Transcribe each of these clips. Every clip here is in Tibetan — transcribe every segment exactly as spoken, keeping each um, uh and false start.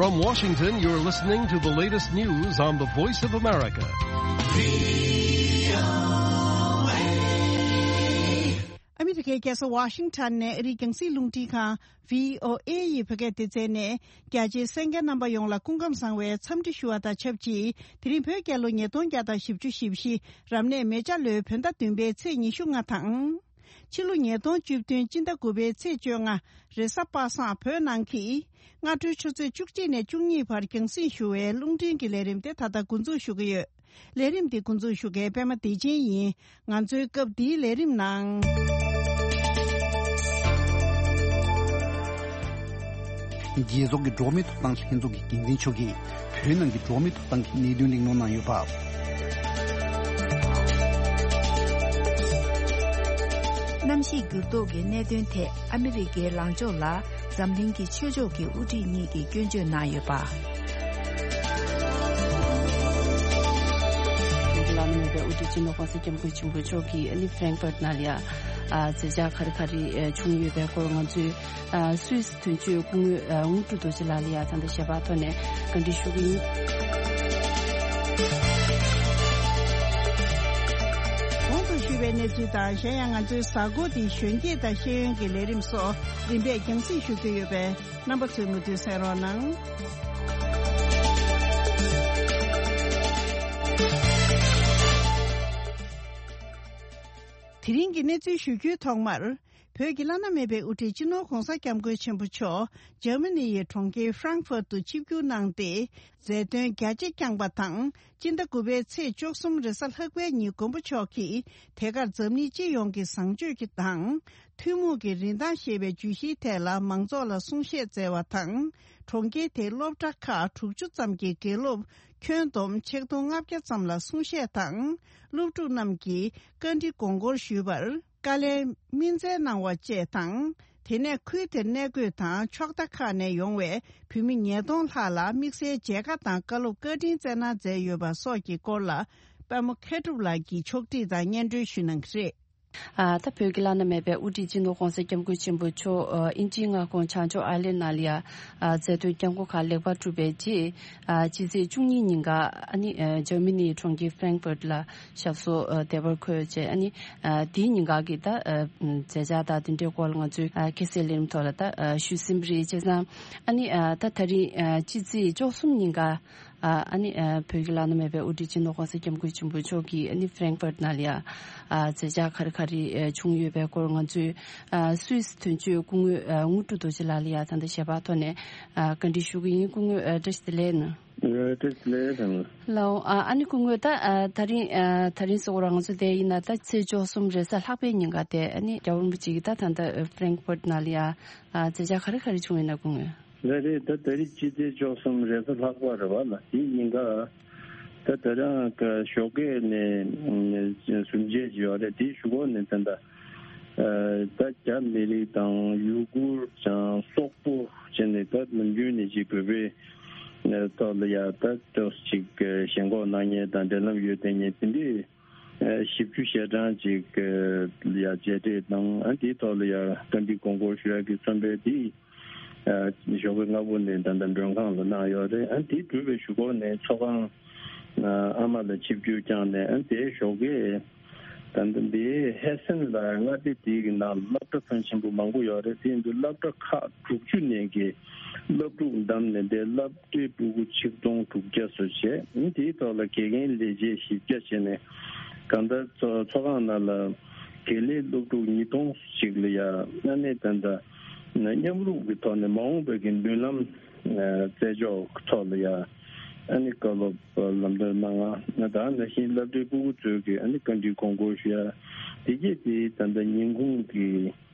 From Washington, you're listening to the latest news on the Voice of America. ཨ་མི་རི་ཀའི་རྒྱལ་ས་ཝ་ཤིང་ཊོན་ནས་ཨ་རིའི་རྒྱང་སྲིང་རླུང་འཕྲིན་ཁང་བྷི་ཨོ་ཨེ་ཡི་བོད་སྐད་སྡེ་ཚན་ནས། རྒྱ་ཆེའི་གསན་མཁན་རྣམ་པ་ཡོངས་ལ་སྐུ་ཁམས་བཟང་བའི་འཚམས་འདྲི་ཞུ་བ་དང་ཆབས་ཅིག་དེ་རིང་བོད་རྒྱལ་ལོ་ཉིས་སྟོང་བརྒྱ་དང་བཞི་བཅུ་ཞེ་བཞི། རབ་གནས་མེ་བྱ་ལོའི་བོད་ཟླ་བདུན་པའི་ཚེས་ཉི་ཤུ་ལྔ་དང་། ཕྱི་ལོ་ཉིས་སྟོང་བཅུ་བདུན་སྤྱི་ཟླ་དགུ་པའི་ཚེས་བཅོ་ལྔ། རེས་གཟའ་པ་སངས་བོད་ནང་གི་སྔ་དྲོའི་ཆུ་ཚོད་བཅུ་གཅིག་ནས་བཅུ་གཉིས་བར་རྒྱང་སྲིང་ཞུ་བའི་རླུང་འཕྲིན་གྱི་ལས་རིམ་དེ་ད་ལྟ་འགོ་འཛུགས་ཞུ་གི་ཡོད། ལས་རིམ་འདི་འགོ་འཛུགས་ཞུ་མཁན་པད་མ་བདེ་ཆེན་ཡིན། ང་ཚོའི་སྐབས་འདིའི་ལས་རིམ་ནང་། རྒྱལ་ཚོགས་ཀྱི་འགྲོ་བ་མིའི་ཐོབ་ཐང་ལྷན་ཚོགས་ཀྱི་འགན་འཛིན་མཆོག་གིས་བོད་ནང་གི་འགྲོ་བ་མིའི་ཐོབ་ཐང་གི་གནད་དོན་གླེང་སློང་གནང་ཡོད་པ། གནམ་གཤིས་འགྱུར་ལྡོག་གི་གནད་དོན་ཐད་ཨ་མི་རི་ཀའི་ལངས་ཕྱོགས་ལ་འཛམ་གླིང་གི་ཆོས་ཕྱོགས་ཀྱི་དབུ་ཁྲིད་གཉིས་ཀྱིས་སྐྱོན་བརྗོད་གནང་ཡོད་པ། བོད་ཀྱི་བླ་ན་མེད་པའི་དབུ་ཁྲིད་སྤྱི་ནོར་༸གོང་ས་༸སྐྱབས་མགོན་ཆེན་པོ་མཆོག་གིས་ཨ་ནི་ཧྥ་རེང་ཧྥར་ནང་ལ་ཡ་ཨ་མཛད་འཆར་ག་རེ་ག་རེ་ཨ་བྱུང་ཡོད་པའི་སྐོར་ང་ཚོའི་ཨ་སུད་སི་དོན་གཅོད་སྐུ་ངོ་ཨ་དངོས་གྲུབ་རྡོ་རྗེ་ལགས་ལ་ཡ་ད་ལྟ་ཞལ་པར་ཐོག་ནས་བཀའ་འདྲི་ཞུ་གི་ཡིན། གོང་དུ་ཞུས་པའི་གནས་ཚུལ་དང་གཞན་ཡང་ང་ཚོའི་གཟའ་འཁོར་འདིའི་གཞོན་སྐྱེས་དང་ཤེས་ཡོན་གྱི་ལས་རིམ་སོགས་རིམ་པས་རྒྱང་སྲིང་ཞུ་རྒྱུ་ཡོད་པས། རྣམ་པ་ཚོས་མུ་མཐུད་གསན་རོགས་གནང་། དེ་རིང་གི་གནས་ཚུལ་ཞུ་རྒྱུའི་ཐོག་མར། བོད་ཀྱི་བླ་ན་མེད་པའི་དབུ་ཁྲིད་སྤྱི་ནོར་༸གོང་ས་༸སྐྱབས་མགོན་ཆེན་པོ་མཆོག་འཇར་མ་ནི་ཡི་གྲོང་ཁྱེར་ཧྥ་རང་ཧྥུར་དུ་ཆིབས་བསྒྱུར་གནང་སྟེ། མཛད་དོན་རྒྱ་ཆེ་བསྐྱངས་པ་དང་། སྤྱི་ཟླ་དགུ་པའི་ཚེས་བཅུ་གསུམ་རེས་གཟའ་ལྷག་པའི་ཉིན་མགོན་པོ་མཆོག་གིས་དེ་གར་འཛམ་གླིང་སྤྱི་ཡོངས་ཀྱི་བཟང་སྤྱོད་ཀྱི་དང་། ཐུན་མོང་གི་རིན་ཐང་ཞེས་པའི་བརྗོད་གཞིའི་ཐད་ལ་མང་ཚོགས་ལ་གསུང་བཤད་སྩལ་བ་དང་། གྲོང་ཁྱེར་དེའི་སློབ་གྲྭ་ཁག་དྲུག་ཅུ་ཙམ་གྱི་དགེ་སློབ་ཁྱོན་བསྡོམས་ཆིག་སྟོང་ལྔ་བརྒྱ་ཙམ་ལ་གསུང་བཤད་དང་། སློབ་ཕྲུག་རྣམས་ཀྱིས་བཀའ་འདྲི་དགོངས་སྐོར་ཞུས་པར། བཀའ་ལན་སྨིན་སྩལ་གནང་བ་བཅས་དང་། དེ་ནས་ཁུལ་དེར་གནས་འཁོད་དང་ཕྱོགས་མཐའ་ཁག་ནས་ཡོང་བའི་བོད་མི་ཉིས་སྟོང་ལྷག་ལ་དམིགས་བསལ་མཇལ་ཁ་དང་བཀའ་སློབ་བཀའ་དྲིན་སྩལ་གནང་མཛད་ཡོད་པ་སོགས་ཀྱི་སྐོར་ལ་པདྨ་མཁས་གྲུབ་ལགས་ཀྱིས་ཕྱོགས་སྒྲིག་དང་སྙན་སྒྲོན་ཞུས་གནང་གི་རེད། ཨ་ད་བོད་ཀྱི་བླ་ན་མེད་པའི་དབུ་ཁྲིད་སྤྱི་ནོར་༸གོང་ས་༸སྐྱབས་མགོན་ཆེན་པོ་མཆོག་ཨ་དབྱིན་ཇིའི་མངའ་ཁོངས་བྱང་ཕྱོགས་ཨའི་ལན་ནང་ལ་ཡ་ཨ་མཛད་དོན་བསྐྱངས་སྒོ་ཁག་ལེགས་པར་གྲུབ་པའི་རྗེས། ཨ་ཕྱི་ཚེས་བཅུ་གཉིས་ཉིན་ཀ་ཨ་ནི་ཨ་འཇར་མ་ནིའི་གྲོང་ཁྱེར་ཧྥ་རེང་ཧྥུར་ལ་ཞབས་སོར་ཨ་བདེ་བར་འཁོད་བྱས། ཨ་ནི་ཨ་དེའི་ཉིན་ཀ་གི་ད་ཨ་མཛད་འཆར་དང་དེ་འདྲའི་སྐོར་ལ་ང་ཚོས་ཨ་ཁ་གསལ་ལས་རིམ་ཐོག་ལ་ད་ཨ་ཞུས་ཟིན་པ་རེད། བྱས་ཙང་ཨ་ནི་ཨ་ད་ད་རིང་ཨ་ཕྱི་ཚེས་བཅུ་གསུམ་ཉིན་ཀ་ཨ་ཨ་ནི་ཨ་བོད་ཀྱི་བླ་ན་མེད་པའི་དབུ་ཁྲིད་སྤྱི་ནོར་༸གོང་ས་༸སྐྱབས་མགོན་ཆེན་པོ་མཆོག་གིས་ཨ་ནི་ཧྥ་རེང་ཧྥར་ནང་ལ་ཡ་ཨ་མཛད་འཆར་ག་རེ་ག་རེ་ཨ་བྱུང་ཡོད་པའི་སྐོར་ང་ཚོས་ཨ་སུད་སི་དོན་གཅོད་སྐུ་ངོ་ཨ་དངོས་གྲུབ་རྡོ་རྗེ་ལགས་ལ་ཡ་ད་ལྟ་ཞལ་པར་ཐོག་ནས་ཨ་བཀའ་འདྲི་ཞུ་གི་ཡིན། སྐུ་ངོ་ཨ་བཀྲ་ཤིས་བདེ་ལེགས་གནང་། ཨ་བཀྲ་ཤིས་བདེ་ལེགས་གནང་། ལགས་འོང་། ཨ་ཨ་ནི་སྐུ་ངོ་ད་ཨ་ད་རིང་ཨ་ད་རིང་གཟའ་འཁོར་ང་ཚོ་དེ་ཡིན་ན་ད་ཚེས་བཅུ་གསུམ་རེས་གཟའ་ལྷག་པའི་ཉིན་ཀ་དེ་ཨ་ནི་རྒྱལ་བ་རིན་པོ་ཆེ་གིས་ད་ད་ལྟ་ཧྥ་རེང་ཧྥར་ནང་ལ་ཡ་ཨ་མཛད་འཆར་ག་རེ་ག་རེ་བྱུང་ཡོད་ན་སྐུ་ངོ། ལགས་རེད། ད་ད་རེས་སྤྱི་ཚེས་བཅུ་གསུམ་རེས་གཟའ་ལྷག་པ་རེད་པ། ལགས་དེའི་ཉིན་ཀ་ད་ད་རང་གི་ཞོགས་ཀས་ནས་ཟུར་མཇལ་ཅིག་ཡོད་རེད། དེའི་གཞུག་གུ་ནས་ད་ད་ད་རྒྱ་མི་རིགས་དང་ཡུ་གུར་དང་སོག་པོ་བྱས་ནས་ད་ནམ་རྒྱུན་ནས་ཅིག་བོད་པའི་ཐོག་ལ་ཡ་ད་ཏོག་ཙམ་ཅིག་ཞེན་ཁོག་གནང་མཁན་དང་འབྲེལ་ལམ་ཡོད་བསྡད་མཁན་དེ་འདྲའི་ཨ་བཞི་བཅུ་ཞེ་གྲངས་ཅིག་ལ་ཡ་མཇལ་འཕྲད་དང་། ཨ་དེའི་ཐོག་ལ་ཡ་བཀའ་འདྲི་དགོངས་སྐོར་ཞུ་ཡག་གི་རྩོམ་པ་དེ་ཨ་ཞོགས་པའི་སྔ་པོ་ནས་ད་ལྟ་མགྲོན་ཁང་ལ་གནང་ཡོད་རེད། ཨ་དེ་གྲུབ་པའི་གཞུག་གུ་ནས་ཚོགས་ཁང་ཨ་ཨ་མ་ལ་ཆིབས་བསྒྱུར་བསྐྱངས་ནས། ཨ་དེའི་ཞོགས་ཀས་ད་ལྟ་འདིའི་ཧེ་སན་ལ་མངའ་སྡེ་དེའི་གི་ནང་སློབ་གྲྭ་ཕོན་ཆེན་པོ་མང་པོ་ཡོད་རེད། དེ་ཡིན་དུས་སློབ་གྲྭ་ཁག་དྲུག་ཅུ་ནས་ཀྱི་སློབ་ཕྲུག་བདམས་ནས་དེ་སློབ་གྲྭའི་སྤུ་གུ་ཆིག་སྟོང་དྲུག་བརྒྱ་ཙམ་བྱས། དེའི་ཐོག་ལ་དགེ་རྒན་ལས་བྱེད་བཞི་བརྒྱ་བྱས་ནས་གང་ལྟར་ཚོ་ཚོགས་ཁང་ནང་ལ་དགེ་ལས་སློབ་ཕྲུག་ཉིས་སྟོང་ཅིག་ལ་ཡ་ཨ་ནི་ད་ལྟ་མཉམ་རུབ་ཀྱི་ཐོག་ནས་མ་འོངས་པའི་གི་མདུན་ལམ་ཨ་རྩེ་ཕྱོགས་ཐོག་ལ་ཡ་ཨ་ནི་བཀའ་སློབ་ལམ་སྟོན་གནང་། ང་ད་ནང་བཞིན་སློབ་གྲྭའི་སྤུ་གུ་ཚོས་ཀྱི་ཨ་ནི་བཀའ་འདྲི་དགོངས་སྐོར་ཞུ་ཡ་དེ་གས་དེ་ད་ལྟ་ཉིན་གུང་གི་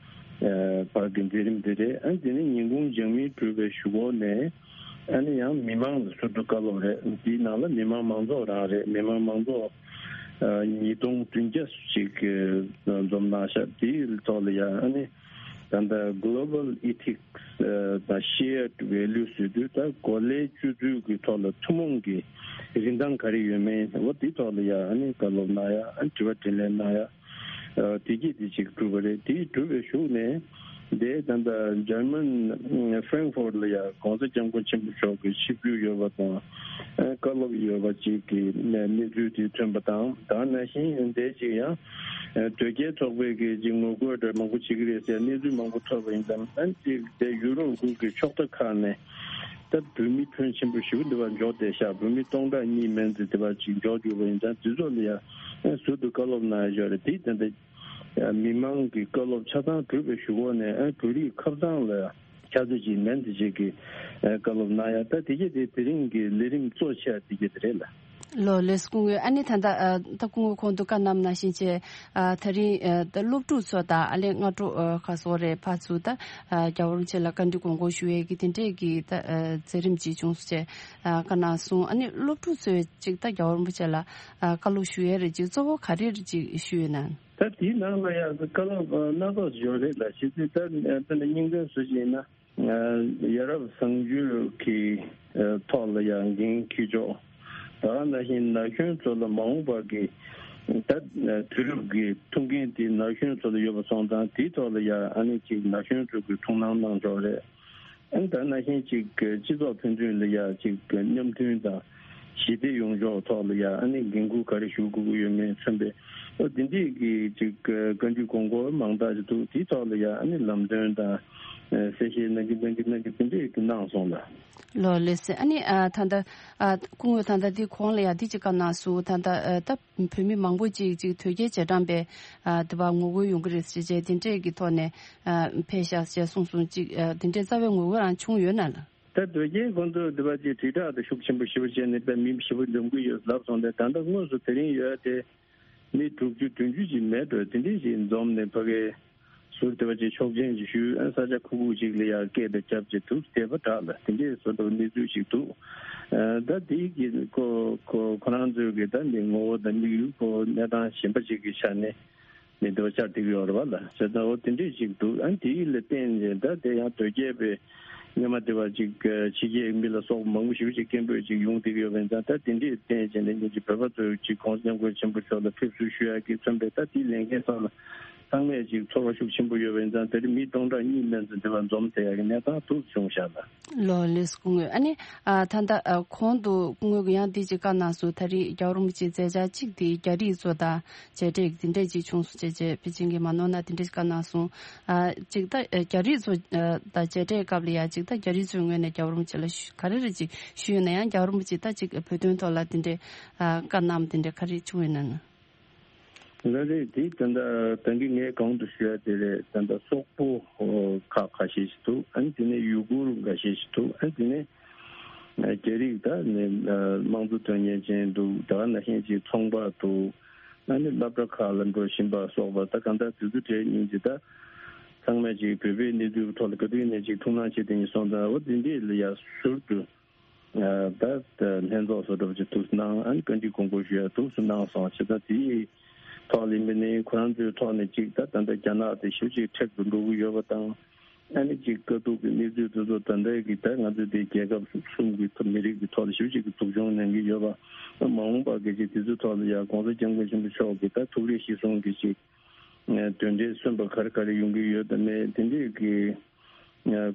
ཨ་བར་གྱི་མཛད་རིམ་དེ་རེད། ཨ་དེ་ནས་ཉིན་གུང་སྦྱང་མིན་གྲུབ་པའི་གཞུག་གུ་ནས་ཨ་ནི་ཡང་མི་མང་ལ་ཟུར་དུ་བཀའ་སློབ་རེད། དེའི་ནང་ལ་མི་མང་མང་ཚོགས་རང་རེད། མི་མང་མང་ཚོགས་ཨ་ཉིས་སྟོང་བདུན་བརྒྱ་ཅིག་འཛོམས་གནང་ཤག་དེའི་ཐོག་ལ་ཡང་ཨ་ནི་ད་ལྟ་Global Ethics ཨ་དང་Shared Values ཟེར་དུས་ད་གོ་ལའི་སྤྱོད་ཚུལ་གྱི་ཐོག་ལ་ཐུན་མོང་གི་རིན་ཐང་ག་རེ་ཡོད་མེད་འོ་དེའི་ཐོག་ལ་ཡང་ཨ་ནི་བཀའ་སློབ་གནང་ཡ། ཨ་ནི་དྲི་བ་དྲིས་ལན་གནང་ཡ། ཨ་དེ་གྱིས་དེ་ཅིག་གྲུབ་པ་རེད། དེ་གྲུབ་པའི་གཞུག་ནས་ དེ་ད་ལྟ་འཇར་མན་ཧྥ་རན་ཧྥོར་ལ་ཡང་༸གོང་ས་༸སྐྱབས་མགོན་ཆེན་པོ་མཆོག་གི་ཆིབས་བསྒྱུར་ཡོད་པ་དང་། བཀའ་སློབ་ཡོད་པ་ཅིག་གི་གནས་ཚུལ་དེ་ཐོན་པ་དང་། ད་ནང་བཞིན་དེ་ཅིག་ཡང་དོལ་རྒྱལ་ཚོགས་པས་ཀྱི་ཅིག་ངོ་རྒོལ་འདྲ་མང་པོ་བྱེད་ཀྱི་རེད་ཟེར་གནས་ཚུལ་མང་པོ་ཐོབ་པ་ཡིན་ཙང་། ཨ་ནི་ཅིག་དེ་ཡུ་རོབ་ཁུལ་གྱི་ཕྱོགས་མཐའ་ཁག་ནས་ད་བོད་མི་ཕོན་ཆེན་པོ་ཞིག་འདི་བར་འབྱོར་བསྡད་ཤག་བོད་མི་སྟོང་ཕྲག་གཉིས་མན་ཙམ་དེ་བར་ཅིག་འབྱོར་གྱུར་པ་ཡིན་ཙང་། དེ་ཚོ་ལ་ཡང་ཟུར་དུ་བཀའ་སློབ་གནང་ཡ་ཡོད་རེད། དེ་དེ་འདྲ་མི་མང་གི་བཀའ་སློབ་ཆ་ཚང་གྲུབ་པའི་གཞུག་གུ་ནས་བོད་རིགས་ཁ་སང་ལ་ཕྱག་ཚོད་ཅིག་མན་དེ་ཅིག་གི་བཀའ་སློབ་གནང་ཡ། ད་དེ་གས་དེ་དེ་རིང་གི་ལས་རིམ་གཙོ་ཆེ་བ་དེ་གས་དེ་རེད་ལ། ལོ་ལེགས་སྐུ་ངོ། ཨ་ནི་ད་ལྟ་ཨ་ད་སྐུ་ངོ་ཁོང་དུ་བཀའ་གནང་ནང་བཞིན་བྱས། ཨ་ད་རིང་ཨ་ད་སློབ་ཕྲུག་ཚོ་དང་ཨ་ལས་སྔ་དྲོ་ཨ་ཁ་སོ་རེ་ཕར་ཚུར་ད་ཨ་རྒྱལ་བ་རིན་པོ་ཆེ་ལ་བཀའ་འདྲི་དགོངས་སྐོར་ཞུ་ཡས་ཀྱི་དེ་འདྲས་ཀྱི་ད་ཨ་མཛད་རིམ་ཅིག་བྱུང་སོང་བྱས། ཨ་བཀའ་གནང་སོང་། ཨ་ནི་སློབ་ཕྲུག་ཚོས་ཅིག་ད་རྒྱལ་བ་རིན་པོ་ཆེ་ལ་ཨ་བཀའ་སློབ་ཞུ་ཡས་རེ་ཅིག་གཙོ་བོ་ག་རེ་རེ་ཅིག་ཞུས་ཡོད་ན། ད་དེའི་ནང་ལ་ཡང་བཀའ་སློབ་སྣ་ཚོགས་ཡོད་རེད་ལ། ཞེས་ཚེ་ད་དཔེར་ན་སྙིང་དོན་བཟོ་བཞིན་ན། ཡ་རབས་བཟང་སྤྱོད་ཀྱི་ཐོག་ལ་ཡང་འགན་འཁྱེར་ཕྱོགས། ད་ག་ནང་བཞིན་ན་གཞོན་ཚོ་ལ་མ་འོངས་པ་གི་ད་དུས་རབས་ཀྱི་ཐུགས་འགན་དེ་ན་གཞོན་ཚོ་ལ་ཡོད་པ་སོང་ཙང་། དེའི་ཐོག་ལ་ཡང་ཨ་ནི་ཅིག་ན་གཞོན་ཚོ་གི་ཐུགས་སྣང་གནང་ཕྱོགས་རེད། ཨ་ནི་ད་ནང་བཞིན་ཅིག་སྤྱི་ཚོགས་ཕན་ཚུན་ལ་ཡང་ཅིག་མཉམ་མཐུན་དང་ཞི་བདེ་ཡོང་ཕྱོགས་ཐོག་ལ་ཡང་ཨ་ནི་འགན་འཁུར་ག་རེ་ཞུ་དགོས་ཀྱི་ཡོད་མེད་མཚོན་པའི། ཨོ་དེ་འདྲས་ཀྱི་ཅིག་བཀའ་འདྲི་དགོངས་སྐོར་མང་དག་ཅིག་འདུག་དེའི་ཐོག་ལ་ཡང་ཨ་ནི་ལམ་སྟོན་དང་གསལ་བཤད་གནང་གི་གནང་གི་གནང་གི་དེ་འདྲས་ཀྱི་གནང་སོང་ལ། ལོ་ལེགས་སེ། ཨ་ནི་ཨ་ད་ལྟ་ཨ་སྐུ་ངོ་ད་ལྟ་འདི་གོང་ལ་ཡང་འདི་ཅིག་བཀའ་གནང་སོང་། ད་ལྟ་ཨ་ད་བོད་མི་མང་པོ་ཅིག་ཅིག་དོལ་རྒྱལ་རྗེས་འབྲང་པའི་ཨ་དེ་བ་ངོ་རྒོལ་ཡོང་གི་རེད་ཟེར་བྱས་དེ་འདྲས་ཀྱི་ཐོག་ནས་ཨ་ཕེབས་ཤག་ཅེས་གསུངས་སོང་། ཅིག་ཨ་དེ་འདྲས་རྩ་བའི་ངོ་རྒོལ་རང་བྱུང་ཡོད་ན་ལ། ད་དོལ་རྒྱལ་ཁོང་ཚོ་དེ་བ་ཅིག་དྲིལ་བསྒྲགས་དེ་ཤུགས་ཆེན་པོ་ཞེ་པོ་བྱས་ནས་དཔེ་མི་ཞེ་པོ་འཛོམས་ཀྱི་ཡོད་ལབ་སོང་སྟེ། ད་ལྟ་དངོས་སུ་དེ་རིང་ཡོད་དེ་མི་དྲུག་ཅུ་བདུན་ཅུ་ཅིག་མེད་འགྲོ། དེ་འདྲས་ཞིག་འཛོམས་ནས་ཕ་གའི་ཟུར་དེ་བ་ཅིག་ཆོག་མཆན་ཅིག་ཞུས། ཨ་ས་ཆ་ཁུག་ཁུག་ཅིག་ལ་ཡང་སྐད་དེ་རྒྱབ་ཅིག་འདུག་དེ་བ་དྲག་ལ་དེ་འདྲས་བཟོ་འདུག་གནས་ཚུལ་ཞིག་འདུག་ཨ་ད་དེའི་གི་ཁོ་ཁོ་ཁོ་རང་ཚོའི་གི་ད་འདི་ངོ་བོ་དང་དམིགས་ཡུལ་ཁོ་གནས་སྟངས་གཞན་པ་ཅིག་གི་ཆ་ནས་མི་འདུག་ཆ་འགྲིག་ཡོད་རེད་བ་ལ། བྱས་ཙང་འོ་དེ་འདྲས་ཞིག་འདུག་ཨ་དེའི་ལ་བརྟེན་ནས་ད་དེ་ཡང་དོལ་རྒྱལ་པའི་སྔོན་མ་དེ་བ་ཅིག་ཕྱི་རྒྱལ་མི་ལ་སོགས་མང་པོ་ཞེ་པོ་ཅིག་སྐད་འབོད་ཅིག་ཡོང་བསྡད་ཀྱི་ཡོད་པ་ཡིན་ཙང་། ད་དེ་འདྲས་བརྟེན་བྱས་ནས་ཉིན་གཅིག་བོད་པ་ཚོས་ཅིག་༸གོང་ས་༸སྐྱབས་མགོན་ཆེན་པོ་མཆོག་ལ་ཕེབས་བསུ་ཞུ་ཡག་གི་མཚོན་པའི་ད་དེའི་ལས་འགན་ཚང་ལ་ཚང་མས་ཅིག་ཚོར་བ་ཤུགས་ཆེན་པོ་ཡོད་པ་ཡིན་ཙང་། དེ་རིང་མི་སྟོང་ཕྲག་གཉིས་མན་ཙམ་དེ་བ་འཛོམས་བསྡད་ཡག་གི་གནས་སྟངས་འདུག་བྱུང་ཤག་ལ། ལོ་ལེགས་སྐུ་ངོ། ཨ་ནི་ཨ་ད་ལྟ་ཨ་གོང་དུ་སྐུ་ངོ་གིས་ཡང་འདི་ཅིག་བཀའ་གནང་སོང་། ད་རེས་རྒྱལ་བ་རིན་པོ་ཆེའི་མཛད་འཆར་གཅིག་དེ་རྒྱ་རིགས་ཚོ་དང་མཇལ་འཕྲད་འདི་འདྲས་ཅིག་བྱུང་སོང་ཅེས་བྱས་པེ་ཅིང་གི་མ་ནོར་ན་འདི་འདྲས་བཀའ་གནང་སོང་། ཨ་གཅིག་ད་ཨ་རྒྱ་རིགས་ཚོ་ཨ་དང་མཇལ་འཕྲད་སྐབས་ལ་ཡང་གཅིག་ད་རྒྱ་རིགས་ཚོའི་ངོས་ནས་རྒྱལ་བ་རིན་པོ་ཆེ་ལ་ཞུ་ག་རེ་རེ་ཅིག་ཞུས་ཡོད་ན། ཡང་རྒྱལ་བ་རིན་པོ་ཆེ་ད་ཅིག་བོད་དོན་ཐོག་ལ་འདི་འདྲས་ཨ་བཀའ་གནང་འདི་འདྲས་ག་རེ་བྱུང་ཡོད་ན་ན། ལགས་རེད། དེ་ད་ལྟ་ད་གིན་ངས་གོང་དུ་ཞུ་ཡ་དེ་རེད། ད་ལྟ་སོག་པོ་ཁག་ཁ་ཤས་ཤིག་འདུག་ཨ་ནི་དེ་ནས་ཡུ་གུར་འགའ་ཤས་ཤིག་འདུག་ཨ་ནི་དེ་ནས་རྒྱ་རིགས་ད་ནི་དམངས་གཙོ་དོན་གཉེར་ཅན་འདུག་ད་ག་ནང་བཞིན་ཅིག་ཚོང་པ་འདུག་ཨ་ནི་སློབ་གྲྭ་ཁག་ལ་འགྲོ་བཞིན་པ་སོགས་པ། ད་གང་ལྟར་དུས་ཚོད་དེ་ཉིན་གཅིག་ད་ཚང་མས་ཅིག་བོད་པའི་གནས་ཚུལ་ཐོག་ལ་ག་དུས་ནས་ཅིག་ཐུགས་སྣང་བྱེད་དེ་ཉིན་སོང་ཙང་། འོ་དེ་འདྲས་ལ་ཡ་ཟུར་དུ་ད་ལྷན་ཚོགས་སུ་འགྲོ་བ་ཅིག་ཐུགས་སུ་གནང་། ཨ་ནི་བཀའ་འདྲི་དགོངས་སྐོར་ཞུ་ཡ་ཐུགས་སུ་གནང་སོང་། བྱས་ཙང་དེའི་ཐོག་ལ་ཡིན་པ་ནི་ཁོ་རང་ཚོའི་ཐོག་ནས་ཅིག་ད་ད་ལྟ་རྒྱ་ནག་དེ་ཞེ་པོ་ཅིག་མཁྲེགས་སུ་འགྲོ་གི་ཡོད་པ་དང་། ཨ་ནི་ཅིག་དཀའ་སྡུག་གི་གནས་ཚུལ་དེ་ཚོ་ད་ལྟའི་གི་ད་ང་ཚོ་དེ་རྒྱལ་ཁབ་གསུམ་གི་མི་རིགས་ཀྱི་ཐོག་ལ་ཞེ་པོ་ཅིག་གི་སྡུག་སྦྱོང་མྱངས་ཀྱི་ཡོད་པ། མ་འོངས་པ་གི་ཅིག་དེ་ཚོའི་ཐོག་ལ་ཡ་༸གོང་ས་༸སྐྱབས་མགོན་ཆེན་པོ་མཆོག་གི་ད་ཐུགས་རེ་གཞིར་བཟུང་གི་ཅིག་དོན་འབྲས་སོན་པ་ག་རེ་ག་རེ་ཡོང་གི་ཡོད་དམ་མེད་དེ་འདྲས་ཀྱི་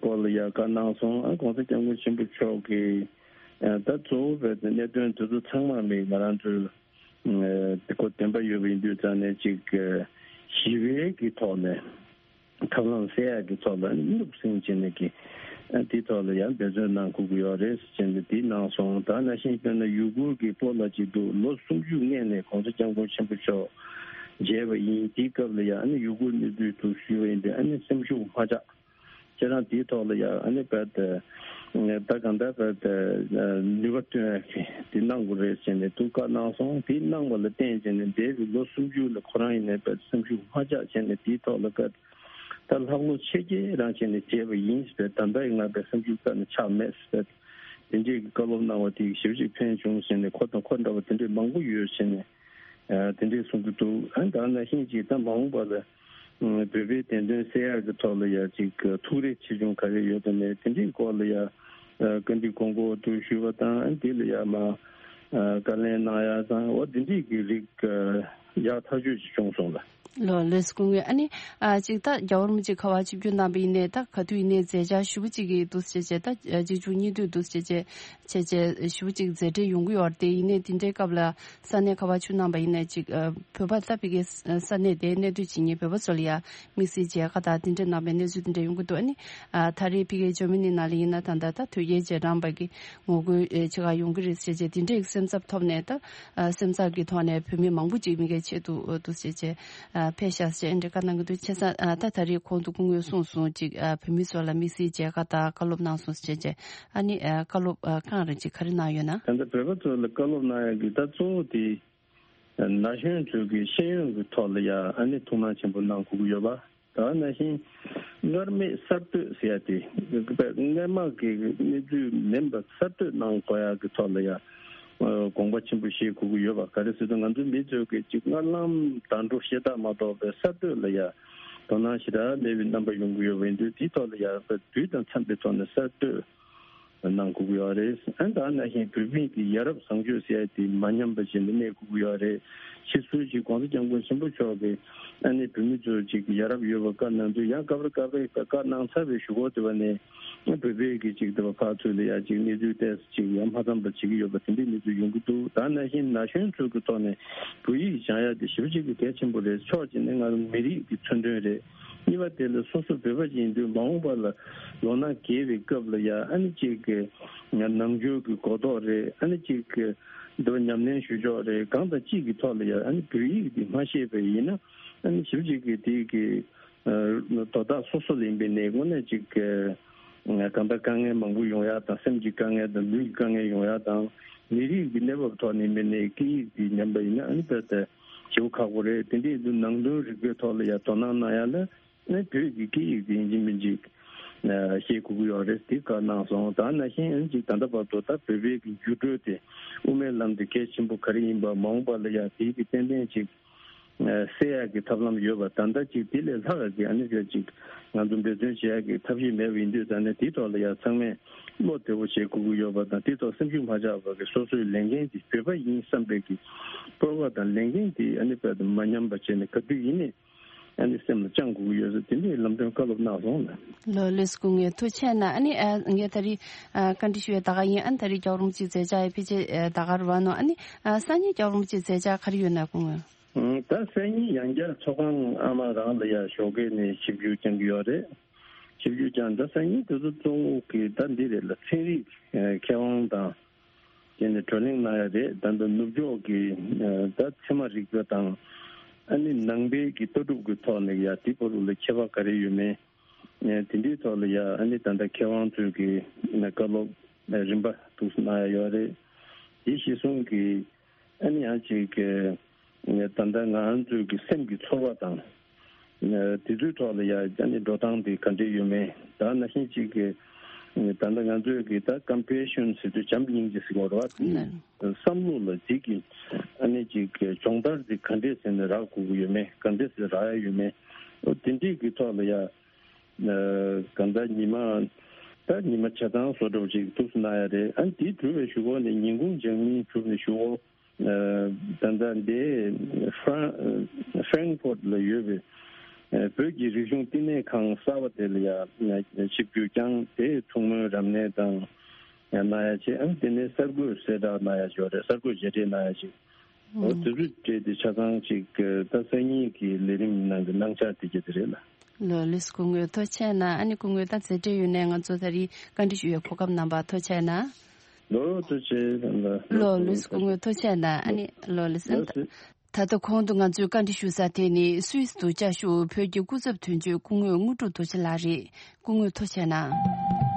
སྐོར་ལ་ཡ་བཀའ་གནང་སོང་། ཨ་༸གོང་ས་༸སྐྱབས་མགོན་ཆེན་པོ་མཆོག་གིས་ད་གཙོ་བོ་བས་གནད་དོན་དེ་ཚོ་ཚང་མ་མི་ང་རང་ཚོའི་དེ་ཁོ་བདེན་པ་ཡོད་པ་ཡིན་དུས་ཙང་ནས་ཅིག་ཞི་བའི་གི་ཐོག་ནས་ཐབས་ལམ་སེལ་ཡག་གི་ཐོག་ལ་ནུབ་སེང་བྱས་ནས་ཀྱི་དེའི་ཐོག་ལ་ཡང་འབད་བརྩོན་གནང་དགོས་ཀྱི་ཡོད་རེད་ཟེར་ནས་དེ་གནང་སོང་། ད་ནང་བཞིན་དཔེར་ན་ཡུ་གུར་གྱི་སྤོ་ལགས་ཅིག་འདུག་ལོ་སུམ་ཅུ་སྔོན་ནས་༸གོང་ས་༸སྐྱབས་མགོན་ཆེན་པོ་མཆོག་མཇལ་བ་ཡིན། དེའི་སྐབས་ལ་ཡང་ཨ་ནི་ཡུ་གུར་གནས་ཚུལ་དུ་ཞུས་པ་ཡིན་ཏེ། ཨ་ནི་སེམས་ཤུགས་མ་ཆག་ཁྱེད་རང་དེའི་ཐོག་ལ་ཡང་ཨ་ནི་བས་ད་གང་ལྟར་བས་ནུས་པ་བཏོན་ཡག་གི་དེ་གནང་དགོས་རེད་ཟེར་ནས་དུ་བཀའ་གནང་སོང་། དེ་གནང་བ་ལ་བརྟེན་བྱས་ནས་འདས་པའི་ལོ་སུམ་ཅུ་ལ་ཁོ་རང་ཡིན་ནའི་བས་སེམས་ཤུགས་མ་ཆག་བྱས་ནས་དེའི་ཐོག་ལ་བས་ད་ལྷག་ལུས་ཆེ་གེ་རང་བྱས་ནས་བྱས་པ་ཡིན་ཟེར། ད་ལྟ་ཡི་ང་བས་སེམས་ཤུགས་རྩ་ནས་ཆག་མེད་ཟེར། དེ་འདྲའི་བཀའ་སློབ་གནང་བ་དེ་ཞེ་པོ་ཅིག་ཕན་བྱུང་ཟེར་ནས། ཁོ་དང་ཁོ་འདྲ་བ་དེ་འདྲའི་མང་པོ་ཡོད་ཟེར་ནས་དེ་འདྲའི་གསུང་གི་འདུག་ཨ་ད་ནང་བཞིན་ཅིག་ད་མ་འོངས་པ་ལ་བོད་པའི་བདེན་དོན་སེལ་ཡག་གི་ཐོག་ལ་ཡ་ཅིག་ཐུགས་རེ་ཆེ་ཆུང་ག་རེ་ཡོད་དམ་མེད་དེ་འདྲའི་སྐོར་ལ་ཡ་བཀའ་འདྲི་དགོངས་སྐོར་དུ་ཞུས་པ་དང་། ཨ་དེ་ལ་ཡ་མ་བཀའ་ལན་གནང་ཡ་དང་། འོ་དེ་འདྲའི་གི་རིགས་ཡག་ཐག་ཆོད་ཅིག་བྱུང་སོང་ལ། ལོ་ལོས་སྐུ་ངོས། ཨ་ནི་ཨ་ཅིག་ད་རྒྱལ་བ་རིན་པོ་ཆེ་ཁ་པར་ཆིབས་བསྒྱུར་གནང་བ་ཡིན་ནའི་ད་ག་དུས་ཡིན་ནའི་མཛད་འཆར་ཞུ་བ་ཅིག་གི་འདུག་ཟེར་བྱས་ད་ཅིག་བཅུ་གཉིས་དུས་འདུག་ཟེར་བྱས་བྱས་བྱས་ཞུ་བ་ཅིག་མཛད་འཕྲིན་ཡོང་གི་ཡོད་རེད། དེ་ཡིན་ནའི་དེ་འདྲའི་སྐབས་ལ་ས་གནས་ཁ་པར་ཆུ་གནང་བ་ཡིན་ནའི་ཅིག་བོད་པ་ད་ཕ་གི་ས་གནས་དེའི་གནས་སྡོད་བྱེད་མཁན་བོད་པ་ཚོ་ལ་ཡ་དམིགས་བསལ་མཇལ་ཁ་དང་དེ་འདྲ་གནང་བའི་གནས་ཚུལ་དེ་འདྲ་ཡོང་གི་འདུག་ཨ་ནི་ཨ་ད་རེས་ཕ་གི་ཇར་མ་ནི་ནང་ལ་ཡིན་ན་ད་ལྟ་ད་དོལ་རྒྱལ་རྗེས་འབྲང་པ་གི་ངོ་རྒོལ་ཨེ་ཆེ་ཁག་ཡོང་གི་རེད་ཟེར་བྱས་དེ་འདྲའི་སེམས་འཚབ་ཐོབ་ནས་ད་ཨ་སེམས་འཚབ་ཀྱི་ཐོག་ནས་བོད་མི་མང་པོ་ཅིག་མི་གའི་ཆེད་དུ་འདུག་ཟེར་བྱས་ཨ་ཕེབས་ཤག་ཟེར་འདྲི་བཀའ་གནང་གི་འདུག་བྱས་ཙང་ཨ་ད་ད་རེས་གོང་དུ་སྐུ་ངོས་གསུངས་སོང་ཅིག་ཨ་བོད་མི་ཚོ་ལ་དམིགས་བསལ་མཇལ་ཁ་དང་བཀའ་སློབ་གནང་སོང་ཟེར་བྱས་ཨ་ནི་ཨ་བཀའ་སློབ་ཨ་གང་རེད་ཅིག་ག་རེ་གནང་ཡོད་ན། ད་ལྟ་བོད་པ་ཚོ་ལ་བཀའ་སློབ་གནང་ཡག་གི་ད་གཙོ་བོ་དེ་ན་གཞོན་ཚོས་ཀྱི་ཤེས་ཡོན་གྱི་ཐོག་ལ་ཡང་ཨ་ནི་ཐུགས་སྣང་ཆེན་པོ་གནང་དགོས་ཀྱི་ཡོད་པ། ད་ནང་བཞིན་སྔར་མེད་གསར་གཏོད་ཟེར་ཡ་དེ་སྔོན་མ་གི་གནས་ཚུལ་མིན་པ་གསར་གཏོད་གནང་དགོས་ཡ་གི་ཐོག་ལ་ཡ་དགོངས་པ་ཆེན་པོ་བཞེས་དགོས་ཀྱི་ཡོད་པ། ག་རེ་ཟེར་ན་ང་ཚོ་མི་ཚོས་ཀྱི་ཅིག་སྔར་ལམ་བརྡ་འཕྲོད་ཤེས་རྟགས་མ་གཏོགས་པའི་གསར་གཏོད་ལ་ཡ་དོ་སྣང་ཞེ་དྲག་མེད་པའི་རྣམ་པ་ཡོང་གི་ཡོད་པ་ཡིན་དུས་དེའི་ཐོག་ལ་ཡ་དུས་དང་འཚམས་པའི་ཐོག་ནས་གསར་གཏོད་གནང་དགོས་ཀྱི་ཡོད་རེད། ཨ་ནི་ད་ནང་བཞིན་བོད་མི་གི་ཡ་རབས་བཟང་སྤྱོད་ཟེར་ཡ་དེ་མ་ཉམས་པ་བྱས་ནས་གནས་དགོས་ཀྱི་ཡོད་རེད། ཕྱིས་སུ་ཅིག་༸གོང་ས་༸སྐྱབས་མགོན་ཆེན་པོ་མཆོག་གིས་ཨ་ནི་བོད་མི་ཚོ་ཅིག་ཡ་རབས་ཡོད་པ་བཀའ་གནང་དུས་ཡང་སྐབས་རེ་སྐབས་རེ་བཀའ་གནང་ཚར་བའི་གཞུག་གུ་དེ་བ་ནས་བོད་པའི་གི་ཅིག་དེ་བ་ཕར་ཚུར་ལ་ཡ་ཅིག་གནས་ཚུལ་ཏོག་ཙམ་ཅིག་ཡང་མ་འཚམས་པ་བྱེད་ཀྱི་ཡོད་པ་དེ་འདྲའི་གནས་ཚུལ་ཡོང་གི་འདུག་ད་ནང་བཞིན་ན་གཞོན་ཚོ་གི་ཐོག་ནས་བོད་ཡིག་སྦྱང་ཡ་དེ་ཞེ་པོ་ཅིག་གི་གལ་ཆེན་པོ་རེད། ཕྱོགས་གཅིག་ནས་ང་ཚོ་མི་རིགས་ཀྱི་མཚོན་དོན་རེད། གཉིས་པ་དེ་ལ་སོ་སོ་བོད་པ་ཡིན་དུས་མ་འོངས་པ་ལ་ལོ་ན་རྒས་པའི་སྐབས་ལ་ཡ་ཨ་ནི་ཅིག་གི་ནང་ཆོས་ཀྱི་གོ་རྟོགས་རེད། ཨ་ནི་ཅིག་གི་འདི་བ་ཉམས་ལེན་ཞུ་ཕྱོགས་རེད། གང་དང་ཅིག་གི་ཐོག་ལ་ཡ་ཨ་ནི་བོད་ཡིག་འདི་མ་ཤེས་པ་ཡིན་ན་ཨ་ནི་ཞིབ་ཅིག་གི་དེ་གི་དོ་བདག་སོ་སོ་ལ་ཡིན་པའི་ནས་དངོས་གནས་ཅིག་གི་གང་ལྟར་དཀའ་ངལ་མང་པོ་ཡོང་ཡ་དང་སེམས་ཀྱི་དཀའ་ངལ་དང་ལུས་ཀྱི་དཀའ་ངལ་ཡོང་ཡ་དང་མི་རིགས་ཀྱི་གནས་བབ་ཐོག་ནས་ཡིན་པའི་ནས་སྐད་ཡིག་འདི་ཉམས་པ་ཡིན་ན་ཨ་ནི་དཔེ་དེ་བྱེད་པོ་ཁག་པོ་རེད། དེ་འདྲའི་དུས་ནང་དོན་རིག་པའི་ཐོག་ལ་ཡ་དོ་སྣང་གནང་ཡ་ལ་ཨ་ནི་བོད་ཀྱི་སྐད་ཡིག་དེ་ཡིན་གཅིག་མིན་གཅིག་ཤེས་དགོས་ཀྱི་ཡོད་རེད། དེ་བཀའ་གནང་སོང་། ད་ནང་བཞིན་ཨ་ནི་ཅིག་ད་ལྟ་བར་དུ་ད་བོད་པའི་གི་འགྱུར་འགྲོས་དེ་དབུ་མའི་ལམ་དེ་གལ་ཆེན་པོ་ག་རེ་ཡིན་པ་མ་འོངས་པ་ལ་ཡ་དེའི་གི་ཏན་ཏན་ཅིག་སེལ་ཡག་གི་ཐབས་ལམ་ཡོད་པ། ད་ལྟ་ཅིག་དེ་ལས་ལྷག་གི་ཨ་ནི་ཅིག་ང་ཚོ་འབད་བརྩོན་བྱེད་ཡག་གི་ཐབས་ཤེས་མེད་པ་ཡིན་དུས་ད་ནི་དེའི་ཐོག་ལ་ཡ་ཚང་མས་བློ་བདེ་བོ་བྱེད་དགོས་ཀྱི་ཡོད་པ་དང་དེའི་ཐོག་སེམས་ཤུགས་མ་ཆག་པ་གི་སོ་སོའི་ལས་འགན་དེ་བོད་པ་ཡིན་བསམ་པའི་གི་སྤོབས་པ་དང་ལས་འགན་དེ་ཨ་ནི་དཔེ་དེ་མ་ཉམས་པ་བྱས་ནས་ག་དུས་ཡིན་ནའི་ཨ་ནི་སེམས་ལ་བཅངས་དགོས་ཀྱི་ཡོད་ཟེར་དེ་འདྲའི་ལམ་སྟོན་བཀའ་སློབ་གནང་སོང་ལ། ལོ་ལོས་སྐུ་ངོ་ཐུགས་རྗེ་གནང་། ཨ་ནི་ཨ་ངས་ད་རེས་ཨ་བཀའ་འདྲི་ཞུ་བའི་ད་ག་ཡིན། ཨ་ནི་ད་རེས་རྒྱལ་བ་རིན་པོ་ཆེ་མཛད་འཆར་ཡི་ཕལ་ཆེར་ཨ་ད་ག་རུ་བ་ནོ། ཨ་ནི་ཨ་སང་ཉིན་རྒྱལ་བ་རིན་པོ་ཆེ་མཛད་འཆར་ག་རེ་ཡོད་ན་སྐུ་ངོ། ཨང་། ད་སང་ཉིན་ཡང་བསྐྱར་ཚོགས་ཁང་ཨ་མ་རང་ལ་ཡ་ཞོགས་ཀས་ནས་ཆིབས་བསྒྱུར་བསྐྱང་གི་ཡོད་རེད། ཆིབས་བསྒྱུར་བསྐྱངས། ད་སང་ཉིན་དེ་ཚོ་གཙོ་བོ་གི་ད་འདི་རེད་ལ། ཚན་རིག་ཨ་མཁས་དབང་དང་དེ་ནས་བགྲོ་གླེང་གནང་ཡ་རེད། ད་ལྟ་ནུབ་ཕྱོགས་ཀྱི་ཨ་ད་ཚད་མ་རིག་པ་དང་ཨ་ནི་ནང་པའི་གི་ལྟ་གྲུབ་ཀྱི་ཐོག་ནས་ཡ་དེ་བར་ལ་ཁྱད་པར་ག་རེ་ཡོད་མེད་ཨ་དེ་འདྲའི་ཐོག་ལ་ཡ་ཨ་ནི་ད་ལྟ་མཁས་དབང་ཚོས་ཀྱི་བཀའ་སློབ་རིམ་པ་འདུག་གནང་ཡ་ཡོད་རེད། དེ་གཞི་བཟུང་གི་ཨ་ནི་ཡང་ཅིག་གི་ད་ལྟ་ང་ཚོའི་གི་སེམས་ཀྱི་ཚོར་བ་དང་དེ་ཚོའི་ཐོག་ལ་ཡ་ཨ་ནི་འགྲོ་སྟངས་དེ་ག་འདྲས་ཡོད་མེད། ད་ནང་བཞིན་ཅིག་གི་ད་ལྟ་ང་ཚོའི་གི་ད་ཀམ་པེ་ཤན་ཟེར་དུས་བྱམས་སྙིང་རྗེ་ཟེར་གྱི་ཡོད་རེད་བ། དེ་བསམ་བློ་ལ་ཅིག་གི་ཨ་ནི་ཅིག་གི་སྦྱོང་བརྡར་དེ་ག་འདྲས་ཟེར་ནས་རག་དགོས་ཀྱི་ཡོད་མེད། ག་འདྲས་ཟེར་རག་ཡ་ཡོད་མེད། འོ་དེ་འདྲས་གི་ཐོག་ལ་ཡ། གང་ལྟར་ཉི་མ་ད་ཉི་མ་བྱས་ཙང་བཟོ་འདྲ་བོ་ཅིག་འདུག་སེ་གནང་ཡ་རེད། ཨ་ནི་དེ་གྲུབ་པའི་གཞུག་གུ་ནས་ཉིན་གུང་སྦྱང་གཉིས་གྲུབ་པའི་གཞུག་གུ་ད་ལྟ་འདི་ཧྥྲང་ཧྥྲེང་ཧྥོར་ལ་ཡོད་པའི་བོད་ཀྱི་རིག་གཞུང་བསྟི་གནས་ཁང་གསར་པ་དེ་ལ་ཡ་ཆིབས་བསྒྱུར་བསྐྱངས། དེ་ཐུགས་སྨོན་རབ་གནས་དང་གནང་ཡ་བྱས། ཨ་ནི་དེ་ནས་གསར་འགོད་གསལ་བསྒྲགས་གནང་ཡ་ཅིག་ཡོད་རེད། གསར་འགོད་མཇལ་འཕྲད་གནང་ཡ་ཅིག་འོ་དེ་ཚོ་སྤྲད་དེ་ཆ་ཚང་ཅིག་ད་སང་ཉིན་གྱི་ལས་རིམ་ནང་གི་གནང་འཆར་དེ་གྱད་དེ་རེད་ལ། ལོ་ལོས་སྐུ་ངོ་ཐུགས་རྗེ་གནང་། ཨ་ནི་སྐུ་ངོ་ད་མཛད་འཕྲིན་ཡོད་ནས་ང་ཚོ་ད་རེས་བཀའ་འདྲི་ཞུ་བའི་གོ་སྐབས་གནང་བར་ཐུགས་རྗེ་གནང་། ལོ་ཐུགས་རྗེ་གནང་། ལོ་ལོས་སྐུ་ངོ་ཐུགས་རྗེ་གནང་། ཨ་ནི་ལོ་ལོས། ད་ལྟ་གོང་དུ་ང་ཚོས་བཀའ་འདྲི་ཞུ་ས་དེ་ནི་སུད་སི་དུ་བཅའ་བཞུགས་བོད་ཀྱི་སྐུ་ཚབ་དོན་གཅོད་སྐུ་ངོ་དངོས་གྲུབ་རྡོ་རྗེ་ལགས་རེད། སྐུ་ངོ་ཐུགས་རྗེ་གནང་།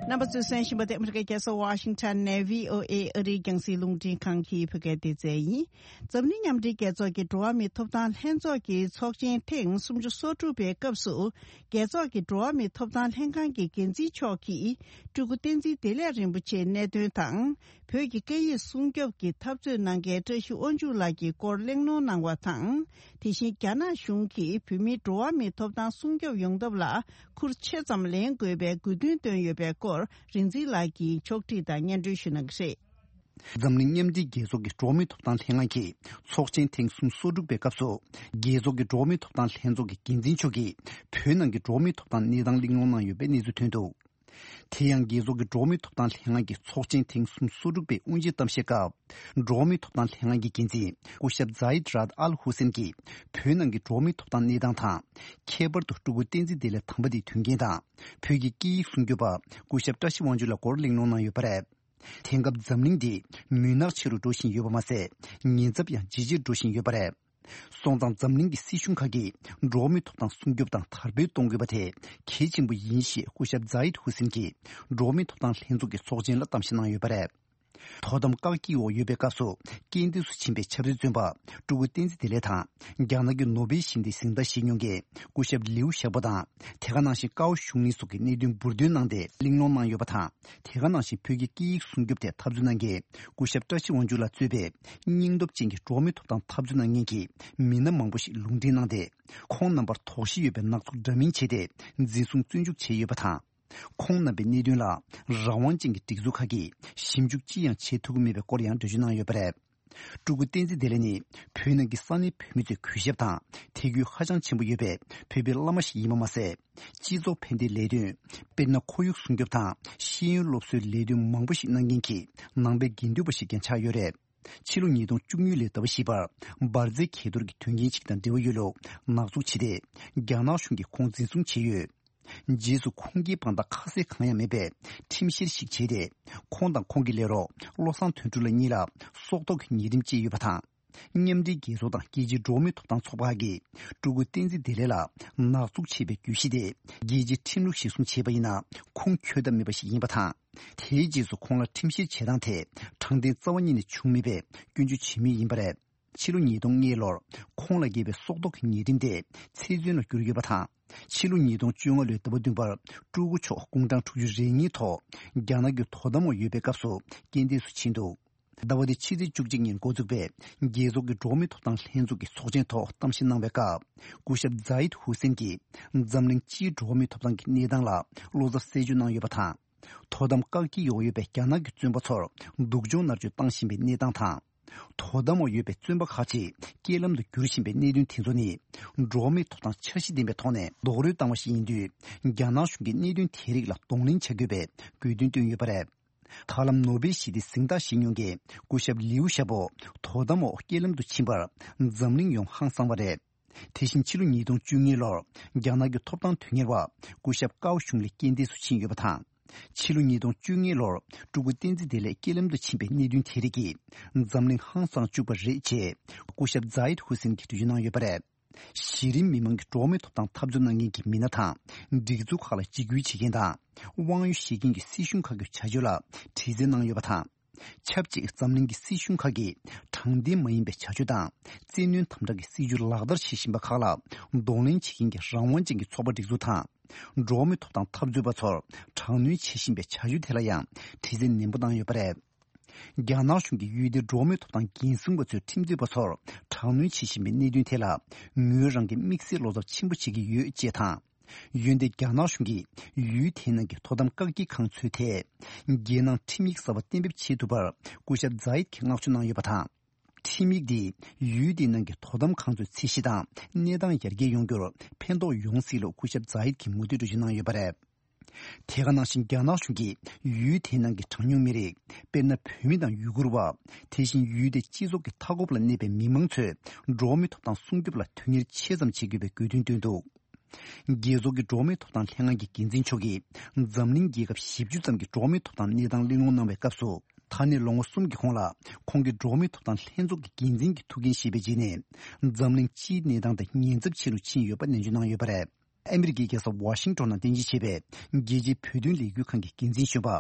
རྣམ་པ་ཚོས་གསན་བཞིན་པ་དེ་ཨ་མི་རི་ཀའི་རྒྱལ་ས་ཝ་ཤིང་ཊོན་ནས་བྷི་ཨོ་ཨེ་ཨ་རིའི་རྒྱང་སྲིང་རླུང་འཕྲིན་ཁང་གི་བོད་སྐད་སྡེ་ཚན་ཡིན། འཛམ་གླིང་མཉམ་འབྲེལ་རྒྱལ་ཚོགས་ཀྱི་འགྲོ་བ་མིའི་ཐོབ་ཐང་ལྷན་ཚོགས་ཀྱི་ཚོགས་ཆེན་ཐེངས་སུམ་ཅུ་སོ་དྲུག་པའི་སྐབས་སུ། རྒྱལ་ཚོགས་ཀྱི་འགྲོ་བ་མིའི་ཐོབ་ཐང་ལྷན་ཁང་གི་འགན་འཛིན་མཆོག་གིས་སྤྲུལ་སྐུ་བསྟན་འཛིན་བདེ་ལེགས་རིན་པོ་ཆེའི་གནད་དོན་དང་། བོད་ཀྱི་སྐད་ཡིག་སྲུང་སྐྱོབ་ཀྱི་འཐབ་རྩོད་གནང་མཁན་བཀྲ་ཤིས་དབང་ཕྱུག་ལགས་ཀྱི་སྐོར་གླེང་སློང་གནང་བ་དང་། དེ་བཞིན་རྒྱ་ནག་གཞུང་གིས་བོད་མིའི་འགྲོ་བ་མིའི་ཐོབ་ཐང་སྲུང་སྐྱོབ་ཡོང་ཐབས་ལ་ཁུར་ཆེ་ཙམ་ལེན་དགོས་པའི་དགོས་འདུན་བཏོན་ཡོད་པའི་སྐོར་ རིག་འཛིན་ལགས་ཀྱིས་ཕྱོགས་སྒྲིག་དང་སྙན་སྒྲོན་ཞུ་གནང་གི་རེད། འཛམ་གླིང་མཉམ་འབྲེལ་རྒྱལ་ཚོགས་ཀྱི་འགྲོ་བ་མིའི་ཐོབ་ཐང་ལྷན་ཁང་གི་ཚོགས་ཆེན་ཐེངས་སུམ་ཅུ་སོ་དྲུག་པའི་སྐབས་སུ། རྒྱལ་ཚོགས་ཀྱི་འགྲོ་བ་མིའི་ཐོབ་ཐང་ལྷན་ཚོགས་ཀྱི་འགན་འཛིན་མཆོག་གིས་བོད་ནང་གི་འགྲོ་བ་མིའི་ཐོབ་ཐང་གནས་སྟངས་གླེང་སློང་གནང་ཡོད་པའི་གནས་ཚུལ་ཐོན་འདུག། དེ་ཡང་རྒྱལ་ཚོགས་ཀྱི་འགྲོ་བ་མིའི་ཐོབ་ཐང་ལྷན་ཁང་གི་ཚོགས་ཆེན་ཐེངས་སུམ་ཅུ་སོ་དྲུག་པའི་དབུ་འབྱེད་གཏམ་བཤད་སྐབས། འགྲོ་བ་མིའི་ཐོབ་ཐང་ལྷན་ཁང་གི་འགན་འཛིན་སྐུ་ཞབས་ཛཱ་ཡིད་རཱད་ཨལ་ཧུ་སེན་གྱིས་བོད་ནང་གི་འགྲོ་བ་མིའི་ཐོབ་ཐང་གནས་སྟངས་དང་། ཁྱད་པར་དུ་སྤྲུལ་སྐུ་བསྟན་འཛིན་བདེ་ལེགས་དམ་པ་དེའི་དོན་རྐྱེན་དང་། བོད་ཀྱི་སྐད་ཡིག་སྲུང་སྐྱོབ་པ་སྐུ་ཞབས་བཀྲ་ཤིས་དབང་ཕྱུག་ལགས་སྐོར་གླེང་སློང་གནང་ཡོད་པ་རེད། དེང་སྐབས་འཛམ་གླིང་འདི་མུན་ནག་ཆེ་རུ་འགྲོ་བཞིན་ཡོད་པ་མ་ཟད། ཉེན་ཚབས་ཡང་ཇེ་ཆེར་འགྲོ་བཞིན་ཡོད་པ་རེད། སོང་ཙང་འཛམ་གླིང་གི་སྲིད་གཞུང་ཁག་གིས་འགྲོ་བ་མིའི་ཐོབ་ཐང་སྲུང་སྐྱོབ་དང་དར་སྤེལ་གཏོང་དགོས་པ་དེ་གལ་ཆེན་པོ་ཡིན་ཞེས་སྐུ་ཞབས་ཛཱ་ཡིད་ཧུ་སེན་གྱིས་འགྲོ་བ་མིའི་ཐོབ་ཐང་ལྷན་ཚོགས་ཀྱི་ཚོགས་ཆེན་ལ་གཏམ་བཤད་གནང་ཡོད་པ་རེད། དོ་དམ་བཀག་སྐྱིལ་འོག་ཡོད་པའི་སྐབས་སུ་རྐྱེན་འདས་སུ་ཕྱིན་པའི་ཆབ་སྲིད་བཙོན་པ་སྤྲུལ་སྐུ་བསྟན་འཛིན་བདེ་ལེགས་དང་། རྒྱ་ནག་གི་ནོ་སྦེལ་ཞི་བདེའི་གཟེངས་རྟགས་བཞེས་མྱོང་མཁན་སྐུ་ཞབས་ལིའུ་ཞའོ་པོ་དང་། དེ་ག་ནང་བཞིན་ཀའོ་གཞུང་གླིང་སོགས་ཀྱི་གནད་དོན་འབུར་འདོན་གནང་སྟེ་གླེང་སློང་གནང་ཡོད་པ་དང་། དེ་ག་ནང་བཞིན་བོད་ཀྱི་སྐད་ཡིག་སྲུང་སྐྱོབ་ཐད་འཐབ་རྩོད་གནང་མཁན་སྐུ་ཞབས་བཀྲ་ཤིས་དབང་ཕྱུག་ལགས་གཙོས་པའི་སྙིང་སྟོབས་ཅན་གྱི་འགྲོ་བ་མིའི་ཐོབ་ཐང་འཐབ་རྩོད་གནང་མཁན་གྱི་མི་སྣ་མང་པོ་ཞིག་ལུང་འདྲེན་གནང་སྟེ། ཁོང་རྣམ་པར་དོགས་གཞི་ཡོད་པའི་ནག་ཚོགས་འདྲ་མིན་བྱས་ཏེ་འཛིན་བཟུང་བཙོན་འཇུག་བྱས་ཡོད་པ་དང་། ཁོང་རྣམ་པའི་གནད་དོན་ལ་རང་དབང་ཅན་གྱི་སྒྲིག་འཛུགས་ཁག་གིས་ཞིབ་འཇུག་ཅི་ཡང་བྱེད་ཐུབ་ཀྱི་མེད་པའི་སྐོར་ཡང་འགྲེལ་བརྗོད་གནང་ཡོད་པ་རེད། སྤྲུལ་སྐུ་བསྟན་འཛིན་བདེ་ལེགས་ནི་བོད་ནང་གི་ས་གནས་བོད་མི་ཚོའི་གུས་ཞབས་དང་དད་གུས་ཧ་ཅང་ཆེན་པོ་ཡོད་པའི་བོད་པའི་བླ་མ་ཞིག་ཡིན་པ་མ་ཟད། སྤྱི་ཚོགས་ཕན་བདེའི་ལས་དོན། དཔེར་ན། ཁོར་ཡུག་སྲུང་སྐྱོབ་དང་ཤེས་ཡོན་སློབ་གསོའི་ལས་དོན་མང་པོ་ཞིག་གནང་མཁན་གྱི་ནང་པའི་དགེ་འདུན་པ་ཞིག་ཀྱང་ཆགས་ཡོད་རེད། ཕྱི་ལོ་ཉིས་སྟོང་བཅུ་གཉིས་ལོའི་ཟླ་བ་བཞི་པར་འབར་རྫས་གས་གཏོར་གྱི་དོན་རྐྱེན་ཞིག་དང་འབྲེལ་བ་ཡོད་ལུགས་ནག་འཛུགས་བྱས་ཏེ། རྒྱ་ནག་གཞུང་གིས་ཁོང་འཛིན་བཟུང་བྱས་ཡོད། རྗེས་སུ་ཁོང་གིས་དཔང་རྟགས་ཁ་གསལ་གང་ཡང་མེད་པའི་ཁྲིམས་བཤེར་ཞིག་བྱས་ཏེ། ཁོང་དང་ཁོང་གི་ལས་རོགས་བློ་བཟང་དོན་གྲུབ་ལགས་གཉིས་ལ་སྲོག་ཐོག་གི་ཉེས་ཁྲིམས་བཅས་ཡོད་པ་དང་། མཉམ་འབྲེལ་རྒྱལ་ཚོགས་དང་རྒྱལ་སྤྱིའི་འགྲོ་བ་མིའི་ཐོབ་ཐང་ཚོགས་པ་ཁག་གིས་སྤྲུལ་སྐུ་བསྟན་འཛིན་བདེ་ལེགས་ལ་ནག་འཛུགས་བྱས་པའི་གྱོད་གཞི་དེ་རྒྱལ་སྤྱིའི་ཁྲིམས་ལུགས་གཞིར་བཟུང་བྱས་པ་ཡིན་ན་ཁུངས་འཁྱོལ་ཐབས་མེད་པ་ཞིག་ཡིན་པ་དང་། དེའི་རྗེས་སུ་ཁོང་ལ་ཁྲིམས་བཤེར་བྱེད་སྟངས་ཐད་དྲང་བདེན་རྩ་བ་ཉིད་ནས་བྱུང་མེད་པའི་སྐྱོན་བརྗོད་བྱེད་མུས་ཡིན་པ་རེད། ཕྱི་ལོ་ཉིས་སྟོང་ལྔ་ལོར་ཁོང་ལ་འགེལ་བའི་སྲོག་ཐོག་གི་ཉེས་ཁྲིམས་དེ་ཚེ་བཙོན་ལ་བསྒྱུར་ཡོད་པ་དང་། ཕྱི་ལོ་ཉིས་སྟོང་བཅོ་ལྔ་ལོའི་ཟླ་བ་བདུན་པར་སྤྲུལ་སྐུ་མཆོག་དགུང་གྲངས་དྲུག་ཅུ་རེ་གཉིས་ཐོག་རྒྱ་ནག་གི་དོ་དམ་འོག་ཡོད་པའི་སྐབས་སུ་རྐྱེན་འདས་སུ་ཕྱིན་འདུག། ཟླ་བ་འདིའི་ཕྱི་ཚེས་བཅུ་གཅིག་ཉིན་འགོ་འཛུགས་པའི་རྒྱལ་ཚོགས་ཀྱི་འགྲོ་བ་མིའི་ཐོབ་ཐང་ལྷན་ཚོགས་ཀྱི་ཚོགས་ཆེན་ཐོག་གཏམ་བཤད་གནང་བའི་སྐབས། སྐུ་ཞབས་ཛཱ་ཡིད་ཧུ་སེན་གྱིས་འཛམ་གླིང་སྤྱིའི་འགྲོ་བ་མིའི་ཐོབ་ཐང་གི་གནས་སྟངས་ལ་བློ་འཚབ་གསལ་བརྗོད་གནང་ཡོད་པ་དང་། དོ་དམ་བཀག་སྐྱིལ་འོག་ཡོད་པའི་རྒྱ་ནག་གི་བཙོན་པ་ཚོར་སྡུག་སྦྱོང་མནར་གཅོད་བཏང་བཞིན་པའི་གནས་སྟངས་དང་། དོ་དམ་འོག་ཡོད་པའི་བཙོན་པ་ཁག་ཅིག་རྐྱེན་ལམ་དུ་འགྱུར་བཞིན་པའི་གནད་དོན་དེ་ཚོ་ནི། འགྲོ་བ་མིའི་ཐོབ་ཐང་འཆར་གཞི་ལྡན་པའི་ཐོག་ནས་རྡོག་རོལ་བཏང་བ་ཞིག་ཡིན་དུས། རྒྱ་ནག་གཞུང་གིས་གནད་དོན་དེ་རིགས་ལ་གདོང་ལེན་བྱ་དགོས་པའི་དགོས་འདུན་བཏོན་ཡོད་པ་རེད། ད་ལམ་ནོ་སྦེལ་ཞི་བདེའི་གཟེངས་རྟགས་བཞེས་མྱོང་མཁན་སྐུ་ཞབས་ལིའུ་ཞའོ་པོ་དོ་དམ་འོག་རྐྱེན་ལམ་དུ་ཕྱིན་པར་འཛམ་གླིང་ཡོངས་ཧང་སངས་པ་རེད། དེ་བཞིན་ཕྱི་ལོ་ཉིས་སྟོང་བཅུ་གཉིས་ལོར་རྒྱ་ནག་གི་ཐོབ་ཐང་དོན་གཉེར་བ་སྐུ་ཞབས་ཀའོ་ཞུང་ལི་རྐྱེན་འདས་སུ་ཕྱིན་ཡོད་པ་དང་། ཕྱི་ལོ་ཉིས་སྟོང་བཅུ་གཉིས་ལོར་སྤྲུལ་སྐུ་བསྟན་འཛིན་བདེ་ལེགས་རྐྱེན་ལམ་དུ་ཕྱིན་པའི་གནད་དོན་དེ་རིགས་ཀྱིས་འཛམ་གླིང་ཧང་སངས་བཅུག་པ་རེད་ཅེས་སྐུ་ཞབས་ཛཱ་ཡིད་ཧུ་སེན་གྱིས་འགྲེལ་བརྗོད་གནང་ཡོད་པ་རེད། གཞི་རིམ་མི་མང་གི་འགྲོ་བ་མིའི་ཐོབ་ཐང་འཐབ་རྩོད་གནང་མཁན་གྱི་མི་སྣ་དང་། སྒྲིག་འཛུགས་ཁག་ལ་འཇིགས་སྐུལ་བྱེད་མཁན་དང་། དབང་ཡོད་བཞེས་མཁན་གྱི་སྲིད་གཞུང་ཁག་གི་བྱ་སྤྱོད་ལ་དྲི་རྩད་གནང་ཡོད་པ་དང་། ཆབས་ཅིག་འཛམ་གླིང་གི་སྲིད་གཞུང་ཁག་གིས་དྲང་བདེན་མ་ཡིན་པའི་བྱ་སྤྱོད་དང་། བཙན་གནོན་དམ་དྲག་གི་སྲིད་བྱུས་ལག་བསྟར་བྱེད་བཞིན་པ་ཁག་ལ་གདོང་ལེན་བྱེད་མཁན་གྱི་རང་དབང་ཅན་གྱི་ཚོགས་པ་སྒྲིག་འཛུགས་དང་། འགྲོ་བ་མིའི་ཐོབ་ཐང་འཐབ་རྩོད་པ་ཚོར་དྲག་གནོན་བྱེད་བཞིན་པའི་བྱ་སྤྱོད་དེ་ལ་ཡང་དྲི་རྩད་ནན་པོ་བཏང་ཡོད་པ་རེད། རྒྱ་ནག་གཞུང་གིས་ཡུལ་དེའི་འགྲོ་བ་མིའི་ཐོབ་ཐང་འགན་སྲུང་པ་ཚོས་ཁྲིམས་རྩོད་པ་ཚོར་དྲག་གནོན་བྱེད་བཞིན་པའི་གནད་དོན་ཐད་ལ། ངོས་རང་གིས་དམིགས་བསལ་བློ་འཚབ་ཆེན་པོ་བྱེད་ཀྱི་ཡོད་ཅེས་དང་། འོན་ཏེ་རྒྱ་ནག་གཞུང་གིས་ཡུལ་དེའི་ནང་གི་དོ་དམ་བཀག་སྐྱིལ་ཁང་ཚོའི་ཐད། རྒྱལ་ནང་ཁྲིམས་ཡིག་གསར་པ་གཏན་འབེབས་བྱེད་ཐུབ་པར་སྐུ་ཞབས་ཛཱ་ཡིད་ཀྱིས་བསྔགས་བརྗོད་གནང་ཡོད་པ་དང་། ཁྲིམས་ཡིག་འདིས་ཡུལ་དེའི་ནང་གི་དོ་དམ་ཁང་ཚོའི་ཚད་གཞི་དང་གནས་སྟངས་ཡར་རྒྱས་ཡོང་རྒྱུར་ཕན་ཐོགས་ཡོང་སྲིད་ལུགས་སྐུ་ཞབས་ཛཱ་ཡིད་ཀྱིས་མུ་མཐུད་འགྲེལ་བརྗོད་གནང་ཡོད་པ་རེད། དེ་ག་ནང་བཞིན་རྒྱ་ནག་གཞུང་གིས་ཡུལ་དེའི་ནང་གི་གྲངས་ཉུང་མི་རིགས། དཔེར་ན། བོད་མི་དང་ཡུ་གུར་བ། དེ་བཞིན་ཡུལ་དེའི་སྤྱི་ཚོགས་ཀྱི་མཐའ་འཁོབ་ལ་གནས་པའི་མི་མང་ཚོས་འགྲོ་བ་མིའི་ཐོབ་ཐང་སྲུང་སྐྱོབ་ལ་དོན་གཉེར་ཆེ་ཙམ་བྱེད་དགོས་པའི་དགོས་འདུན་བཏོན་འདུག། རྒྱལ་ཚོགས་ཀྱི་འགྲོ་བ་མིའི་ཐོབ་ཐང་ལྷན་ཁང་གི་འགན་འཛིན་མཆོག་གིས་འཛམ་གླིང་རྒྱལ་ཁབ་བཞི་བཅུ་ཙམ་གྱི་འགྲོ་བ་མིའི་ཐོབ་ཐང་གནས་སྟངས་གླེང་སློང་གནང་བའི་སྐབས་སུ། ད་ནས་ལོ་ངོ་གསུམ་གྱི་གོང་ལ་ཁོང་གིས་འགྲོ་བ་མིའི་ཐོབ་ཐང་ལྷན་ཚོགས་ཀྱི་འགན་འཛིན་གྱི་ཐུགས་འགན་བཞེས་པའི་རྗེས་ནས། འཛམ་གླིང་སྤྱིའི་གནས་སྟངས་དེ་ཉེན་ཚབས་ཆེ་རུ་ཕྱིན་ཡོད་པ་ནན་བརྗོད་གནང་ཡོད་པ་རེད། ཨ་མི་རི་ཀའི་རྒྱལ་ས་ཝ་ཤིང་ཊོན་ནང་རྟེན་གཞི་བྱས་པའི་རྒྱལ་སྤྱིའི་བོད་དོན་ལས་འགུལ་ཁང་གི་འགན་འཛིན་གཞོན་པ་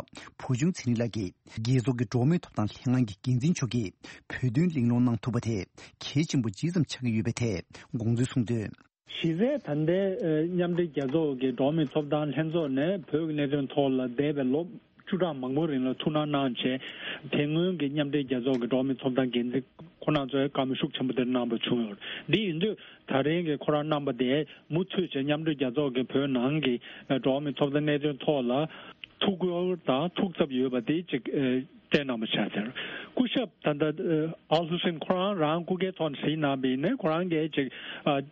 བུ་ཆུང་ཚེ་རིང་ལགས་ཀྱིས། རྒྱལ་ཚོགས་ཀྱི་འགྲོ་བ་མིའི་ཐོབ་ཐང་ལྷན་ཁང་གི་འགན་འཛིན་མཆོག་གིས་བོད་དོན་གླེང་སློང་གནང་ཐུབ་པ་དེ་གལ་ཆེན་པོ་ཇི་ཙམ་ཆགས་ཀྱི་ཡོད་པའི་ཐད་དགོངས་ཚུལ་གསུངས་དོན། གཞི་རྩའི་ད་ལྟའི་ཨ་མཉམ་འབྲེལ་རྒྱལ་ཚོགས་ཀྱི་འགྲོ་བ་མིའི་ཐོབ་ཐང་ལྷན་ཚོགས་ནས་བོད་ཀྱི་གནད་དོན་ཐོག་ལ་འདས་པའི་ལོ་ བཅུ་ཕྲག་མང་པོའི་རིང་ལ་ཐུགས་སྣང་གནང་བྱས། དེ་སྔོན་གྱི་མཉམ་འབྲེལ་རྒྱལ་ཚོགས་ཀྱི་འགྲོ་བ་མིའི་ཐོབ་ཐང་འགན་འཛིན་ཁོ་རང་ཚོས་བཀའ་མོལ་ཤུགས་ཆེན་པོ་དེ་གནང་བ་བྱུང་ཡོད། འདི་ཡིན་དུས་ད་རིང་གི་ཁོ་རང་གནང་བ་དེ་མུ་མཐུད་བྱས་མཉམ་འབྲེལ་རྒྱལ་ཚོགས་ཀྱི་བོད་ནང་གི་འགྲོ་བ་མིའི་ཐོབ་ཐང་གནད་དོན་ཐོག་ལ་ཐུགས་ཁུར་དང་ཐུགས་འཚབ་ཡོད་པ་དེ་ཅིག་བསྟན་གནང་བ་ཆགས་ཟེར། སྐུ་ཞབས་ད་ལྟ་ཨལ་ཧུ་སེན་ཁོ་རང་རང་སྐུ་སྒེར་ཐོག་ནས་གཟིགས་གནང་བ་ཡིན་ན། ཁོ་རང་གིས་ཅིག་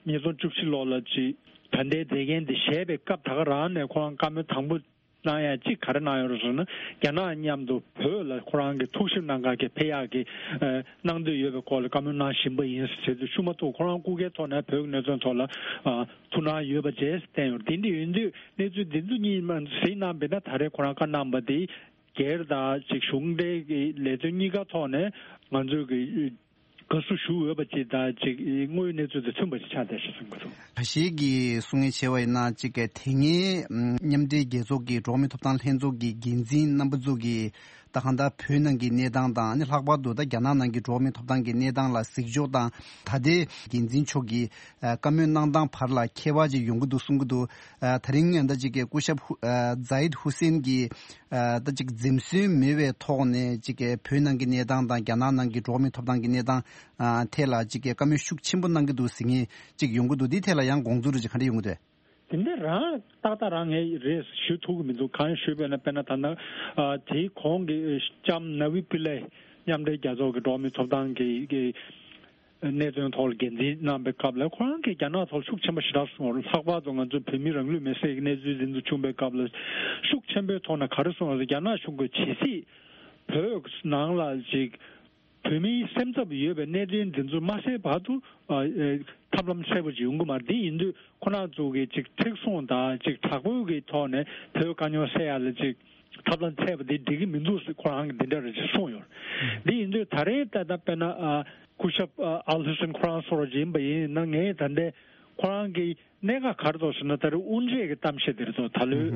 ཉིས་སྟོང་བཅུ་བཞི་ལོ་ལ་ཅིག་ད་ལྟའི་མཛད་འགན་དེ་བཞེས་པའི་སྐབས་ད་ག་རང་ནས་ཁོ་རང་བཀའ་མོལ་དང་པོ་གནང་ཡ་གཅིག་ག་རེ་གནང་ཡོད་རེད་ཟེར་ན། རྒྱ་ནག་མཉམ་དུ་བོད་ལ་ཁོ་རང་གི་ཐུགས་ཞིབ་གནང་ག་གི་ཕེབས་ཡག་གི་ཨ་གནང་འདོད་ཡོད་པའི་སྐོར་ལ་བཀའ་མོལ་གནང་བཞིན་པ་ཡིན་ཟེར་དུས། ཤུ་མ་ཐུག་ཁོ་རང་སྐུ་སྒེར་ཐོག་ནས་བོད་ཀྱི་གནད་དོན་ཐོག་ལ་ཨ་ཐུགས་སྣང་ཡོད་པ་བཅས་བསྟན་ཡོད། དེ་འདྲ་ཡིན་དུས་གནས་ཚུལ་འདི་ཚོ་གཉིས་མ་གཟིགས་གནང་བས་ན། ད་རེས་ཁོ་རང་བཀའ་གནང་བ་དེ་སྒེར་དང་ཅིག་གཞུང་འབྲེལ་གྱི་ལས་དོན་གཉིས་ཀ་ཐོག་ནས་ང་ཚོས་ཀྱི་དགའ་བསུ་ཞུ་འོས་པ་ཅིག་དང་ཅིག་དངོས་ཡོད་གནས་ཚུལ་དང་མཐུན་པ་ཅིག་ཆགས་བསྡད་ཤག་བསམ་གྱི་འདུག། ཁ་ཤས་ཀྱིས་གསུང་མཁན་བྱས་པ་ཡིན་ན། ཅིག་གི་དེ་སྔའི་མཉམ་འབྲེལ་རྒྱལ་ཚོགས་ཀྱི་འགྲོ་བ་མིའི་ཐོབ་ཐང་ལྷན་ཚོགས་ཀྱི་འགན་འཛིན་རྣམ་པ་ཚོ་གིས་ད་གང་ལྟར་བོད་ནང་གི་གནས་སྟངས་དང་། ཨ་ནི་ལྷག་པར་དུ་ད་རྒྱ་ནག་ནང་གི་འགྲོ་བ་མིའི་ཐོབ་ཐང་གི་གནས་སྟངས་ལ་གཟིགས་ཕྱོགས་དང་། ད་ལྟའི་འགན་འཛིན་མཆོག་གིས་ཨ་བཀའ་མོལ་གནང་སྟངས་བར་ལ་ཁྱད་པར་ཅིག་ཡོང་གི་འདུག་གསུང་གི་འདུག། ཨ་ད་རིང་ད་ཅིག་གི་སྐུ་ཞབས་ཧུ་ཨ་ཛ་ཡིད་ཧུ་སེན་གྱིས་ཨ་ད་ཅིག་འཛེམ་ཟོན་མེད་པའི་ཐོག་ནས་ཅིག་གི་བོད་ནང་གི་གནས་སྟངས་དང་རྒྱ་ནག་ནང་གི་འགྲོ་བ་མིའི་ཐོབ་ཐང་གི་གནས་སྟངས་ཨ་ཐད་ལ་ཅིག་གི་བཀའ་མོལ་ཤུགས་ཆེན་པོ་གནང་གི་འདུག་ཟེར་མཁན་ཅིག་ཡོང་གི་འདུག། འདི་ཐད་ལ་ཡང་དགོངས་ཚུལ་རེ་ཅིག་ག་འདྲ་ཡོང་གི་འདུག། དེ་འདྲ་རང་ཏག་ཏག་རང་ངས་རེད་ཞུ་ཐུབ་ཀྱི་མི་འདུག། གང་ཞུས་པས་ན། དཔེར་ན་ད་ནང་ཨ་དེའི་གོང་གི་ལྕམ་ན་བི་པི་ལེ་མཉམ་འབྲེལ་རྒྱལ་ཚོགས་ཀྱི་འགྲོ་བ་མིའི་ཐོབ་ཐང་གི་གི་གནད་དོན་ཐོག་ལ་འགན་འཛིན་གནང་བའི་སྐབས་ལ། ཁོ་རང་གིས་རྒྱ་ནག་ཐོག་ཤུགས་ཆེན་པོ་ཞེ་དྲག་གསུངས་པ་རེད། ལྷག་པར་དུ་ང་ཚོ་བོད་མི་རང་ལུས་མེར་སྲེག་གི་གནས་ཚུལ་འདི་ཚོ་བྱུང་བའི་སྐབས་ལ་ཤུགས་ཆེན་པོའི་ཐོག་ནས་ག་རེ་གསུངས་པ་རེད། རྒྱ་ནག་གཞུང་གིས་ཇི་སྲིད་བོད་ནང་ལ་ཅིག་བོད་མིའི་སེམས་འཚབ་ཡོད་པའི་གནད་དོན་འདི་ཚོ་མ་སེལ་བར་དུ་ཨ་ཨེ་ཐབས་ལམ་གསལ་པོ་ཅིག་ཡོང་གི་མ་རེད། དེ་ཡིན་དུས་ཁོ་རང་ཚོ་གིས་ཅིག་མཁྲེགས་བཟུང་དང་ཅིག་དྲག་པོའི་གི་ཐོག་ནས་བོད་དཀའ་རྙོག་སེལ་ཡ་ལ་ཅིག་ཐབས་ལམ་འཚོལ་བ་དེ་འགྲིག་གི་མི་འདུག་ཟེར་ཁོ་རང་གིས་འདི་འདྲ་རེ་ཅིག་གསུངས་ཡོད། འདི་ཡིན་དུས་ད་རེས་ད་ལྟ་དཔེར་ན་ཨ་སྐུ་ཞབས་ཨ་ཨལ་ཧུ་སེན་ཁོ་རང་སོགས་ཡིན་པ་ཡིན་ན། ངས་ད་ལྟའི་ཁོ་རང་གི་གནད་འགག་ག་རེ་འདུག་ཟེར་ན། ད་རེས་དབུ་འབྱེད་ཀྱི་གཏམ་བཤད་དེ་རེད་འདུག། ད་ལོའི་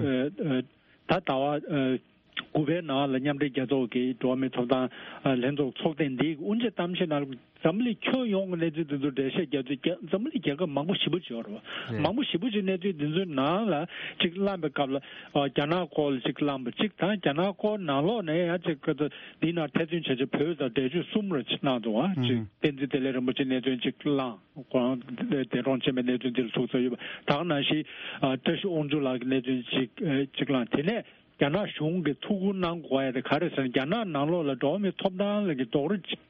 ཨ་ཨ་ད་ཟླ་བ་ཨ་དགུ་པའི་ནང་ལ་མཉམ་འབྲེལ་རྒྱལ་ཚོགས་ཀྱི་འགྲོ་བ་མིའི་ཐོབ་ཐང་ཨ་ལྷན་ཚོགས་ཚོགས་ཐེངས་འདིའི་དབུ་འབྱེད་གཏམ་བཤད་ནང་ལ་འཛམ་བུ་གླིང་ཁྱོན་ཡོངས་ཀྱི་གནས་ཚུལ་འདི་ཚོ་འགྲེལ་བཤད་རྒྱག་དུས། རྒྱ་འཛམ་བུ་གླིང་རྒྱལ་ཁབ་མང་པོ་ཞེ་པོ་ཅིག་ཡོད་རེད་བ། རེད། མང་པོ་ཞེ་པོ་ཅིག་གནས་ཚུལ་འདི་ཚོའི་ནང་ལ་ཅིག་གླེང་བའི་སྐབས་ལ་ཨ་རྒྱ་ནག་སྐོར་ལ་ཅིག་གླེང་བ་གཅིག་དང་། རྒྱ་ནག་སྐོར་ནང་ལོགས་ནས་ཡང་ཅིག་ག་ཚོད་འདི་ནང་ཐེ་ཚོམ་བྱས་བྱས་བོད་དང་འབྲེལ་ཆོད་གསུམ་རེ་ཅིག་གནང་འདུག་ཨ། ཅིག་ཨུ་བསྟན་འཛིན་བདེ་ལེགས་རིན་པོ་ཆེ་གནད་དོན་ཅིག་གླེང་། ཁོང་འདས་གྲོངས་ཕྱིན་པའི་གནད་དོན་འདི་ལ་ཐུགས་འཚབ་ཡོད་པ། ད་ག་ནང་བཞིན་ཨ་བཀྲ་ཤིས་དབང་ཕྱུག་ལགས་ཀྱི་གནད་དོན་ཅིག་ཨ་ཅིག་གླེང་། དེ་ནས་རྒྱ་ནག་གཞུང་གིས་ཐུགས་ཁུར་གནང་དགོས་ཡ་དེ་ག་རེ་ཟེར་ན། རྒྱ་ནག་ནང་ལོགས་ལ་འགྲོ་བ་མིའི་ཐོབ་ཐང་ལ་གི་རྡོག་རོལ་ཅིག་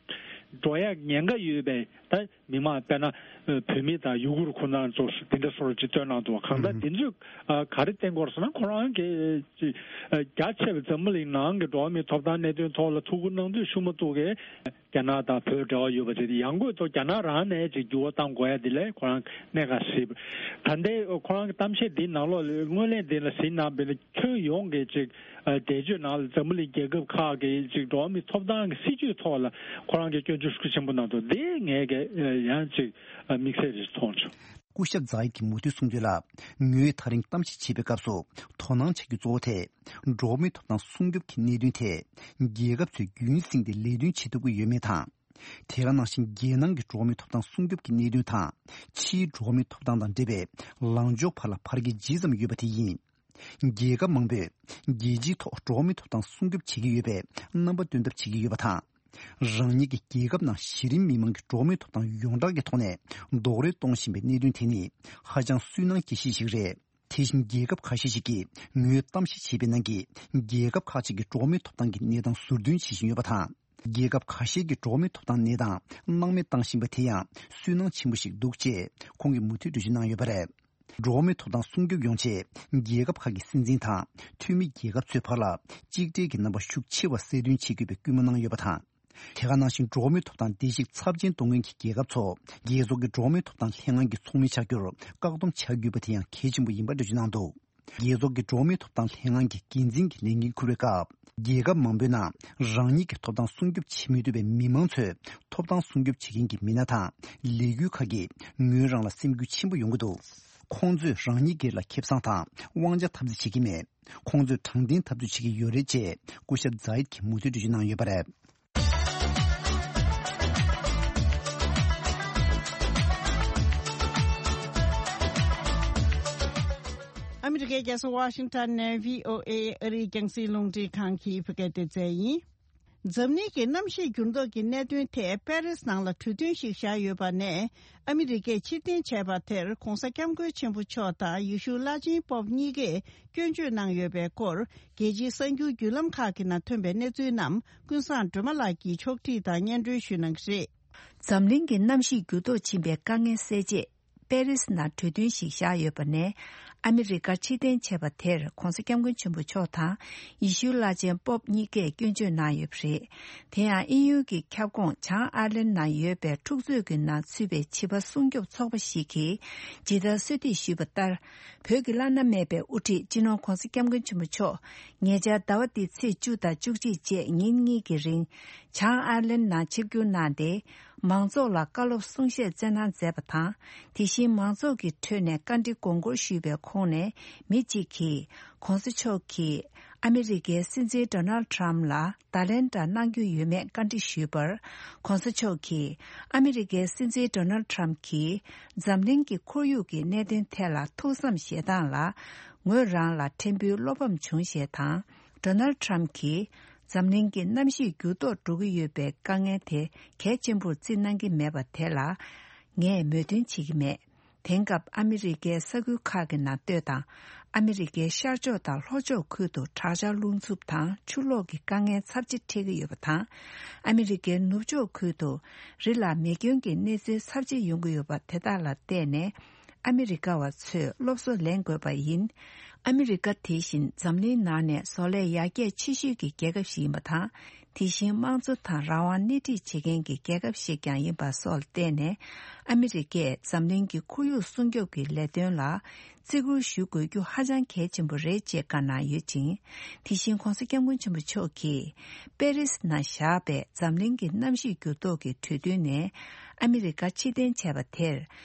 འགྲོ་ཡ་ཉེན་ཁ་ཡོད་པའི་ད་མི་མང་དཔེར་ན་ཨ་བོད་མི་དང་ཡུ་གུར་ཁོ་ན་ཚོ་དེ་འདྲ་སོགས་ཅིག་བཏོན་གནང་འདུག། གང་ལྟར་ཨུ་དེ་ཚོས་ཨ་ག་རེ་བསྟན་གྱི་ཡོད་རེད་ཟེར་ན། ཁོ་རང་གིས་ཅིག་ཨ་རྒྱ་ཆེ་བའི་འཛམ་བུ་གླིང་ནང་གི་འགྲོ་བ་མིའི་ཐོབ་ཐང་གནད་དོན་ཐོག་ལ་ཐུགས་ཁུར་གནང་དུས་ཤུ་མ་ཐུག་གིས་རྒྱ་ནག་དང་བོད་འབྲེལ་བ་ཡོད་པ་དེ་ཡང་སྒོས་ཐོག་རྒྱ་ནག་རང་ནས་ཅིག་འགྱུར་བ་གཏང་དགོས་ཡ་དེ་ལ་ཁོ་རང་གནད་འགག་ཞིག། ད་ལྟའི་ཁོ་རང་གི་གཏམ་བཤད་འདིའི་ནང་ལོགས་ལ་སྔོན་གླེང་འདི་ལ་གཟིགས་གནང་བས་ན། ཁྱོན་ཡོངས་ཀྱི་ཅིག་ཨ་འགྲེལ་བརྗོད་ནང་ལ་འཛམ་བུ་གླིང་རྒྱལ་ཁབ་ཁག་གི་ཅིག་འགྲོ་བ་མིའི་ཐོབ་ཐང་གི་སྲིད་བྱུས་ཐོག་ལ་ཁོ་རང་གིས་སྐྱོན་བརྗོད་ཤུགས་ཆེན་པོ་གནང་འདུག། འདི་ངས་ཀྱི་ཡང་ཅིག་དམིགས་བསལ་རེ་མཐོང་བྱུང་། སྐུ་ཞབས་ཛ་ཡིད་ཀྱིས་མུ་མཐུད་གསུངས་དོན་ལ། ངོས་དེ་རིང་གཏམ་བཤད་བྱེད་པའི་སྐབས་སུ་དོ་སྣང་བྱ་རྒྱུ་གཙོ་བོ་དེ། འགྲོ་བ་མིའི་ཐོབ་ཐང་སྲུང་སྐྱོབ་ཀྱི་གནད་དོན་དེ། རྒྱལ་ཁབ་ཚོས་རྒྱུན་བསྲིངས་ཏེ་ལས་དོན་བྱེད་ཐུབ་ཀྱི་ཡོད་མེད་དང་། དེ་ག་ནང་བཞིན་རྒྱལ་ནང་གི་འགྲོ་བ་མིའི་ཐོབ་ཐང་སྲུང་སྐྱོབ་ཀྱི་གནད་དོན་དང་། ཕྱིའི་འགྲོ་བ་མིའི་ཐོབ་ཐང་དང་འབྲེལ་བའི་ལངས་ཕྱོགས་བར་ལ་བར་ཁྱད་ཇི་ཙམ་ཡོད་པ་དེ་ཡིན། རྒྱལ་ཁབ་མང་པོས་རྒྱལ་སྤྱིའི་ཐོག་འགྲོ་བ་མིའི་ཐོབ་ཐང་སྲུང་སྐྱོབ་བྱེད་ཀྱི་ཡོད་པའི་རྣམ་པ་སྟོན་ཐབས་བྱེད་ཀྱི་ཡོད་པ་དང་། རང་ཉིད་ཀྱི་རྒྱལ་ཁབ་ནང་གཞི་རིམ་མི་མང་གི་འགྲོ་བ་མིའི་ཐོབ་ཐང་ཡོངས་གྲགས་ཀྱི་ཐོག་ནས་རྡོག་རོལ་གཏོང་བཞིན་པའི་གནད་དོན་དེ་ནི་ཧ་ཅང་སུན་སྣང་སྐྱེ་གཞི་ཞིག་རེད། དེ་བཞིན་རྒྱལ་ཁབ་ཁ་ཤས་ཤིག་གིས་ངོས་གཏམ་བཤད་བྱས་པའི་ནང་གི་རྒྱལ་ཁབ་ཁག་ཅིག་གི་འགྲོ་བ་མིའི་ཐོབ་ཐང་གི་གནས་སྟངས་ཟུར་འདོན་བྱེད་བཞིན་ཡོད་པ་དང་། རྒྱལ་ཁབ་ཁ་ཤས་ཀྱི་འགྲོ་བ་མིའི་ཐོབ་ཐང་གནས་སྟངས་སྣང་མེད་བཏང་བཞིན་པ་དེ་ཡང་སུན་སྣང་ཆེན་པོ་ཞིག་འདུག་ཅེས་ཁོང་གིས་མུ་མཐུད་འགྲེལ་བརྗོད་གནང་ཡོད་པ་རེད། འགྲོ་བ་མིའི་ཐོབ་ཐང་སྲུང་སྐྱོབ་ཡོང་ཆེད་རྒྱལ་ཁབ་ཁག་གི་སྲིད་འཛིན་དང་འཐུས་མི་རྒྱལ་ཁབ་ཚོའི་བར་ལ་གཅིག་སྒྲིལ་གྱི་རྣམ་པ་ཤུགས་ཆེ་བ་གསལ་སྟོན་བྱེད་དགོས་པའི་སྐུལ་མ་གནང་ཡོད་པ་དང་། དེ་ག་ནང་བཞིན་འགྲོ་བ་མིའི་ཐོབ་ཐང་བརྡལ་བཤིག་ཚབས་ཆེན་གཏོང་མཁན་གྱི་རྒྱལ་ཁབ་ཚོ་རྒྱལ་ཚོགས་ཀྱི་འགྲོ་བ་མིའི་ཐོབ་ཐང་ལྷན་ཁང་གི་ཚོགས་མི་ཆགས་རྒྱུར་བཀག་སྡོམ་བྱ་དགོས་པ་དེ་ཡང་གལ་ཆེན་པོ་ཡིན་པ་འགྲེལ་བརྗོད་གནང་འདུག། རྒྱལ་ཚོགས་ཀྱི་འགྲོ་བ་མིའི་ཐོབ་ཐང་ལྷན་ཁང་གི་འགན་འཛིན་གྱི་ལས་འགན་འཁུར་བའི་སྐབས། རྒྱལ་ཁབ་མང་པོའི་ནང་རང་ཉིད་ཀྱི་ཐོབ་ཐང་སྲུང་སྐྱོབ་བྱེད་མི་ཐུབ་པའི་མི་མང་ཚོས་ཐོབ་ཐང་སྲུང་སྐྱོབ་བྱེད་མཁན་གྱི་མི་སྣ་དང་ལས་འགུལ་ཁག་གིས་ངོས་རང་ལ་སེམས་འགུལ་ཆེན་པོ་ཡོང་གི་འདུག། ཁོང་ཚོས་རང་ཉིད་སྒེར་ལ་ཁེ་བཟང་དང་དབང་ཆ་འཐབ་རྩོད་བྱེད་ཀྱི་མེད། ཁོང་ཚོས་དྲང་བདེན་འཐབ་རྩོད་བྱེད་ཀྱི་ཡོད་རེད་ཅེས་སྐུ་ཞབས་ཛ་ཡིད་ཀྱིས་མུ་མཐུད་འགྲེལ་བརྗོད་གནང་ཡོད་པ་རེད། ཨ་མི་རི་ཀའི་རྒྱལ་ས་ཝ་ཤིང་ཊོན་ནས་བྷི་ཨོ་ཨེ་ཨ་རིའི་རྒྱང་སྲིང་རླུང་འཕྲིན་ཁང་གི་བོད་སྐད་སྡེ་ཚན་ཡིན། འཛམ་གླིང་གི་གནམ་གཤིས་འགྱུར་ལྡོག་གི་གནད་དོན་ཐད་པེ་རིས་ནང་ལ་གྲོས་མཐུན་ཞིག་བཞག་ཡོད་པ་ནས། ཨ་མི་རི་ཀས་ཕྱིར་འཐེན་བྱས་པ་དེར་༧གོང་ས་༧སྐྱབས་མགོན་ཆེན་པོ་མཆོག་དང་ཡེ་ཤུ་བླ་ཆེན་པོབ་གཉིས་ཀས་སྐྱོན་བརྗོད་གནང་ཡོད་པའི་སྐོར། རྒྱལ་སྤྱིའི་གསར་འགྱུར་བརྒྱུད་ལམ་ཁག་གི་ནང་ཐོན་པའི་གནས་ཚུལ་རྣམས་ཀུན་བཟང་སྒྲོལ་མ་ལགས་ཀྱིས་ཕྱོགས་བསྒྲིགས་དང་སྙན་སྒྲོན་ཞུ་གནང་གི་རེད། འཛམ་གླིང་གི་གནམ་གཤིས་འགྱུར་ལྡོག་ཕྱིན་པའི་དཀའ་ངལ་སེལ་ཆེད། པེ་རིས་ནང་གྲོས་མཐུན་ཞིག་བཞག་ཡོད་པ་ནས། ཨ་མི་རི་ཀ་ཕྱིར་འཐེན་བྱས་པ་དེར་༧གོང་ས་༧སྐྱབས་མགོན་ཆེན་པོ་མཆོག་དང་ཡེ་ཤུའི་བླ་ཆེན་པོབ་གཉིས་ཀས་སྐྱོན་བརྗོད་གནང་ཡོད་པ་རེད། དེ་ཡང་དབྱིན་ཡུལ་གྱི་ཁྱབ་ཁོངས་བྱང་ཨར་ལན་ནང་ཡོད་པའི་འཁྲུག་རྩོད་ཀྱི་ནང་ཚུད་པའི་བྱིས་པ་སྲུང་སྐྱོབ་ཚོགས་པ་ཞིག་གིས་ཇི་ལྟར་གསོལ་འདེབས་ཞུས་པ་ལྟར། བོད་ཀྱི་བླ་ན་མེད་པའི་དབུ་ཁྲིད་སྤྱི་ནོར་༧གོང་ས་༧སྐྱབས་མགོན་ཆེན་པོ་མཆོག་ཉེ་ཆར་ཟླ་བ་འདིའི་ཚེས་བཅུ་དང་བཅུ་གཅིག་བཅས་ཉིན་གཉིས་ཀྱི་རིང་། བྱང་ཨར་ལན་ནང་ཆིབས་བསྒྱུར་གནང་སྟེ། མང་ཚོགས་ལ་བཀའ་སློབ་གསུང་བཤད་སྩལ་གནང་མཛད་པ་དང་། དེ་བཞིན་མང་ཚོགས་ཀྱི་ཁྲོད་ནས་བཀའ་འདྲི་དགོངས་སྐོར་ཞུས་པའི་ཁོངས་ནས་མི་གཅིག་གིས། ྋགོང་ས་མཆོག་གིས་ཨ་མི་རི་ཀའི་སྲིད་འཛིན་ཌོ་ནལ་ཊམ་ལ་བརྡ་ལན་འདྲ་གནང་རྒྱུ་ཡོད་མེད་བཀའ་འདྲི་ཞུས་པར། ྋགོང་ས་མཆོག་གིས་ཨ་མི་རི་ཀའི་སྲིད་འཛིན་ཌོ་ནལ་ཊམ་གྱིས་འཛམ་གླིང་གི་ཁོར་ཡུག་གི་གནད་དོན་ཐད་ལ་ཐུགས་བསམ་བཞེས་སྟངས་ལ། ངོས་རང་ལ་ཕྲན་བུའི་བློ་ཕམ་བྱུང་ཞེས་དང་། ཌོ་ནལ་ཊམ་གྱིས། འཛམ་གླིང་གི་གནམ་གཤིས་འགྱུར་ལྡོག་འགྲོ་གི་ཡོད་པའི་དཀའ་ངལ་དེ་གལ་ཆེན་པོར་བརྩི་གནང་གི་མེད་པ་དེ་ལ། ངས་མོས་མཐུན་བྱེད་ཀྱི་མེད། དེང་སྐབས་ཨ་མི་རི་ཀའི་ས་ཁུལ་ཁག་གི་ནང་ལྟོས་དང་། ཨ་མི་རི་ཀའི་ཤར་ཕྱོགས་དང་ལྷོ་ཕྱོགས་ཁུལ་དུ་དྲག་ཆར་རླུང་འཚུབ་དང་ཆུ་ལོག་གི་དཀའ་ངལ་ཚབས་ཆེ་འཕྲད་ཀྱི་ཡོད་པ་དང་། ཨ་མི་རི་ཀའི་ནུབ་ཕྱོགས་ཁུལ་དུ་རི་ལ་མེ་སྐྱོན་གྱི་གནས་ཚུལ་ཚབས་ཆེ་ཡོང་གི་ཡོད་པ་དེ་དག་ལ་བལྟས་ནས། ཨ་མི་རི་ཀ་བ་ཚོས་སློབ་གསོ་ལེན་དགོས་པ་ཡིན། ཨ་མི་རི་ཀ་དེ་བཞིན་འཛམ་གླིང་ནང་ནས་བཟོ་ལས་ཡར་རྒྱས་ཆེ་ཤོས་ཀྱི་རྒྱལ་ཁབ་ཞིག་ཡིན་པ་དང་། དེ་བཞིན་དམངས་གཙོ་དང་རང་དབང་སྣེ་ཁྲིད་བྱེད་མཁན་གྱི་རྒྱལ་ཁབ་ཞིག་ཀྱང་ཡིན་པ་སོགས་ལ་བརྟེན་ནས། ཨ་མི་རི་ཀས་འཛམ་གླིང་གི་ཁོར་ཡུག་སྲུང་སྐྱོབ་ཀྱི་ལས་དོན་ལ་བརྩི་བཀུར་ཞུ་དགོས་རྒྱུ་ཧ་ཅང་གལ་ཆེན་པོ་རེད་ཅེས་བཀའ་གནང་ཡོད་ཅིང་། དེ་བཞིན་༧གོང་ས་༧སྐྱབས་མགོན་ཆེན་པོ་མཆོག་གིས་པེ་རིས་ནང་བཞག་པའི་འཛམ་གླིང་གི་གནམ་གཤིས་འགྱུར་ལྡོག་གི་གྲོས་མཐུན་ནས་ཨ་མི་རི་ཀ་ཕྱིར་འཐེན་བྱས་པ་དེར།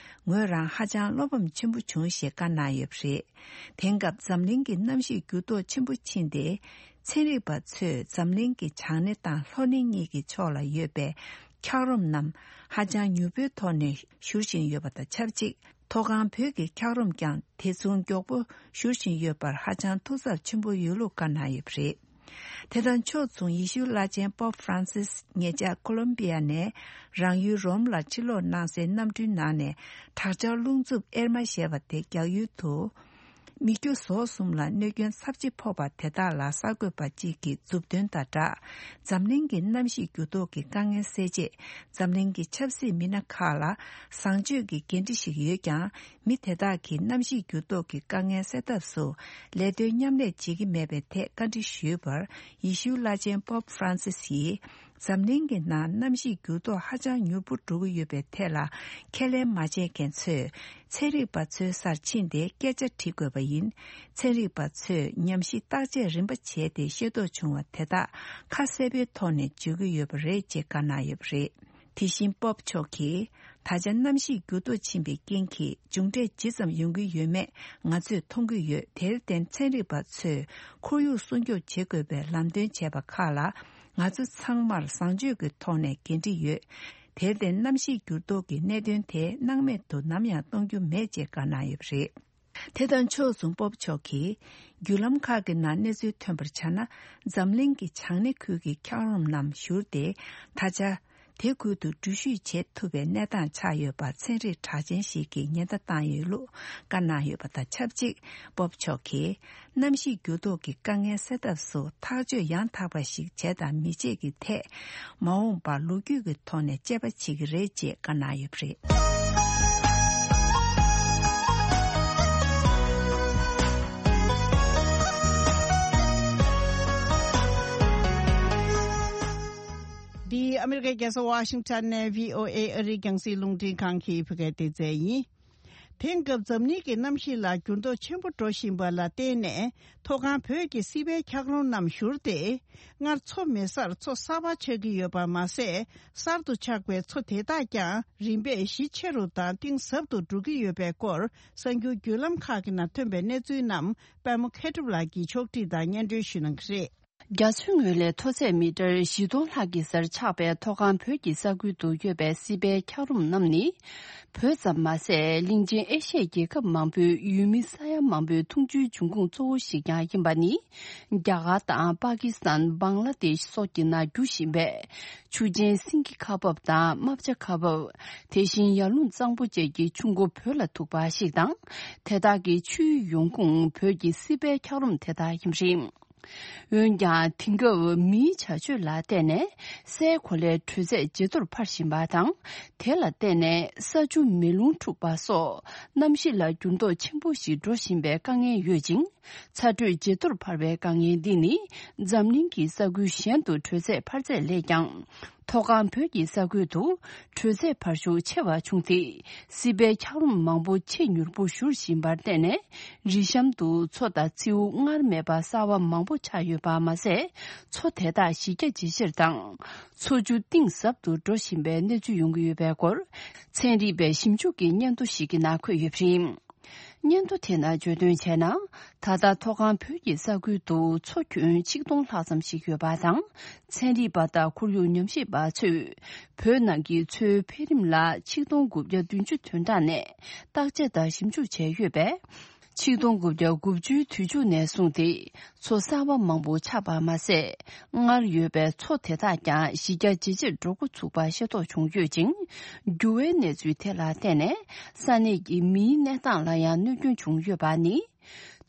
ངོས་རང་ཧ་ཅང་བློ་ཕམ་ཆེན་པོ་བྱུང་ཞེས་བཀའ་གནང་ཡོད་པ་རེད། དེང་སྐབས་འཛམ་གླིང་གི་གནམ་གཤིས་འགྱུར་ལྡོག་ཆེན་པོ་ཕྱིན་ཏེ། ཚན་རིག་པ་ཚོས་འཛམ་གླིང་གི་བྱང་སྣེ་དང་ལྷོ་སྣེ་གཉིས་ཀྱི་ཕྱོགས་ལ་ཡོད་པའི་འཁྱགས་རོམ་རྣམས་ཧ་ཅང་མྱུར་པོའི་ཐོག་ནས་བཞུར་བཞིན་ཡོད་པ་དང་ཆབས་ཅིག་མཐོ་སྒང་བོད་ཀྱི་འཁྱགས་རོམ་ཀྱང་དེ་མཚུངས་མགྱོགས་པོ་བཞུར་བཞིན་ཡོད་པར་ཧ་ཅང་ཐུགས་འཚབ་ཆེན་པོ་ཡོད་ལུགས་བཀའ་གནང་ཡོད་པ་རེད། དེ་དང་ཕྱོགས་མཚུངས་ཡེ་ཤུ་བླ་ཆེན་པོབ་ཧྥ་རན་སིས་ཉེ་ཆར་ཀོ་ལོམ་པི་ཡ་ནས་རང་ཡུལ་རོམ་ལ་ཕྱིར་ལོག་གནང་སའི་གནམ་གྲུའི་ནང་ནས་དྲག་ཆར་རླུང་འཚུབ་ཨེར་མ་ཞེས་པ་དེ་རྒྱག་ཡུལ་དུ། མི་རྒྱུ་ཟོག་གསུམ་ལ་གནོད་སྐྱོན་ཚབས་ཆེ་ཕོག་པ་དེ་དག་ལ་གསར་འགོད་པ་གཅིག་གིས་མཛུབ་སྟོན་དང་སྦྲགས། འཛམ་གླིང་གི་གནམ་གཤིས་འགྱུར་ལྡོག་གི་དཀའ་ངལ་སེལ་ཆེད། འཛམ་གླིང་གི་ཆབ་སྲིད་མི་སྣ་ཁག་ལ་བཟང་སྤྱོད་ཀྱི་འགན་འཁྲི་ཞིག་ཡོད་ཀྱང་། མི་དེ་དག་གིས་གནམ་གཤིས་འགྱུར་ལྡོག་གི་དཀའ་ངལ་སེལ་ཐབས་སུ་ལས་དོན་མཉམ་ལས་བྱེད་ཀྱི་མེད་པའི་ཐད་བཀའ་འདྲི་ཞུས་པར། ཡེ་ཤུའི་བླ་ཆེན་པོབ་ཧྥ་རན་སིས་ཡིས། འཛམ་གླིང་གི་ནང་གནམ་གཤིས་འགྱུར་ལྡོག་ཧ་ཅང་མྱུར་པོ་འགྲོ་གི་ཡོད་པའི་ཐད་ལ་ཁས་ལེན་མ་བྱས་མཁན་ཚོས་ཚན་རིག་པ་ཚོའི་སར་ཕྱིན་ཏེ་སྐད་ཆ་དྲི་དགོས་པ་ཡིན། ཚན་རིག་པ་ཚོས་ཉམས་ཞིབ་བརྟག་དཔྱད་རིམ་པ་བྱས་ཏེ་ཤེས་རྟོགས་བྱུང་བ་དེ་དག་ཁ་གསལ་པོའི་ཐོག་ནས་བརྗོད་ཀྱི་ཡོད་པ་རེད་ཅེས་བཀའ་གནང་ཡོད་པ་རེད། དེ་བཞིན་པོབ་མཆོག་གིས། ད་ཆ་གནམ་གཤིས་འགྱུར་ལྡོག་ཕྱིན་པའི་རྐྱེན་གྱིས་མཇུག་འབྲས་ཇི་ཙམ་ཡོང་གི་ཡོད་མེད་ང་ཚོས་མཐོང་གི་ཡོད། དེར་བརྟེན་ཚན་རིག་པ་ཚོས་ཁོར་ཡུག་སྲུང་སྐྱོབ་བྱེད་དགོས་པའི་ལམ་སྟོན་བྱས་པ་ཁག་ལ་ང་ཚོ་ཚང་མར་བཟང་སྤྱོད་ཀྱི་ཐོག་ནས་འགན་འཁྲི་ཡོད། དེར་བརྟེན་གནམ་གཤིས་འགྱུར་ལྡོག་གི་གནད་དོན་དེ་སྣང་མེད་དུ་ནམ་ཡང་གཏོང་རྒྱུ་མེད་ཅེས་བཀའ་གནང་ཡོད་པ་རེད། དེ་དང་ཕྱོགས་མཚུངས་པོབ་མཆོག་གིས། བརྒྱུད་ལམ་ཁག་གི་ནང་གནས་ཚུལ་ཐོན་པར་བྱས་ན། འཛམ་གླིང་གི་བྱང་སྣེ་ཁུལ་གྱི་འཁྱགས་རོམ་རྣམས་བཞུར་ཏེ། ད་ཆ། དེ་ཁུལ་དུ་འགྲུལ་བཞུད་བྱེད་ཐུབ་པའི་གནས་སྟངས་ཆགས་ཡོད་པ་ཚན་རིག་གྲགས་ཅན་ཞིག་གིས་ཉེན་བརྡ་བཏང་ཡོད་ལུགས་བཀའ་གནང་ཡོད་པ་དང་ཆབས་ཅིག་པོབ་མཆོག་གིས། གནམ་གཤིས་འགྱུར་ལྡོག་གི་དཀའ་ངལ་སེལ་ཐབས་སུ་ཐག་གཅོད་ཡང་དག་པ་ཞིག་བྱས་དང་མི་བྱེད་ཀྱི་ཐད། མ་འོངས་པར་ལོ་རྒྱུས་ཀྱི་ཐོག་ནས་དཔྱད་པ་བྱེད་ཀྱི་རེད་ཅེས་བཀའ་གནང་ཡོད་པ་རེད། འདི་ཨ་མི་རི་ཀའི་རྒྱལ་ས་ཝ་ཤིང་ཊོན་ནས་བྷི་ཨོ་ཨེ་ཨ་རིའི་རྒྱང་སྲིང་རླུང་འཕྲིན་ཁང་གི་བོད་སྐད་སྡེ་ཚན་ཡིན། དེང་སྐབས་འཛམ་གླིང་གི་གནམ་གཤིས་ལ་འགྱུར་ལྡོག་ཆེན་པོ་འགྲོ་བཞིན་པ་ལ་བརྟེན་ནས། མཐོ་སྒང་བོད་ཀྱི་སྲིད་པའི་འཁྱགས་རོམ་རྣམས་བཞུར་ཏེ། སྔར་མཚོ་མེད་སར་མཚོ་གསར་པ་ཆགས་ཀྱི་ཡོད་པ་མ་ཟད། གསར་དུ་ཆགས་པའི་མཚོ་དེ་དག་ཀྱང་རིམ་པས་གཞི་ཆེ་རུ་དང་གཏིང་ཟབ་ཏུ་འགྲོ་གི་ཡོད་པའི་སྐོར། གསར་འགྱུར་བརྒྱུད་ལམ་ཁག་གི་ནང་ཐོན་པའི་གནས་ཚུལ་རྣམས་པད་མ་མཁས་གྲུབ་ལགས་ཀྱིས་ཕྱོགས་བསྒྲིགས་དང་སྙན་སྒྲོན་ཞུ་གནང་གི་རེད། རྒྱ་མཚོའི་ངོས་ལས་མཐོ་ཚད་མི་ཊར་བཞི་སྟོང་ལྷག་གི་སར་ཆགས་པའི་མཐོ་སྒང་བོད་ཀྱི་ས་ཁུལ་དུ་ཡོད་པའི་སྲིད་པའི་འཁྱགས་རོམ་རྣམས་ནི། བོད་ཙམ་མ་ཟད། གླིང་ཆེན་ཨེ་ཤི་ཡའི་རྒྱལ་ཁབ་མང་པོའི་ཡུལ་མི་ས་ཡ་མང་པོའི་འཐུང་ཆུའི་འབྱུང་ཁུངས་གཙོ་བོ་ཞིག་ཀྱང་ཡིན་པ་ནི། རྒྱ་གར་དང་པ་ཀི་སི་ཐན། བང་ལ་དེཤ་སོགས་ཀྱི་ནང་རྒྱུ་བཞིན་པའི་ཆུ་ཆེན་སིང་གི་ཁ་འབབ་དང་རྨ་བྱ་ཁ་འབབ། དེ་བཞིན་ཡར་ཀླུང་གཙང་པོ་བཅས་ཀྱི་ཆུ་མགོ་བོད་ལ་ཐུག་པ་ཞིག་དང་། དེ་དག་གི་ཆུའི་ཡོང་ཁུངས་བོད་ཀྱི་སྲིད་པའི་འཁྱགས་རོམ་དེ་དག་ཡིན་པ་རེད། འོན་ཀྱང་དེང་སྐབས་མིའི་བྱ་སྤྱོད་ལ་བརྟེན་ནས་སའི་གོ་ལའི་དྲོད་ཚད་ཇེ་མཐོར་འཕར་བཞིན་པ་དང་། དེ་ལ་བརྟེན་ནས་ས་ཆུ་མེ་རླུང་འཁྲུགས་པ་སོགས་གནམ་གཤིས་ལ་འགྱུར་ལྡོག་ཆེན་པོ་ཞིག་འགྲོ་བཞིན་པའི་དཀའ་ངལ་ཡོད་ཅིང་། ཚ་དྲོད་ཇེ་མཐོར་འཕར་བའི་དཀའ་ངལ་འདི་ནི་འཛམ་གླིང་གི་ས་ཁུལ་གཞན་དུ་དྲོད་ཚད་འཕར་ཚད་ལས་ཀྱང་། མཐོ་སྒང་བོད་ཀྱི་ས་ཁུལ་དུ་དྲོད་ཚད་འཕར་ཤུགས་ཆེ་བ་བྱུང་སྟེ། སྲིད་པའི་འཁྱགས་རོམ་མང་པོ་ཆེས་མྱུར་པོ་བཞུར་བཞིན་པར་བརྟེན་ནས། རི་གཤམ་དུ་མཚོ་དང་མཚེའུ་སྔར་མེད་པ་གསར་བ་མང་པོ་ཆགས་ཡོད་པ་མ་ཟད། མཚོ་དེ་དག་གཞི་རྒྱ་ཇེ་ཆེར་དང་། མཚོ་ཆུ་གཏིང་ཟབ་ཏུ་འགྲོ་བཞིན་པའི་གནས་ཚུལ་ཡོང་གི་ཡོད་པའི་སྐོར། ཚན་རིག་པའི་ཞིབ་འཇུག་གི་སྙན་ཐོ་ཞིག་གི་ནང་འཁོད་ཡོད་པ་རེད། སྙན་ཐོ་དེ་ནང་བརྗོད་དོན་བྱས་ན། ད་ལྟ་མཐོ་སྒང་བོད་ཀྱི་ས་ཁུལ་དུ་མཚོ་ཁྱོན་ཆིག་སྟོང་ལྷག་ཙམ་ཞིག་ཡོད་པ་དང་། ཚན་རིག་པ་དང་ཁོར་ཡུག་ཉམས་ཞིབ་པ་ཚོས། བོད་ནང་གི་མཚོའི་འཕེལ་རིམ་ལ་ཆིག་སྟོང་དགུ་བརྒྱ་བདུན་ཅུ་དོན་གྲངས་ནས་བརྟག་དཔྱད་དང་ཞིབ་འཇུག་བྱས་ཡོད་པས། ཆིག་སྟོང་དགུ་བརྒྱ་དགུ་བཅུའི་དུས་མཇུག་ནས་བཟུང་སྟེ། མཚོ་གསར་བ་མང་པོ་ཆགས་པ་མ་ཟད། སྔར་ཡོད་པའི་མཚོ་དེ་དག་ཀྱང་གཞི་རྒྱ་ཇེ་ཆེར་འགྲོ་འགོ་ཚུགས་པ་ཤེས་རྟོགས་བྱུང་ཡོད་ཅིང་། འགྱུར་བའི་གནས་ཚུལ་དེ་ལ་བརྟེན་ནས། ས་གནས་ཀྱི་མིའི་གནས་སྟངས་ལ་ཡང་གནོད་སྐྱོན་བྱུང་ཡོད་པ་ནི།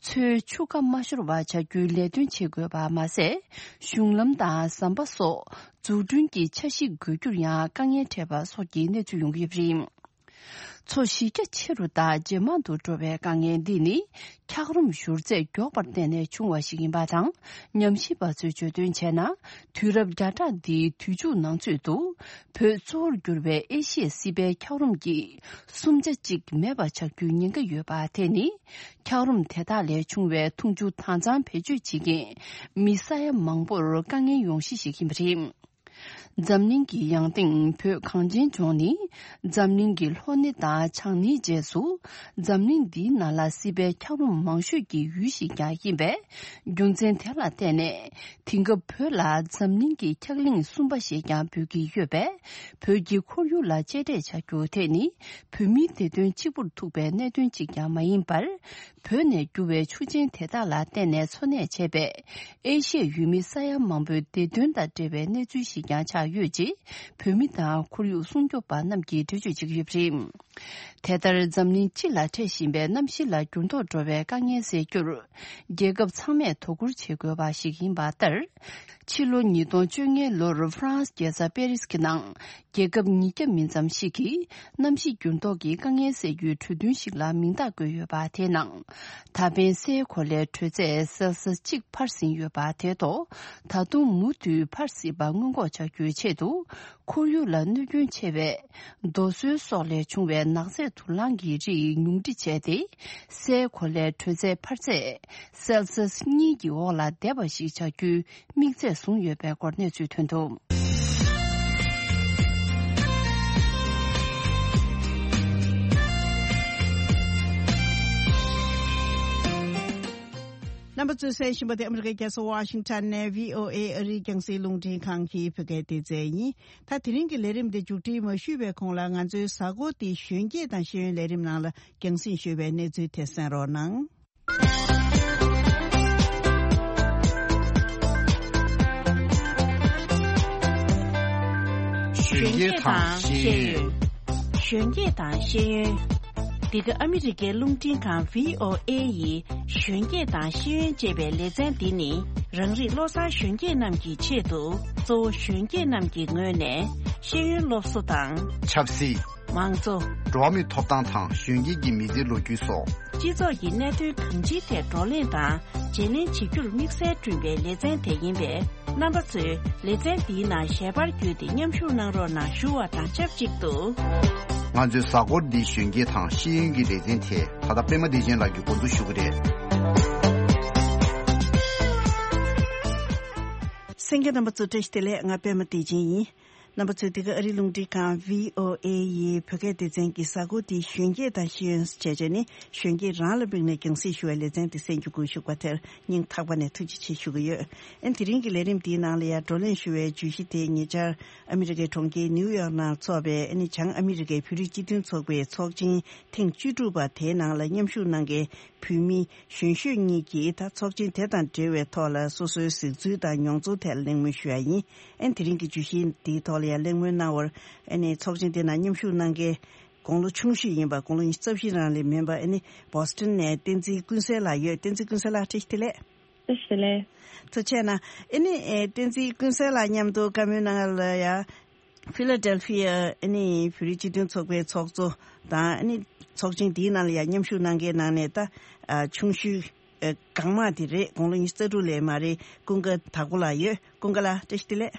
མཚོའི་ཆུ་ཁ་མ་ཤོར་བ་བྱ་རྒྱུའི་ལས་དོན་བྱེད་དགོས་པ་མ་ཟད། གཞུང་ལམ་དང་ཟམ་པ་སོགས་འཛུགས་སྐྲུན་གྱི་འཆར་གཞི་འགོད་རྒྱུར་ཡང་དཀའ་ངལ་འཕྲད་པ་སོགས་ཀྱི་གནས་ཚུལ་ཡོང་གི་ཡོད་པ་རེད། མཚོ་གཞི་རྒྱ་ཆེ་རུ་དང་ཇེ་མང་དུ་འགྲོ་བའི་དཀའ་ངལ་འདི་ནི། འཁྱགས་རོམ་བཞུར་ཚད་མགྱོགས་པར་བརྟེན་ནས་བྱུང་བ་ཞིག་ཡིན་པ་དང་། ཉམས་ཞིབ་པ་ཚོས་བརྗོད་དོན་བྱས་ན། དུས་རབས་བརྒྱ་ཕྲག་འདིའི་དུས་མཇུག་ནང་ཚུད་དུ། བོད་གཙོ་བོར་གྱུར་བའི་ཨེ་ཤི་ཡའི་སྲིད་པའི་འཁྱགས་རོམ་གྱི་གསུམ་ཆ་གཅིག་མེད་པ་ཆགས་རྒྱུའི་ཉེན་ཁ་ཡོད་པ་དེ་ནི། འཁྱགས་རོམ་དེ་དག་ལས་བྱུང་བའི་འཐུང་ཆུ་དྭངས་གཙང་བེད་སྤྱོད་བྱེད་མཁན་མི་ས་ཡ་མང་པོར་དཀའ་ངལ་ཡོང་གཞི་ཞིག་ཡིན་པ་རེད། འཛམ་གླིང་གི་ཡང་སྟེང་བོད་གངས་ཅན་ལྗོངས་ནི། འཛམ་གླིང་གི་ལྷོ་སྣེ་དང་བྱང་སྣེའི་རྗེས་སུ། འཛམ་གླིང་འདིའི་ནང་ལ་སྲིད་པའི་འཁྱགས་རོམ་མང་ཤོས་ཀྱི་ཡུལ་ཞིག་ཀྱང་ཡིན་པས། རྒྱུ་མཚན་དེ་ལ་བརྟེན་ནས། དེང་སྐབས་བོད་ལ་འཛམ་གླིང་གི་འཁྱགས་གླིང་གསུམ་པ་ཞེས་ཀྱང་འབོད་ཀྱི་ཡོད་པས། བོད་ཀྱི་ཁོར་ཡུག་ལ་གཅེས་སྤྲས་བྱ་རྒྱུ་དེ་ནི། བོད་མིའི་བདེ་དོན་གཅིག་པུར་ཐུག་པའི་གནད་དོན་གཅིག་ཀྱང་མ་ཡིན་པར། བོད་ནས་རྒྱུ་བའི་ཆུ་ཆེན་དེ་དག་ལ་བརྟེན་ནས་འཚོ་གནས་བྱས་པའི་ཨེ་ཤི་ཡའི་ཡུལ་མི་ས་ཡ་མང་པོའི་བདེ་དོན་དང་འབྲེལ་བའི་གནས་ཚུལ་ཞིག་ཀྱང་ཆགས་ཡོད་ཅེས། བོད་མི་དང་ཁོར་ཡུག་སྲུང་སྐྱོབ་པ་རྣམས་ཀྱིས་འགྲེལ་བརྗོད་བྱེད་ཀྱི་ཡོད་པ་རེད། དེ་ལྟར་འཛམ་གླིང་སྤྱི་ལ་འཕྲད་བཞིན་པའི་གནམ་གཤིས་ལ་འགྱུར་ལྡོག་འགྲོ་བའི་དཀའ་ངལ་སེལ་རྒྱུར། རྒྱལ་ཁབ་ཚང་མས་དོ་ཁུར་བྱེད་དགོས་པ་ཞིག་ཡིན་པ་ལྟར། ཕྱི་ལོ་ཉིས་སྟོང་བཅོ་ལྔའི་ལོར་ཧྥ་རན་སི་རྒྱལ་ས་པེ་རིས་ཀྱི་ནང་། རྒྱལ་ཁབ་ཉིས་བརྒྱ་མིན་ཙམ་ཞིག་གིས་གནམ་གཤིས་འགྱུར་ལྡོག་གི་དཀའ་ངལ་སེལ་རྒྱུའི་གྲོས་མཐུན་ཞིག་ལ་མིང་རྟགས་བཀོད་ཡོད་པ་དེའི་ནང་། ད་ཕན་སའི་གོ་ལའི་དྲོད་ཚད་སེལ་སི་གཅིག་འཕར་ཟིན་ཡོད་པ་དེ་ཐོག་ད་དུང་མུ་མཐུད་འཕར་སྲིད་པ་སྔོན་འགོག་བྱ་རྒྱུའི་ཆེད་དུ། ཁོར་ཡུག་ལ་གནོད་སྐྱོན་ཆེ་བའི་རྡོ་སོལ་སོགས་ལས་བྱུང་བའི་ནག་རྫས་དུག་རླངས་ཀྱི་རིགས་ཉུང་འཕྲི་བྱས་ཏེ། སའི་གོ་ལའི་དྲོད་ཚད་འཕར་ཚད་སེལ་སི་གཉིས་ཀྱི་འོག་ལ་བསྡད་པ་ཞིག་བྱ་རྒྱུའི་དམིགས་ཚད་བཟུང་ཡོད་པའི་སྐོར་གནས་ཚུལ་ཐོན་འདུག། རྣམ་པ་ཚོས་གསན་བཞིན་པ་དེ་ཨ་མི་རི་ཀའི་རྒྱལ་ས་ཝ་ཤིང་ཊོན་ནས་བྷི་ཨོ་ཨེ་ཨ་རིའི་རྒྱང་སྲིང་རླུང་འཕྲིན་ཁང་གི་བོད་སྐད་སྡེ་ཚན་ཡིན། ད་དེ་རིང་གི་ལས་རིམ་འདི་མཇུག་སྒྲིལ་མ་ཞུས་པའི་གོང་ལ་ང་ཚོའི་གཟའ་འཁོར་འདིའི་གཞོན་སྐྱེས་དང་ཤེས་ཡོན་ལས་རིམ་ནང་ལ་རྒྱང་སྲིང་ཞུས་པའི་གནས་ཚུལ་དེ་གསན་རོགས་གནང་། གཞོན་སྐྱེས་དང་ཤེས་ཡོན། གཞོན་སྐྱེས་དང་ཤེས་ཡོན། འདི་ག་ཨ་མི་རི་ཀའི་རླུང་འཕྲིན་ཁང་བྷི་ཨོ་ཨེ་ཡི་གཞོན་སྐྱེས་དང་ཤེས་ཡོན་ཅེས་པའི་ལེ་ཚན་འདི་ནི། རང་རིགས་བློ་བཟང་གཞོན་སྐྱེས་རྣམས་ཀྱི་ཆེད་དུ། གཙོ་བོ་གཞོན་སྐྱེས་རྣམས་ཀྱི་ངོས་ནས་ཤེས་ཡོན་སློབ་གསོ་དང་། ཆབ་སྲིད། མང་གཙོ། འགྲོ་བ་མིའི་ཐོབ་ཐང་དང་གཞོན་སྐྱེས་ཀྱི་མི་ཚེའི་ལོ་རྒྱུས་སོགས། སྤྱི་ཚོགས་ཀྱི་གནད་དོན་གང་ཅིའི་ཐད་བགྲོ་གླེང་དང་བརྗེ་ལེན་བྱེད་རྒྱུར་དམིགས་བསལ་བསྐྲུན་པའི་ལེ་ཚན་དེ་ཡིན་པས། རྣམ་པ་ཚོས་ལེ་ཚན་འདིའི་ནང་ཞལ་པར་བརྒྱུད་དེ་མཉམ་ཞུགས་གནང་རོགས་གནང་ཞུ་བ་དང་ཆབས་ཅིག་ཏུ། ང་ཚོའི་གཟའ་འཁོར་འདིའི་གཞོན་སྐྱེས་དང་ཤེས་ཡོན་གྱི་ལེ་ཚན་དེ་ད་ལྟ་པད་མ་བདེ་ཆེན་ལགས་ཀྱིས་འགོ་འཛུགས་ཞུ་གི་རེད། གསན་མཁན་རྣམ་པ་ཚོ་བཀྲ་ཤིས་བདེ་ལེགས། ང་པད་མ་བདེ་ཆེན་ཡིན། རྣམ་པ་ཚོས་འདི་ག་ཨ་རི་རླུང་འཕྲིན་ཁང་བྷི་ཨོ་ཨེ་ཡི་བོད་སྐད་སྡེ་ཚན་གྱི་གཟའ་འཁོར་འདིའི་གཞོན་སྐྱེས་དང་ཤེས་ཡོན་བྱས་རྗེས་ནི་གཞོན་སྐྱེས་རང་ལ་དམིགས་ནས་རྒྱང་སྲིང་ཞུ་བའི་ལེ་ཚན་འདི་གསན་རྒྱུ་དགོས་ཞུ་བ་དེར་སྙིང་ཐག་པ་ནས་ཐུགས་རྗེ་ཆེ་ཞུ་གི་ཡོད། ཨན་དེ་རིང་གི་ལས་རིམ་འདིའི་ནང་ལ་ཡང་བགྲོ་གླེང་ཞུ་བའི་བརྗོད་གཞི་དེ་ཉེ་ཆར་ཨ་མི་རི་ཀའི་གྲོང་ཁྱེར་ནིའུ་ཡོག་ནང་འཚོགས་པའི་ཨ་ནི་བྱང་ཨ་མི་རི་ཀའི་བོད་རིགས་སྤྱི་མཐུན་ཚོགས་པའི་ཚོགས་ཆེན་ཐེངས་བཅུ་དྲུག་པ་དེའི་ནང་ལ་མཉམ་ཞུགས་གནང་མཁན་བོད་མི་གཞོན་ཤོས་གཉིས་ཀྱིས་ད་ཚོགས་ཆེན་དེ་དང་འབྲེལ་བའི་ཐོག་ལ་སོ་སོའི་གཟིགས་ཚུལ་དང་མྱོང་ཚོར་ཐད་ལ་གླེང་མོལ་ཞུ་ཡ་ཡིན། ཨན་དེ་རིང་གི་བརྗོད་གཞི་འདིའི་ཐོག་ལ་ཡང་གླེང་མོལ་གནང་བར་ཨ་ནི་ཚོགས་ཆེན་དེ་ནང་མཉམ་ཞུགས་གནང་མཁན་དགུང་ལོ་ཆུང་ཤོས་ཡིན་པ་དགུང་ལོ་ཉི་ཤུ་རྩ་བཞི་རང་ལས་མིན་པ་ཨ་ནི་བོ་སི་ཊོན་ནས་བསྟན་འཛིན་ཀུན་གསལ་ལགས་ཡོད། བསྟན་འཛིན་ཀུན་གསལ་ལགས་བཀྲ་ཤིས་བདེ་ལེགས། བཀྲ་ཤིས་བདེ་ལེགས། ཐུགས་རྗེ་གནང་། ཨ་ནི་ཨེ་བསྟན་འཛིན་ཀུན་གསལ་ལགས་མཉམ་དུ་བཀའ་མོལ་གནང་ཡ་ལ་ཡ། ཕི་ལ་ཌེལ་ཕི་ཡ་ཨ་ནི་བོད་རིགས་སྤྱི་མཐུན་ཚོགས་པའི་ཚོགས་གཙོ་དང་ཨ་ནི་ཚོགས་ཆེན་འདིའི་ནང་ལ་ཡ་མཉམ་ཞུགས་གནང་མཁན་ནང་ནས་ད་ཨ་ཆུང་ཤོས་ཨ་གང་མང་དེ་རེད། དགུང་ལོ་ཉི་ཤུ་རྩ་དྲུག་ལས་མ་རེད། ཀུན་དགའ་དྭགས་པོ་ལགས་ཡོད། ཀུན་དགའ་ལགས་བཀྲ་ཤིས་བདེ་ལེགས།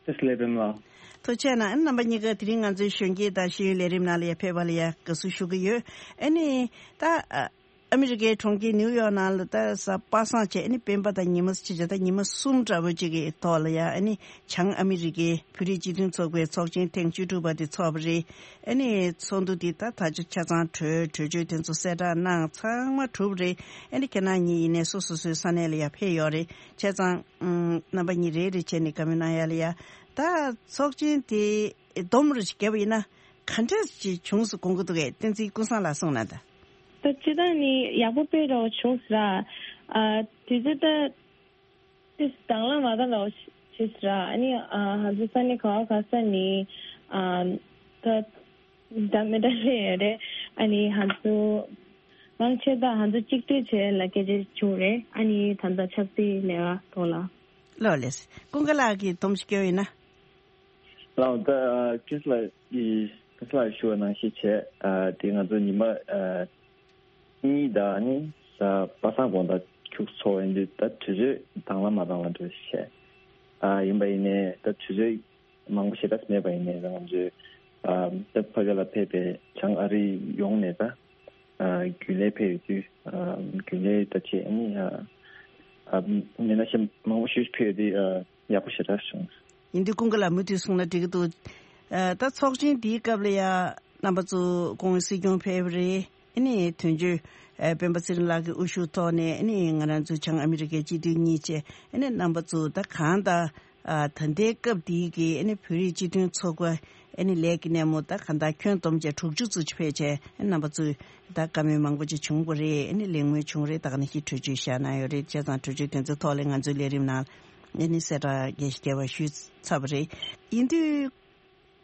བཀྲ་ཤིས་བདེ་ལེགས་པད་མ་ལགས། ཐུགས་རྗེ་གནང་། ཨ་ནི་རྣམ་པ་གཉིས་ཀ་དེ་རིང་ང་ཚོའི་གཞོན་སྐྱེས་དང་ཤེས་ཡོན་ལས་རིམ་ནང་ལ་ཡ་ཕེབས་པ་ལ་ཡ་དགའ་བསུ་ཞུ་གི་ཡོད། ཨ་ནི་ད་ཨ། ཨ་མི་རི་ཀའི་གྲོང་ཁྱེར་ནིའུ་ཡོག་ནང་ལ་ད་གཟའ་པ་སངས་བྱས་ཨ་ནི་སྤེན་པ་དང་ཉི་མ་ཅི་བྱ་ད་ཉི་མ་གསུམ་འདྲ་པོ་ཅིག་གི་ཐོག་ལ་ཡ་ཨ་ནི་བྱང་ཨ་མི་རི་ཀའི་བོད་རིགས་སྤྱི་མཐུན་ཚོགས་པའི་ཚོགས་ཆེན་ཐེངས་བཅུ་དྲུག་པ་དེ་ཚོགས་པ་རེད། ཨ་ནི་ཚོགས་འདུ་དེ་ད་ད་ཆ་ཆ་ཚང་གྲོས་གྲོས་ཆོད་དེ་ཚོ་གསལ་བསྒྲགས་གནང་ཚང་མ་གྲུབ་རེད། ཨ་ནི་ཁྱེད་རང་གཉིས་ཡིན་ནའི་སོ་སོ་སོའི་ས་གནས་ལ་ཡ་ཕེབས་ཡོད་རེད། བྱས་ཙང་ཨམ་རྣམ་པ་གཉིས་རེ་རེ་བྱས་ནས་བཀའ་མོལ་གནང་ཡ་ལ་ཡ་ད་ཚོགས་ཆེན་དེ་སྡོམ་རུ་ཞིག་བརྒྱབ་པ་ཡིན་ན། ག་འདྲས་ཅིག་བྱུང་སོང་དགོངས་ཀྱི་འདུག་གས། བསྟན་འཛིན་ཀུན་བཟང་ལགས་གསུངས་ན་ད། ད་སྤྱིར་བཏང་ནི་ཡག་པོ་དཔེ་རོ་བྱུང་ཟེར་ར། ཨ་དུས་ཚོད་ད་དུས་དང་བླངས་མ་དང་ལོ་བྱེད་ཟེར་ར། ཨ་ནི་ཨ་ཧ་ཚོ་ས་ནི་ག་བ་ག་ས་ནི་ཨ་ད་ད་མི་ད་ལེ་རེད། ཨ་ནི་ཧ་ཚོ་མང་ཆེ་ད་ཧ་ཚོ་གཅིག་སྒྲིལ་བྱས་ལ་སྐད་ཆ་བྱུང་རེད། ཨ་ནི་ད་ད་ཆབ་སྲིད་ལས་ཀ་ཐོག་ལ། ལོ་ལེས་ཀུན་དགའ་ལགས་ཀྱིས་སྡོམ་ཞིག་སྐྱོན་ཡིན་ན། ལགས་ད་ཁྲིས་ལ་ཡི་ཁྲིས་ལ་ཞུ་བ་ནང་བཞིན་བྱས། ཨ་དེ་ང་ཚོ་ཉི་མ་ཨ་གཉིས་དང་ནི་གཟའ་པ་སངས་དགོང་དག་ཁྱུག་ཚོགས་ཡིན་དུས་ད་དུས་ཚོད་དང་བླངས་མ་དང་བླངས་འདྲ་བྱས། ཨ་ཡིན་པ་ཡིན་ནའི་ད་དུས་ཚོད་མང་པོ་ཞེ་དྲག་མེད་པ་ཡིན་ནའི་ད་ང་ཚོས་ཨ་ད་ཕ་གི་ལ་ཕེབས་པའི་བྱང་ཨ་རི་ཡོངས་ནས་ད་ཨ་རྒྱུན་ལས་ཕེབས་ཡོད་དུས་ཨ་རྒྱུན་ལས་ད་བྱས་ནི་ཨ་ཨ་མི་སྣ་གཞན་མང་པོ་ཞིག་ཕེབས་ཡོད་དུས་ཨ། ཡག་པོ་ཞེ་དྲག་བྱུང་། ཡིན་དུས་ཀུན་དགའ་ལགས་མུ་མཐུད་གསུངས་ན་འགྲིག་གི་འདུག་ཨ་ད་ཚོགས་ཆེན་འདིའི་སྐབས་ལ་ཡ་རྣམ་པ་ཚོ་སྐུ་ངོ་སྲིད་སྐྱོང་ཕེབས་རེད། ཨ་ནི་དོན་གཅོད་ཨ་སྤེན་པ་ཚེ་རིང་ལགས་ཀྱི་དབུ་བཞུགས་ཐོག་ནས་ཨ་ནི་ང་རང་ཚོ་བྱང་ཨ་མི་རི་ཀའི་སྤྱི་འཐུས་གཉིས་བཅས་ཨ་ནི་རྣམ་པ་ཚོ་ད་གང་ལྟར་ཨ་ད་ལྟའི་སྐབས་འདིའི་གི་ཨ་ནི་བོད་རིགས་སྤྱི་མཐུན་ཚོགས་པ་ཨ་ནི་ལས་ཀྱི་སྣེ་མོ་ད་གང་ལྟར་ཁྱོན་བསྡོམས་བྱས་དྲུག་ཅུ་ཙམ་ཅིག་ཕེབས་བྱས་ཨ་ནི་རྣམ་པ་ཚོས་ད་བཀའ་མོལ་མང་པོ་ཅིག་བྱུང་བ་རེད། ཨ་ནི་གླེང་མོལ་བྱུང་རེད། ད་ག་ནང་བཞིན་གྲོས་ཆོད་བཞག་གནང་ཡོད་རེད། བྱས་ཙང་གྲོས་ཆོད་དེ་ཚོའི་ཐོག་ལ་ང་ཚོའི་ལས་རིམ་ནང་ཨ་ནི་གསལ་བསྒྲགས་རྒྱས་ཤིང་རྒྱས་པ་ཞུས་ཚར་བ་རེད། ཡིན་དུས་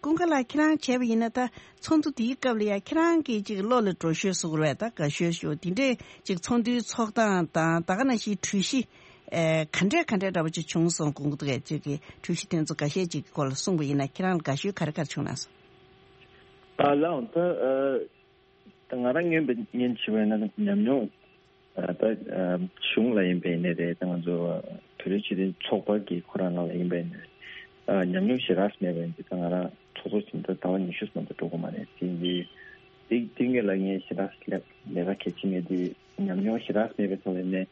ཀུན་དགའ་ལགས་ཁྱེད་རང་བྱས་པ་ཡིན་ན་ད་ཚོགས་འདུ་དེའི་སྐབས་ལ་ཡ་ཁྱེད་རང་གིས་ཅིག་བློ་ལ་འགྲོ་ཤོས་བཟོ་དགོས་རེད། ད་དགའ་ཤོས་ཤོས་དེ་འདྲས་ཅིག་ཚོགས་འདུའི་ཚོགས་སྟངས་དང་ད་ག་ནང་བཞིན་གྲོས་གཞི་ཨེ་ག་འདྲས་ག་འདྲས་འདྲ་པོ་ཅིག་བྱུང་སོང་དགོངས་ཀྱི་འདུག་གས། ཅིག་གི་གྲོས་གཞི་དེ་ཚོ་འགའ་ཤས་ཅིག་གི་སྐོར་ལ་གསུངས་པ་ཡིན་ན་ཁྱེད་རང་ལ་དགའ་ཤོས་ག་རེ་ག་རེ་བྱུང་ན་སོང་། ཨ་ལགས་ད་ཨ། ད་ང་རང་སྔོན་པ་སྔོན་བྱས་པ་ཡིན་ན་ཉམས་མྱོང་ཨ་ད་ཨ་གཞུང་ལ་ཡིན་པ་ཡིན་ནའི་རེད། ད་ང་ཚོ་བོད་རིགས་སྤྱི་མཐུན་ཚོགས་པ་གི་ཁོ་རང་ནང་ལ་ཡིན་པ་ཡིན་ནའི་རེད། ཨ་ཉམས་མྱོང་ཞེ་དྲག་མེད་པ་ཡིན་དུས་ད་ང་རང་ཚོགས་གཙོ་ཕྱིན་ད་ཟླ་བ་ཉི་ཤུ་ཙམ་དུ་འགྲོ་གི་མ་རེད། དེ་ཡིན་དུས་དེ་དེ་སྔོན་ལ་ངས་ཞེ་དྲག་ལས་ལས་ཀ་གལ་ཆེ་མེད་དུས་ཉམས་མྱོང་ཞེ་དྲག་མེད་པའི་ཐོག་ལ་ནས་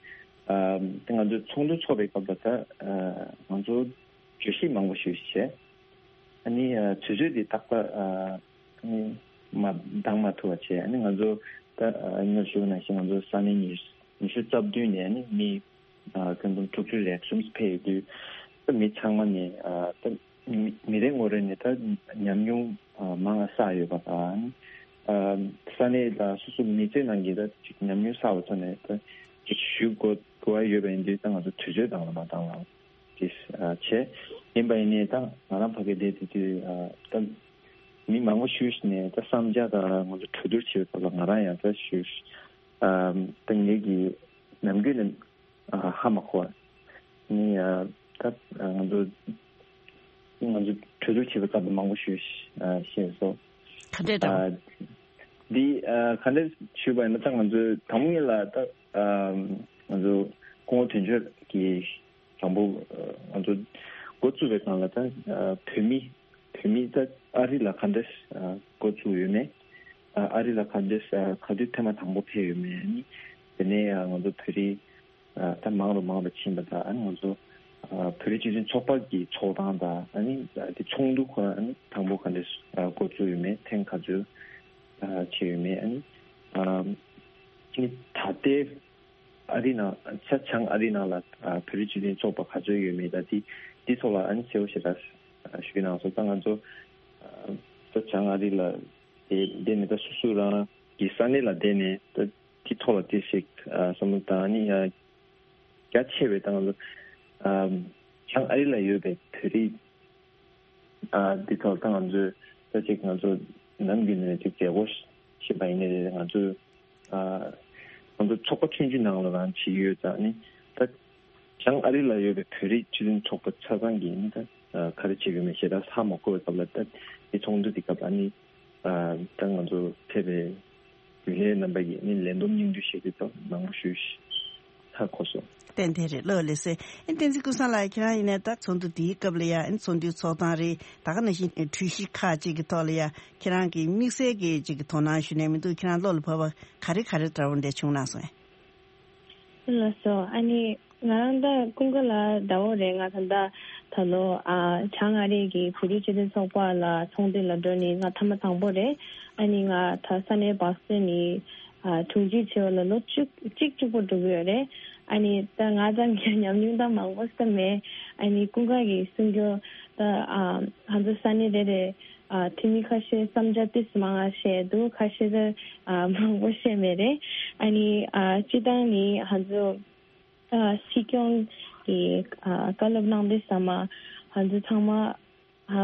ཨ་ད་ང་ཚོ་ཚོགས་འདུ་ཚོགས་པའི་སྐབས་ལ་ད་ཨ་ང་ཚོ་བརྗོད་གཞི་མང་པོ་ཞིག་བྱས། ཨ་ནི་ཨ་དུས་ཚོད་འདི་རྟག་པར་ཨ་ཨ་ནི་མ་འདང་མ་ཐུབ་པ་བྱས། ཨ་ནི་ང་ཚོ་ད་ཨ་སྔར་ཞུས་པ་ནང་བཞིན་ང་ཚོ་ས་གནས་ཉི་ཉི་ཤུ་རྩ་བདུན་ནས་ཨ་ནི་མི་ཨ་ཁྱོན་བསྡོམས་དྲུག་ཅུ་ལས་གསུམ་ཕེབས་ཡོད་དུས་ད་མི་ཚང་མ་ནས་ཨ་ད་མི་མི་རེ་ངོ་རེ་ནས་ད་ཉམས་མྱོང་ཨ་མང་བ་བསགས་ཡོད་པ་དང་ཨ་ས་གནས་ལ་སོ་སོ་མི་ཚེ་ནང་གི་ད་ཅིག་ཉམས་མྱོང་བསགས་པ་ཚོ་ནས་ད་ཅིག་ཞུ་དགོས་དགོས་པ་ཡོད་པ་ཡིན་དུས་ད་ང་ཚོ་དུས་ཚོད་འདང་ལ་མ་འདང་ལ། ཅེས་ཨ་བྱས། ཡིན་པ་ཡིན་ནའི་ད་ང་རང་ཕ་གི་བསྡད་དེ་དུས་ཨ་ད་མི་མང་པོ་ཞིག་ནས་ད་བསམ་འཆར་དང་ང་ཚོ་གྲོས་བསྡུར་བྱེད་པའི་སྐབས་ལ་ང་རང་ཡང་ད་ཞུ་ཨ་ད་ངེད་ཀྱི་ནམ་རྒྱུན་ནས་ཨ་ཧ་མ་གོ་བ་ནི་ཨ་ད་ང་ཚོ་ང་ཚོ་གྲོས་བསྡུར་བྱེད་པའི་སྐབས་ལ་མང་པོ་ཞིག་ཨ་བཤད་སོང་། ག་འདྲས་དང་། ཨ་འདི་ཨ་ག་འདྲས་ཞུས་པ་ཡིན་ན་ད་ང་ཚོའི་དང་པོ་ཉིད་ལ་ད་ཨ་ང་ཚོ་སྐུ་ངོ་དོན་གཅོད་ཀྱིས་དང་པོ་ང་ཚོ་འགོ་བཙུགས་པའི་སྒང་ལ་ད་བོད་མི་བོད་མི་ད་ཨ་རི་ལ་ག་འདྲས་འགོ་བཙུགས་ཡོད་མེད། ཨ་རི་ལ་ག་འདྲས་ག་དུས་ཐེངས་མ་དང་པོ་ཕེབས་ཡོད་མེད་ནི། དེ་ནས་ང་ཚོ་བོད་རིགས་ད་མང་རུ་མང་རུ་ཕྱིན་པ་དང་ང་ཚོ་ ཨ་བོད་རིགས་སྤྱི་མཐུན་ཚོགས་པ་གི་ཚོགས་སྟངས་དང་ཨ་ནི་དེ་ཚོགས་འདུ་ཁོ་རང་ཨ་ནི་དང་པོ་ག་འདྲས་འགོ་བཙུགས་ཡོད་མེད། ཐེངས་ག་ཚོད་བྱས་ཡོད་མེད། ཨ་ནི་ཨ་ནི་ད་ལྟའི་ཨ་རི་ནང་ས་བྱང་ཨ་རི་ནང་ལ་ཨ་བོད་རིགས་སྤྱི་མཐུན་ཚོགས་པ་ག་ཚོད་ཡོད་མེད་དང་དེ་དེ་ཐོག་ལ་ཨ་ནི་གསལ་པོ་ཞེ་དྲག་ཞུ་གནང་སོང་། ད་ང་ཚོ་ཨ་ས་བྱང་ཨ་རི་ལ་དེ་བསྡད་ནས་ད་སོ་སོ་རང་གི་ས་གནས་ལ་བསྡད་ནས་ད་དེ་ཐོག་ལ་དེ་ཞིག་ཨ་བསམ་བློ་བཏང་ནི་ཡ། རྒྱ་ཆེ་བའི་སྟེང་ལ་ཨ་བྱང་ཨ་རི་ལ་ཡོད་པའི་བོད་རིགས་ཨ་འདི་ཐོག་ད་ང་ཚོས་ད་ཅིག་ང་ཚོ་ནམ་རྒྱུན་ནས་ཅིག་མཛད་སྒོ་བྱེད་པ་ཡིན་ནའི་རེད། ང་ཚོས་ཨ་ང་ཚོ་ཚོགས་པ་ཆུང་ཆུང་ནང་ལ་རང་བྱེད་ཀྱི་ཡོད་ཙང་ནི་ད་བྱང་ཨ་རི་ལ་ཡོད་པའི་བོད་རིགས་སྤྱི་མཐུན་ཚོགས་པ་ཆ་ཚང་གིས་ནི་ད་ཨ་ག་རེ་བྱེད་དགོས་མེད་ཞེ་དྲག་ཧ་མ་གོ་བའི་སྐབས་ལ་ད་འདི་ཚོགས་འདུ་འདི་སྐབས་ལ་ནི་ཨ་ད་ང་ཚོ་ཕེབས་པའི་རྒྱུན་ལས་རྣམ་པ་ཡིས་ནི་ལན་འདེབས་སྙིང་བསྡུས་བྱེད་རྒྱུ་དང་མང་པོ་ཞུས་ཤིང་ཧ་གོ་སོང་། ཏན་ཏན་རེད། ལོ་ལེ་སེ། ཨེ་བསྟན་འཛིན་ཀུན་བཟང་ལགས་ཁྱེད་རང་ཡིན་ནའི་ད་ཚོགས་འདུ་འདིའི་སྐབས་ལ་ཡ་ཨེ་ཚོགས་འདུའི་ཚོགས་སྟངས་རེད། ད་ག་ནང་བཞིན་གྲོས་གཞི་ཁག་ཅིག་གི་ཐོག་ལ་ཡ་ཁྱེད་རང་གི་དམིགས་བསལ་གྱི་ཅིག་གི་དོ་སྣང་ཞུ་ནས་མི་འདུག་ཁྱེད་རང་བློ་ལ་བབས་པ་ག་རེ་ག་རེ་འདྲ་བོ་འདྲ་བྱུང་གནང་སོང་ཨེ། ལགས་སོ། ཨ་ནི་ང་རང་ད་ཀུན་དགའ་ལགས་འདྲ་བོ་རེད། ང་ད་ལྟ་ད་ལོ་ཨ་བྱང་ཨ་རི་གི་བོད་རིགས་སྤྱི་མཐུན་ཚོགས་པ་ལ་ཚོགས་འདུ་ལ་འགྲོ་ནི་ང་ཐ་མ་དང་པོ་རེད། ཨ་ནི་ང་ད་ས་གནས་བག་སྟོན་ནི་ཨ་དྲུང་ཆེ་བྱས་པ་ལ་ལོ་བཅུ་གཅིག་བཅུ་པོ་འགྲོ་གི་ཡོད་རེད། ཨ་ནི་ད་ང་ཚང་གི་ཉམས་མྱོང་ད་མང་པོ་ཟེར་མེད། ཨ་ནི་ཀུན་དགའ་གི་གསུང་རྒྱུ་ད་ཨ་ང་ཚོ་ས་གནས་རེ་རེ་ཨ་འཐུས་མི་ཁ་ཤས་བསམ་འཆར་ཏིས་མང་ང་བཤད་འདུག་ཁ་ཤས་ད་ཨ་མང་པོ་བཤད་མེད་རེད། ཨ་ནི་ཨ་སྤྱི་བཏང་ནི་ང་ཚོ་ཨ་སྲིད་སྐྱོང་གི་ཨ་བཀའ་སློབ་གནང་དུས་ཙམ་པ་ང་ཚོ་ཚང་མ་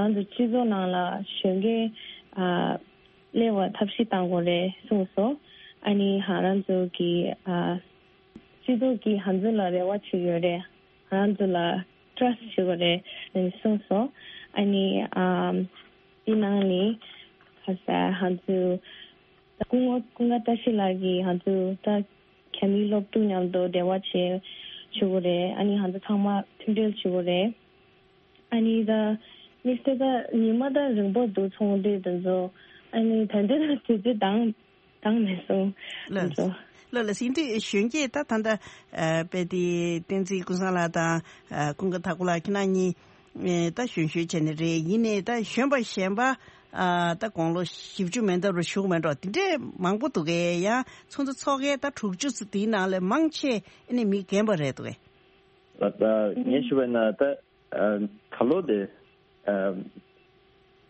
ང་ཚོ་སྤྱི་ཚོགས་ནང་ལ་གཞོན་སྐྱེས་ཨ་སླེབས་པར་ཐབས་ཤེས་གཏང་དགོས་རེད་གསུངས་སོང་། ཨ་ནི་ང་རང་ཚོ་གི་ཨ་སྤྱི་ཚོགས་ཀྱིས་ང་ཚོ་ལ་རེ་བ་བྱེད་ཀྱི་ཡོད་རེད། ང་ཚོ་ལ་ཊྲས་བྱེད་དགོས་རེད་གསུངས་སོང་། ཨ་ནི་ཨམ་དེ་ནང་ནས་ཁ་ས་ང་ཚོ་ད་སྐུ་ངོ་ཀུན་དགའ་བཀྲ་ཤིས་ལགས་ཀྱིས་ང་ཚོ་ད་རྒྱ་མིའི་སློབ་ཕྲུག་མཉམ་དུ་འབྲེལ་བ་བྱེད་བྱེད་དགོས་རེད། ཨ་ནི་ང་ཚོ་ཚང་མ་མཐུན་སྒྲིལ་བྱེད་དགོས་རེད། ཨ་ནི་ད་དམིགས་བསལ་ད་ཉི་མ་ད་རིང་པོ་འདུག་ཚོགས་འདུ་དེ་ཚོ། ཨ་ནི་ད་ལྟ་ད་དུས་ཚོད་འདང་འདང་མེད་སོང་། ལགས་ལགས་ལགས། ཡིན་དུས་གཞོན་སྐྱེས་ད་ད་ལྟ་ཨ་དཔེ་དེ་བསྟན་འཛིན་ཀུན་བཟང་ལགས་དང་ཨ་ཀུན་དགའ་ཐར་ཁོ་ལགས་ཁྱེད་རང་གཉིས་ཨེ་ད་གཞོན་གཞོན་བྱས་ནས་རེད། ཡིན་ནའི་ད་གཞོན་པ་གཞན་པ་ཨ་ད་དགུང་ལོ་བཞི་བཅུ་མན་འདབ་རུ་བཞུགས་མེད་འགྲོ་དེ་འདྲས་མང་པོ་འདུག་གས། ཡང་ཚོགས་འདུ་ཚོགས་མཁན་ད་དྲུག་ཅུ་ཙམ་དེའི་ནང་ལས་མང་ཆེ་ཨ་ནི་མི་རྒན་པ་རེད་འདུག་གས། ད་ངས་ཞུས་པ་ཡིན་ན་ད་ཨ་ད་ལོ་དེ་ཨ་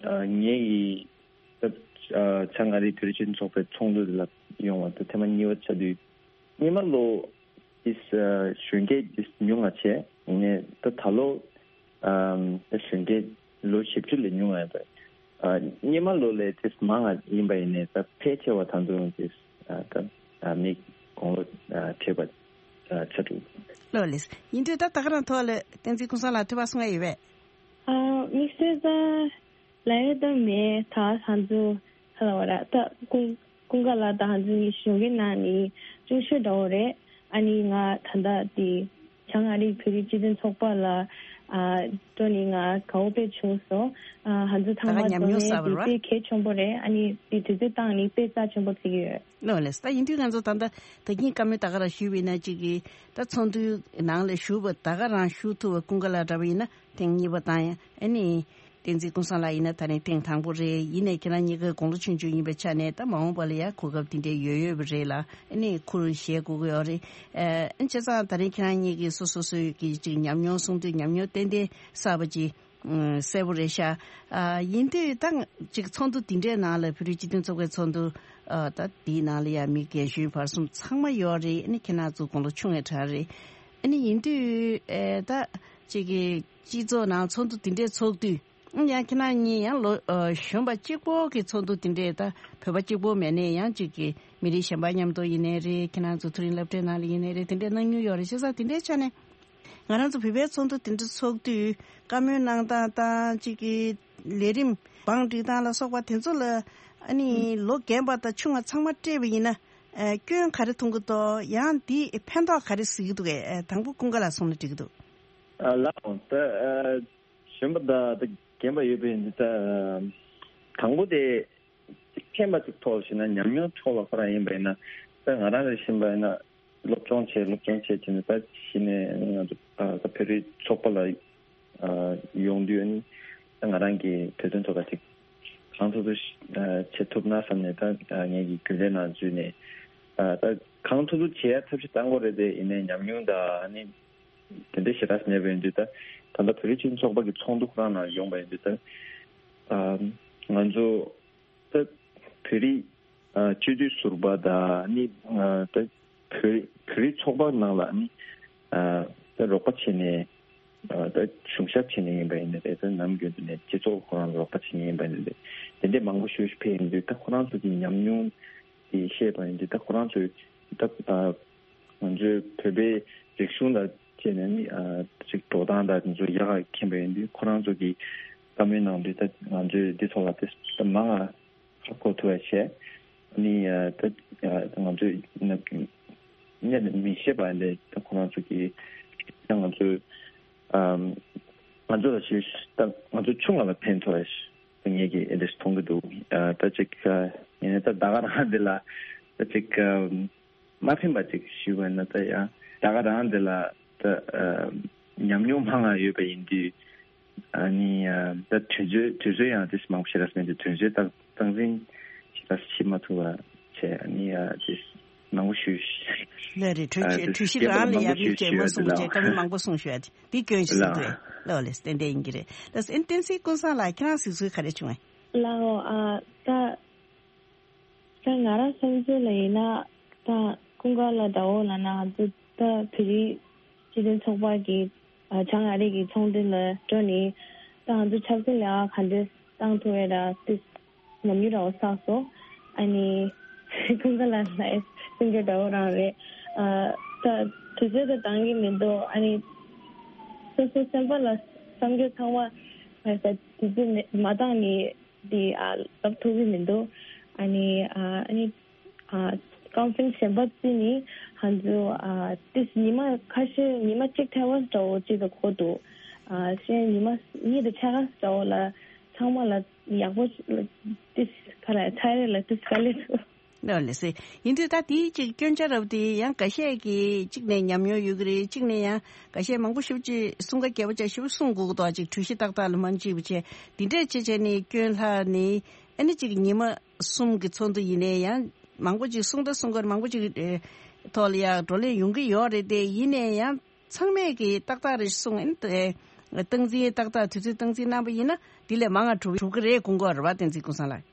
ཨ་ངེད་ཀྱི་ད་ཨ་བྱང་ཨ་རིའི་བོད་རིགས་སྤྱི་མཐུན་ཚོགས་པའི་ཚོགས་འདུ་དེ་ལ་ཡོང་བ་ད་ཐེངས་མ་གཉིས་པ་ཆགས་དུས་སྔོན་མ་ལོ་དེ་ཨ་གཞོན་སྐྱེས་དེ་ཉུང་ང་བྱས། ཡིན་ནའི་ད་ད་ལོ་ཨ་ད་གཞོན་སྐྱེས་ལོ་བཞི་བཅུ་ལས་ཉུང་ང་ཡོད་པ། ཨ་སྔོན་མ་ལོ་ལས་དེ་མང་ང་ཡིན་པ་ཡིན་ནའི་ད་ཕལ་ཆེ་བ་ད་དུང་དེ་ཨ་ད་ཨ་མི་དགུང་ལོ་ཨ་བགྲེས་པ་ཨ་ཆགས་འདུག་ལགས་ལགས། ཡིན་དུས་ད་ད་ག་རང་ཐོག་ལ་བསྟན་འཛིན་ཀུན་བཟང་ལགས་ཐུགས་ཕན་གསོས་ཡོད་པས། ཨ་དམིགས་བསལ་ད་ལབ་ཡ་ད་མེད། ད་ང་ཚོ་ག་ལབ་དགོས་རེད། ད་ཀུན་ཀུན་དགའ་ལགས་དང་ང་ཚོ་གཉིས་གཞོན་སྐྱེས་ནང་ནས་ཆུང་ཤོས་འདྲ་བོ་རེད། ཨ་ནི་ང་ད་ལྟ་དེ་བྱང་ཨ་རིའི་བོད་རིགས་སྤྱི་མཐུན་ཚོགས་པ་ལ་ཨ་འགྲོ་ནས་ང་དགའ་བོ་དཔེ་བྱུང་སོང་། ཨ་ང་ཚོ་ཚང་ད་མ་ག་ཉམས་འཛོམས་མྱོང་ཡས་བསགས་པ་དེ་རེད་བ། དཔེ་གལ་ཆེན་པོ་རེད། ཨ་ནི་དེ་དུས་ཚོད་བཏང་ནས་དཔེ་རྩ་ཆེན་པོ་བརྩི་གི་ཡོད། ལགས་ལགས། ད་ཡིན་དུས་ང་ཚོ་ད་ལྟ་ད་གིན་བཀའ་མོལ་ད་ག་རང་ཞུས་པ་ཡིན་ན་གཅིག་གིས་ད་ཚོགས་འདུའི་ནང་ལ་ཞུགས་པ་ད་ག་རང་ཞུགས་ཐུབ་པ་ཀུན་དགའ་ལགས་འདྲ་བ་ཡིན་ན་ཐེངས་གཉིས་པ་དང་ཡང་ཨ་ནི་བསྟན་འཛིན་ཀུན་བཟང་ལགས་ཡིན་ན་ད་རིང་ཐེངས་དང་པོ་རེད། ཡིན་ནའི་ཁྱེད་རང་གཉིས་ཀ་དགུང་ལོ་ཆུང་ཆུང་ཡིན་པའི་ཆ་ནས་ད་མ་འོངས་པ་ལ་ཡང་གོ་སྐབས་དེ་འདྲའི་ཡོད་ཡོད་པ་རེད་ལ། ཨ་ནི་ཁུར་བཞེས་དགོས་ཀྱི་ཡོད་རེད། ཨ་བྱས་ཙང་ད་རིང་ཁྱེད་རང་གཉིས་ཀྱིས་སོ་སོ་སོའི་གི་ཅིག་ཉམས་མྱོང་གསུང་དུས་ཉམས་མྱོང་ཏན་ཏན་བསགས་པ་ཅིག་ཨ་གསལ་པོ་རེད་ཤག་ཨ་ཡིན་དུས་ད་ཅིག་ཚོགས་འདུ་འདི་འདྲའི་ནང་ལ་བོད་རིགས་སྤྱི་མཐུན་ཚོགས་པའི་ཚོགས་འདུ་ཨ་ད་འདིའི་ནང་ལ་ཡང་མི་རྒན་གཞོན་བར་གསུམ་ཚང་མ་ཡོད་རེད། ཨ་ནི་ཁྱེད་རང་ཚོ་དགུང་ལོ་ཆུང་བའི་གྲས་རེད། ཨ་ནི་ཡིན་དུས་ཨེ་ད་ཅིག་གི་སྤྱི་ཚོགས་ནང་ཚོགས་འདུ་འདི་འདྲའི་ཚོགས་དུས་ཨ་ཡང་ཁྱེད་རང་གཉིས་ཡང་ལོ་ཨ་གཞོན་པ་གཅིག་པོ་གི་ཚོགས་འདུ་འདི་འདྲའི་ད་བོད་པ་གཅིག་པོ་མེད་ནའི་ཡང་ཅིག་གི་མི་རིགས་གཞན་པ་མཉམ་དུ་ཡིན་ནའི་རེད། ཁྱེད་རང་ཚོ་མཐོ་རིམ་སློབ་གྲྭའི་ནང་ལ་ཡིན་ནའི་རེད། དེ་འདྲའི་གནང་མྱོང་ཡོད་རེད། བྱས་ཙང་དེ་འདྲའི་ཆ་ནས། ང་རང་ཚོ་བོད་པའི་ཚོགས་འདུ་དེ་འདྲ་ཚོགས་དུས་བཀའ་མོལ་གནང་སྟངས་དང་གཅིག་གི་ལས་རིམ་བང་སྒྲིག་སྟངས་ལ་སོགས་པ་དེ་ཚོ་ལ་ཨ་ནི་ལོ་རྒན་པ་དང་ཆུང་བ་ཚང་མ་སྤྲད་པ་ཡིན་ན་ཨ་སྐྱོན་ག་རེ་མཐོང་གི་འདུག་ཡང་དེས་ཕན་ཐོགས་ག་རེ་གཟིགས་ཀྱི་འདུག་གས། དང་པོ་ཀུན་དགའ་ལགས་གསུངས་ན་འགྲིག་གི་འདུག་ཨ་ལགས་འོང་ད་ཨ་གཞོན་པ་དང་ད་རྒན་པ་ཡོད་པའི་འདི་ད་དང་པོ་དེ་ཁྱད་པར་ཅིག་ཐོག་ཞེ་ན་ཉམས་མྱོང་ཐོག་ལ་ཁོ་རང་ཡིན་པ་ཡིན་ན་ད་ང་རང་ལ་ཤེས་པ་ཡིན་ན། སློབ་སྦྱོང་བྱས་སློབ་སྦྱོང་བྱས་བྱས་ནས་ད་གཞི་ནས་ང་ཚོ་ཨ་ད་བོད་རིགས་ཚོགས་པ་ལ་ཨ་ཡོང་དུས་ཨ་ནི་ད་ང་རང་གི་བོད་དོན་ཐོག་ལ་ཅིག་གང་ཐུབ་ཐུབ་ཨ་བྱེད་ཐུབ་ན་བསམ་ནས་ད་ཨ་ངེད་ཀྱི་རྒྱུན་ལས་ནང་འཛུལ་ནས་ཨ་ད་གང་ཐུབ་ཐུབ་བྱེད་ཡ་ཐབས་ཤེས་བཏང་དགོས་རེད་དེ། ཡིན་ནའི་ཉམས་མྱོང་དང་ཨ་ནི་དེ་འདྲ་ཞེ་དྲག་མེད་པ་ཡིན་དུས་ད་ད་ལྟ་བོད་རིགས་སྤྱི་མཐུན་ཚོགས་པ་གི་ཚོགས་འདུ་ཁོ་རང་ནང་ཡོང་པ་ཡིན་དུས་ད་ཨ་ང་ཚོ་ད་བོད་རིགས་ཨ་སྤྱི་འཐུས་ཟུར་པ་དང་ནི་ཨ་ད་བོད་བོད་རིགས་ཚོགས་པ་ནང་ལ་ནི་ཨ་ད་རོགས་པ་བྱས་ནས་ཨ་ད་གཞུང་ཞབས་བྱས་ནས་ཡིན་པ་ཡིན་ནའི་རེད། ད་ནམ་རྒྱུན་དུ་ནས་སྤྱི་ཚོགས་ཁོ་རང་ལ་རོགས་པ་བྱས་ནས་ཡིན་པ་ཡིན་ནའི་རེད། དེ་འདྲས་མང་པོ་ཞིག་ཕེབས་ཡིན་དུས་ད་ཁོ་རང་ཚོ་གི་ཉམས་མྱོང་དེ་བཤད་པ་ཡིན་དུས་ད་ཁོ་རང་ཚོས་ད་ཨ་ང་ཚོའི་བོད་པའི་རིག་གཞུང་དང་བཅས་ནས་ནི་ཨ་ཅིག་འགྲོ་སྟངས་དང་དེ་ཚོ་ཡག་ག་མཁྱེན་པ་ཡིན་དུས་ཁོ་རང་ཚོ་གི་བཀའ་མོལ་གནང་དུས་ད་ང་ཚོས་འདི་ཐོག་ལ་དེ་ད་མང་ང་ཧ་གོ་ཐུབ་པ་བྱས། ནི་ཨ་ད་ཨ་ང་ཚོས་ན་སྔོན་ནས་མི་ཤེས་པ་འདི་ད་ཁོ་རང་ཚོ་གི་ད་ང་ཚོས་ཨ་ང་ཚོ་ལ་ཞུ་ད་ང་ཚོ་ཆུང་བ་ལ་ཕན་ཐོགས་ཡ་ཞིག་ད་ངེད་ཀྱིས་འདི་མཐོང་གི་འདུག་ཨ་ད་ཅིག་ཨ་ཡིན་ནའི་ད་ད་ག་རང་འདི་ལ་ད་ཅིག་ཨ་མ་ཕན་པ་ཅིག་ཞུས་པ་ཡིན་ན། ད་ཡང་ད་ག་རང་འདི་ལ་ད་ཨ་ཉམས་མྱོང་མང་ང་ཡོད་པ་ཡིན་དུས་ཨ་ནི་ཨ་ད་དུས་ཚོད་དུས་ཚོད་ཡང་དེ་མང་པོ་ཞེ་དྲག་མེད་དུས་དུས་ཚོད་ད་སྟངས་འཛིན་ཞེ་དྲག་བྱེད་མ་ཐུབ་པ་བྱས། ཨ་ནི་ཨ་དེ་མང་པོ་ཞུས། ལགས་རེད། གྲོས་ཨ་ཆོད་དེ་གྲོས་གཞི་བརྒྱད་པ་རང་ལ་མང་ཡ་པོ་མིག་ཞུས་ཞུས་ཡོད་དེ་ལ། ཅེས་མ་གསུངས་པ་བྱས་བཀའ་མོལ་མང་པོ་གསུངས་ཞུ་ཡ་དེ་འདི་སྐྱོན་ཞིག་ལ་གསུངས་འདུག་ལགས་ལགས་ལགས་བསྟན་འདས་དབྱིན་སྐྱིད་རེད། ལགས་སོ་བསྟན་འཛིན་ཀུན་བཟང་ལགས་ཁྱེད་རང་གཟིགས་ཚུལ་ག་རེ་བྱུང་ངས། ལགས་འོ། ཨ་ད་ད་ང་རང་བསམ་ཚུལ་ལ་ཡིན་ན་ད་ཀུན་དགའ་ལགས་འདྲ་བོ་ལབ་ན་ང་ཚོ་ད་བོད་རིགས་སྤྱི་མཐུན་ཚོགས་པ་གི་ཨ་བྱང་ཨ་རི་གི་ཚོགས་འདུ་ལ་འགྲོ་ནས་ད་ང་ཚོ་ཆབ་སྲིད་ལས་ཀ་ག་འདྲས་བཏང་ཐུབ་ཡོད་ར་དེ་ཉམས་མྱོང་འདྲ་བོ་བསགས་སོང་། ཨ་ནི་ཀུན་དགའ་ལགས་ལ་སེམས་སྐྱོ་འདྲ་བོ་རང་རེད། ཨ་ད་དུས་ཚོད་ད་འདང་གི་མི་འདུག་ཨ་ནི་སོ་སོ་སེམས་པ་ལ་བསམ་རྒྱུ་ཚང་མ་ཨ་ད་དུས་ཚོད་མེད་མ་འདང་ནི་འདི་ཨ་ལབ་ཐུབ་ཀྱི་མི་འདུག་ཨ་ནི་ཨ་ཨ་ནི་ཨ་ཀོན་ཕ་རེན་སི་གཞན་པ་བརྩིས་ནི་ང་ཚོ་ཨ་ཏིས་ཉི་མ་ཁ་ཤས་ཉི་མ་གཅིག་ཐལ་བ་འདྲ་བོ་གཅིག་ཏུ་འཁོར་འདུག་ཨ་གཞན་ཉི་མ་གཉིས་དང་ཕྱེད་ཀ་འདྲ་བོ་ལ་ཚང་མ་ལ་ཡག་པོ་ལ་ཏིས་ཁ་ར་ཚ་རེ་ལ་ཏིས་དཀའ་ལས་འདུག་ལགས་ལགས་སེ། ཡིན་དུས་ད་དེའི་ཅིག་སྐྱོན་ཆ་རབ་དེ་ཡང་འགའ་ཤས་ཀྱིས་གཅིག་ནས་ཉམས་མྱོང་ཡོད་ཀྱི་རེད། གཅིག་ནས་ཡང་འགའ་ཤས་མང་པོ་ཞེ་པོ་ཅིག་གསུང་ཁ་རྒྱས་པོ་ཅིག་ཞེ་པོ་གསུང་དགོས་ཀྱི་འདུག་ཅིག་གྲོས་གཞི་ཏག་ཏག་ལ་མ་འཇིགས་པ་བྱས་འདི་འདྲས་བྱས་བྱས་ནས་སྐྱོན་ལྷག་ནས་ཨ་ནི་ཅིག་ཉི་མ་གསུམ་གྱི་ཚོགས་འདུ་ཡིན་ནའི་ཡང་མང་པོ་ཅིག་གསུང་ད་གསུང་གར་མང་པོ་ཅིག་ཨེ་ཐོག་ལ་ཡང་བགྲོ་གླེང་ཡོང་གི་ཡོད་རེད་དེ། ཡིན་ནའི་ཡང་ཚང་མས་ཀྱིས་ཏག་ཏག་རེད་གསུང་ཨ་ནི་དེ་སྟངས་འཛིན་ཏག་ཏག་དུས་ཚོད་སྟངས་འཛིན་གནང་པ་ཡིན་ན་འདི་ལས་མང་ང་འགྲོ་གི་རེད་དགོངས་ཀྱི་ཡོད་རེད་པ། བསྟན་འཛིན་ཀུན་བཟང་ལགས།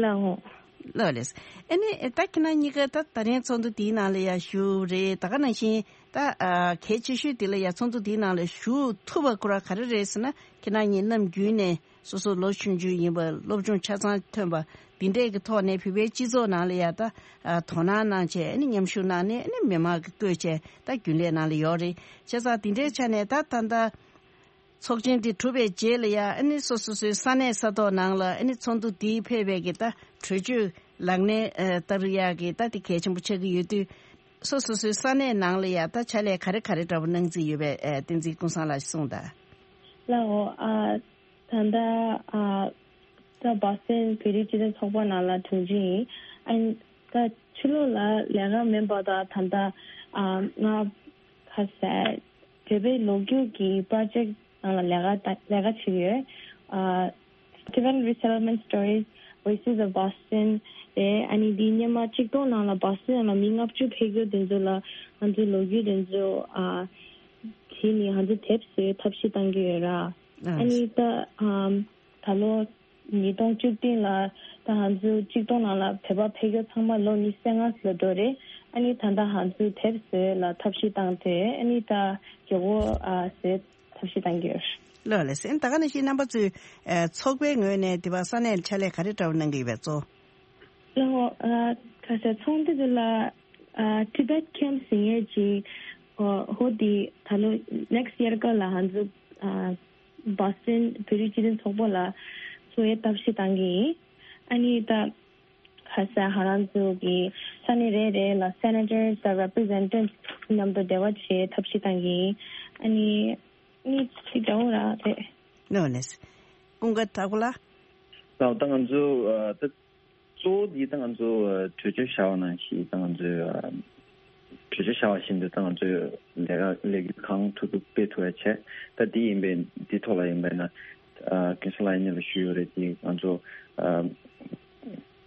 ལགས་འོང་། ལགས་རེད། ཨ་ནི་ད་ཁྱེད་རང་གཉིས་ཀ་ད་ད་རིང་ཚོགས་འདུ་དེའི་ནང་ལ་ཡ་ཞུགས་རེད། ད་ག་ནང་བཞིན་ད་ཨ་གལ་ཆེ་ཤོས་དེ་ལ་ཡ་ཚོགས་འདུ་དེའི་ནང་ལ་ཞུགས་ཐུབ་པ་ཁོ་ར་ག་རེ་རེད་ཟེར་ན་ཁྱེད་རང་གཉིས་ནམ་རྒྱུན་ནས་སོ་སོ་ལོ་ཆུང་ཆུང་ཡིན་པ་སློབ་སྦྱོང་ཆ་ཚང་ཐོན་པ་འདི་འདྲས་ཀྱི་ཐོག་ནས་བོད་པའི་སྤྱི་ཚོགས་ནང་ལ་ཡ་ད་ཨ་དོ་སྣང་གནང་བྱས་ཨ་ནི་མཉམ་ཞུགས་གནང་ནས་ཨ་ནི་མི་མང་གི་བསྐོས་བྱས་ད་རྒྱུན་ལས་ནང་ལ་ཡོད་རེད། བྱས་ཙང་འདི་འདྲའི་ཆ་ནས་ད་ད་ད། ཚོགས་ཆེན་དེ་གྲུབ་པའི་རྗེས་ལ་ཡང་ཨ་ནི་སོ་སོ་སོའི་ས་གནས་ས་ཐོག་ནང་ལ་ཨ་ནི་ཚོགས་འདུ་དེའི་ཕེབས་པའི་གི་ད་གྲོས་ཆོད་ལག་ལེན་ཨ་བསྟར་ཡག་གི་ད་དེ་གལ་ཆེན་པོ་ཆགས་ཀྱི་ཡོད་དུས་སོ་སོ་སོའི་ས་གནས་ནང་ལ་ཡང་ད་ཕྱག་ལས་ག་རེ་ག་རེ་འདྲ་པོ་གནང་རྩིས་ཡོད་པའི་ཨ་བསྟན་འཛིན་ཀུན་བཟང་ལགས་གསུངས་དང་། ལགས་འོ། ཨ་ད་ལྟ་ཨ་ད་བོ་སི་ཊོན་བོད་རིགས་སྤྱི་མཐུན་ཚོགས་པ་ནང་ལ་དྲུང་ཆེ་ཡིན། ཨ་ད་ཕྱི་ལོགས་ལ་ལས་ཀ་མིན་པ་དང་ད་ལྟ་ཨ་ང་ཁ་ཟས་བོད་པའི་ལོ་རྒྱུས་ཀྱི་པྲོ་ཇེག་ནང་ལ་ལས་ཀ་ལས་ཀ་བྱེད་ཀྱི་ཡོད། ཨ་Tibetan Resettlement Stories, Voices of Boston རེད། ཨ་ནི་འདིའི་སྔོན་མ་ཆིག་སྟོང་ནང་ལ་བོ་སི་ཊོན་ནང་ལ་མི་ལྔ་བཅུ་ཕེབས་རྒྱུ་དེ་ཚོ་ལ་ང་ཚོའི་ལོ་རྒྱུས་དེ་ཚོ་ཨ་བྲིས་ནས་ང་ཚོ་དེབ་བཟོའི་ཐབས་ཤེས་བཏང་གི་ཡོད་ར། ཨ་ནི་ད་ཨམ་ད་ལོ་ཉིས་སྟོང་བཅུ་བདུན་ལ་ད་ང་ཚོ་ཆིག་སྟོང་ནང་ལ་བོད་པ་ཕེབས་རྒྱུ་ཚང་མ་ལོ་ཉི་ཤུ་རྩ་ལྔ་ལ་འགྲོ་རེད། ཨ་ནི་ད་ལྟ་ང་ཚོ་དེབ་བཟོས་ལ་ཐབས་ཤེས་བཏང་སྟེ་ཨ་ནི་ད་རྒྱལ་སྒོ་ཨ་བཟོས་ཐབས་ཤེས་བཏང་གི་ཡོད། ལགས་ལགས་སེ། ད་ག་ནང་བཞིན་རྣམ་པ་ཚོས་ཨ་ཚོགས་པའི་ངོས་ནས་དེ་བ་ས་གནས་ཕྱག་ལས་ག་རེ་འདྲ་བོ་གནང་གི་ཡོད་པས་གཙོ། ལགས་འོ། ཨ་ཁ་ཤས་ཚོགས་འདུ་དེ་ལ་ཨ་Tibet Camp ཟེར་མཁན་ཅིག་ཨ་ཧོ་དེ་ད་ལོ་next year སྐབས་ལ་ང་ཚོ་ཨ་བོ་སི་ཊོན་བོད་རིགས་སྤྱི་མཐུན་ཚོགས་པ་ལ་བཟོ་ཡའི་ཐབས་ཤེས་བཏང་གི་ཡིན། ཨ་ནི་ད་ཁ་ཤས་ང་རང་ཚོ་གི་ས་གནས་རེ་རེ་ལ་senators དང་representatives མཉམ་དུ་འབྲེལ་བ་བྱེད་ཐབས་ཤེས་བཏང་གི་ཡིན། ཨ་ནི་ཨ་ནི་ཅིག་འདྲ་བོ་ར་རེད། ནོ་ནེས། ཀུན་དགའ་དྭགས་པོ་ལགས། ད་ད་ང་ཚོ་ཨ་ད་གཙོ་བོ་འདི་ད་ང་ཚོ་ཨ་གྲོས་ཆོད་བཞག་པ་ནང་བཞིན་ད་ང་ཚོའི་ཨ་ གྲོས་ཆོད་བཞག་པ་བཞིན་དུ་ད་ང་ཚོས་ལས་ཀ་ལས་འགུལ་གང་ཐུབ་ཐུབ་སྤེལ་ཐུབ་ཡ་བྱས། ད་འདི་ཡིན་པས་འདི་ཐོག་ལ་ཡིན་པས་ན། ཨ་ཀུན་བཟང་ལགས་ཡིན་ལ་ཞུ་ཡོད་རེད། དེ་ང་ཚོ་ཨ་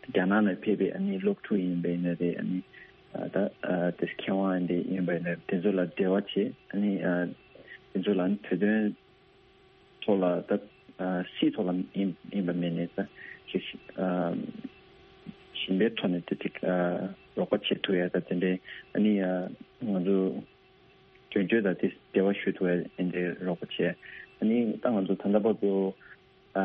རྒྱ་ནག་ནས་ཕེབས་པའི་ཨ་ནི་སློབ་ཕྲུག་ཡིན་པས་ན་རེད། ཨ་ནི་ཨ་ད་ཨ་དེ་མཁས་དབང་འདི་ཡིན་པས་ན་དེ་ཚོ་ལ་འབྲེལ་བ་བྱས། ཨ་ནི་ཨ་དེ་ཚོ་ལ་ཨ་ནི་བོད་དོན་ཐོག་ལ་ད་ཨ་སྲིད་ཐོག་ལ་ཡིན་ཡིན་པ་མེད་ནས་ད་ཅིག་ཨ་ཞིང་པའི་ཐོག་ནས་དེ་ཅིག་ཨ་རོགས་པ་བྱེད་ཐུབ་ཡ་ད་དེ་འདྲའི་ཨ་ནི་ཨ་ང་ཚོ་དོན་གཅོད་དང་དེ་འབྲེལ་བ་ཞུ་ཐུབ་ཡ་དེ་འདྲའི་རོགས་པ་བྱས། ཨ་ནི་ད་ང་ཚོ་ད་ལྟ་བར་དུ་ཨ་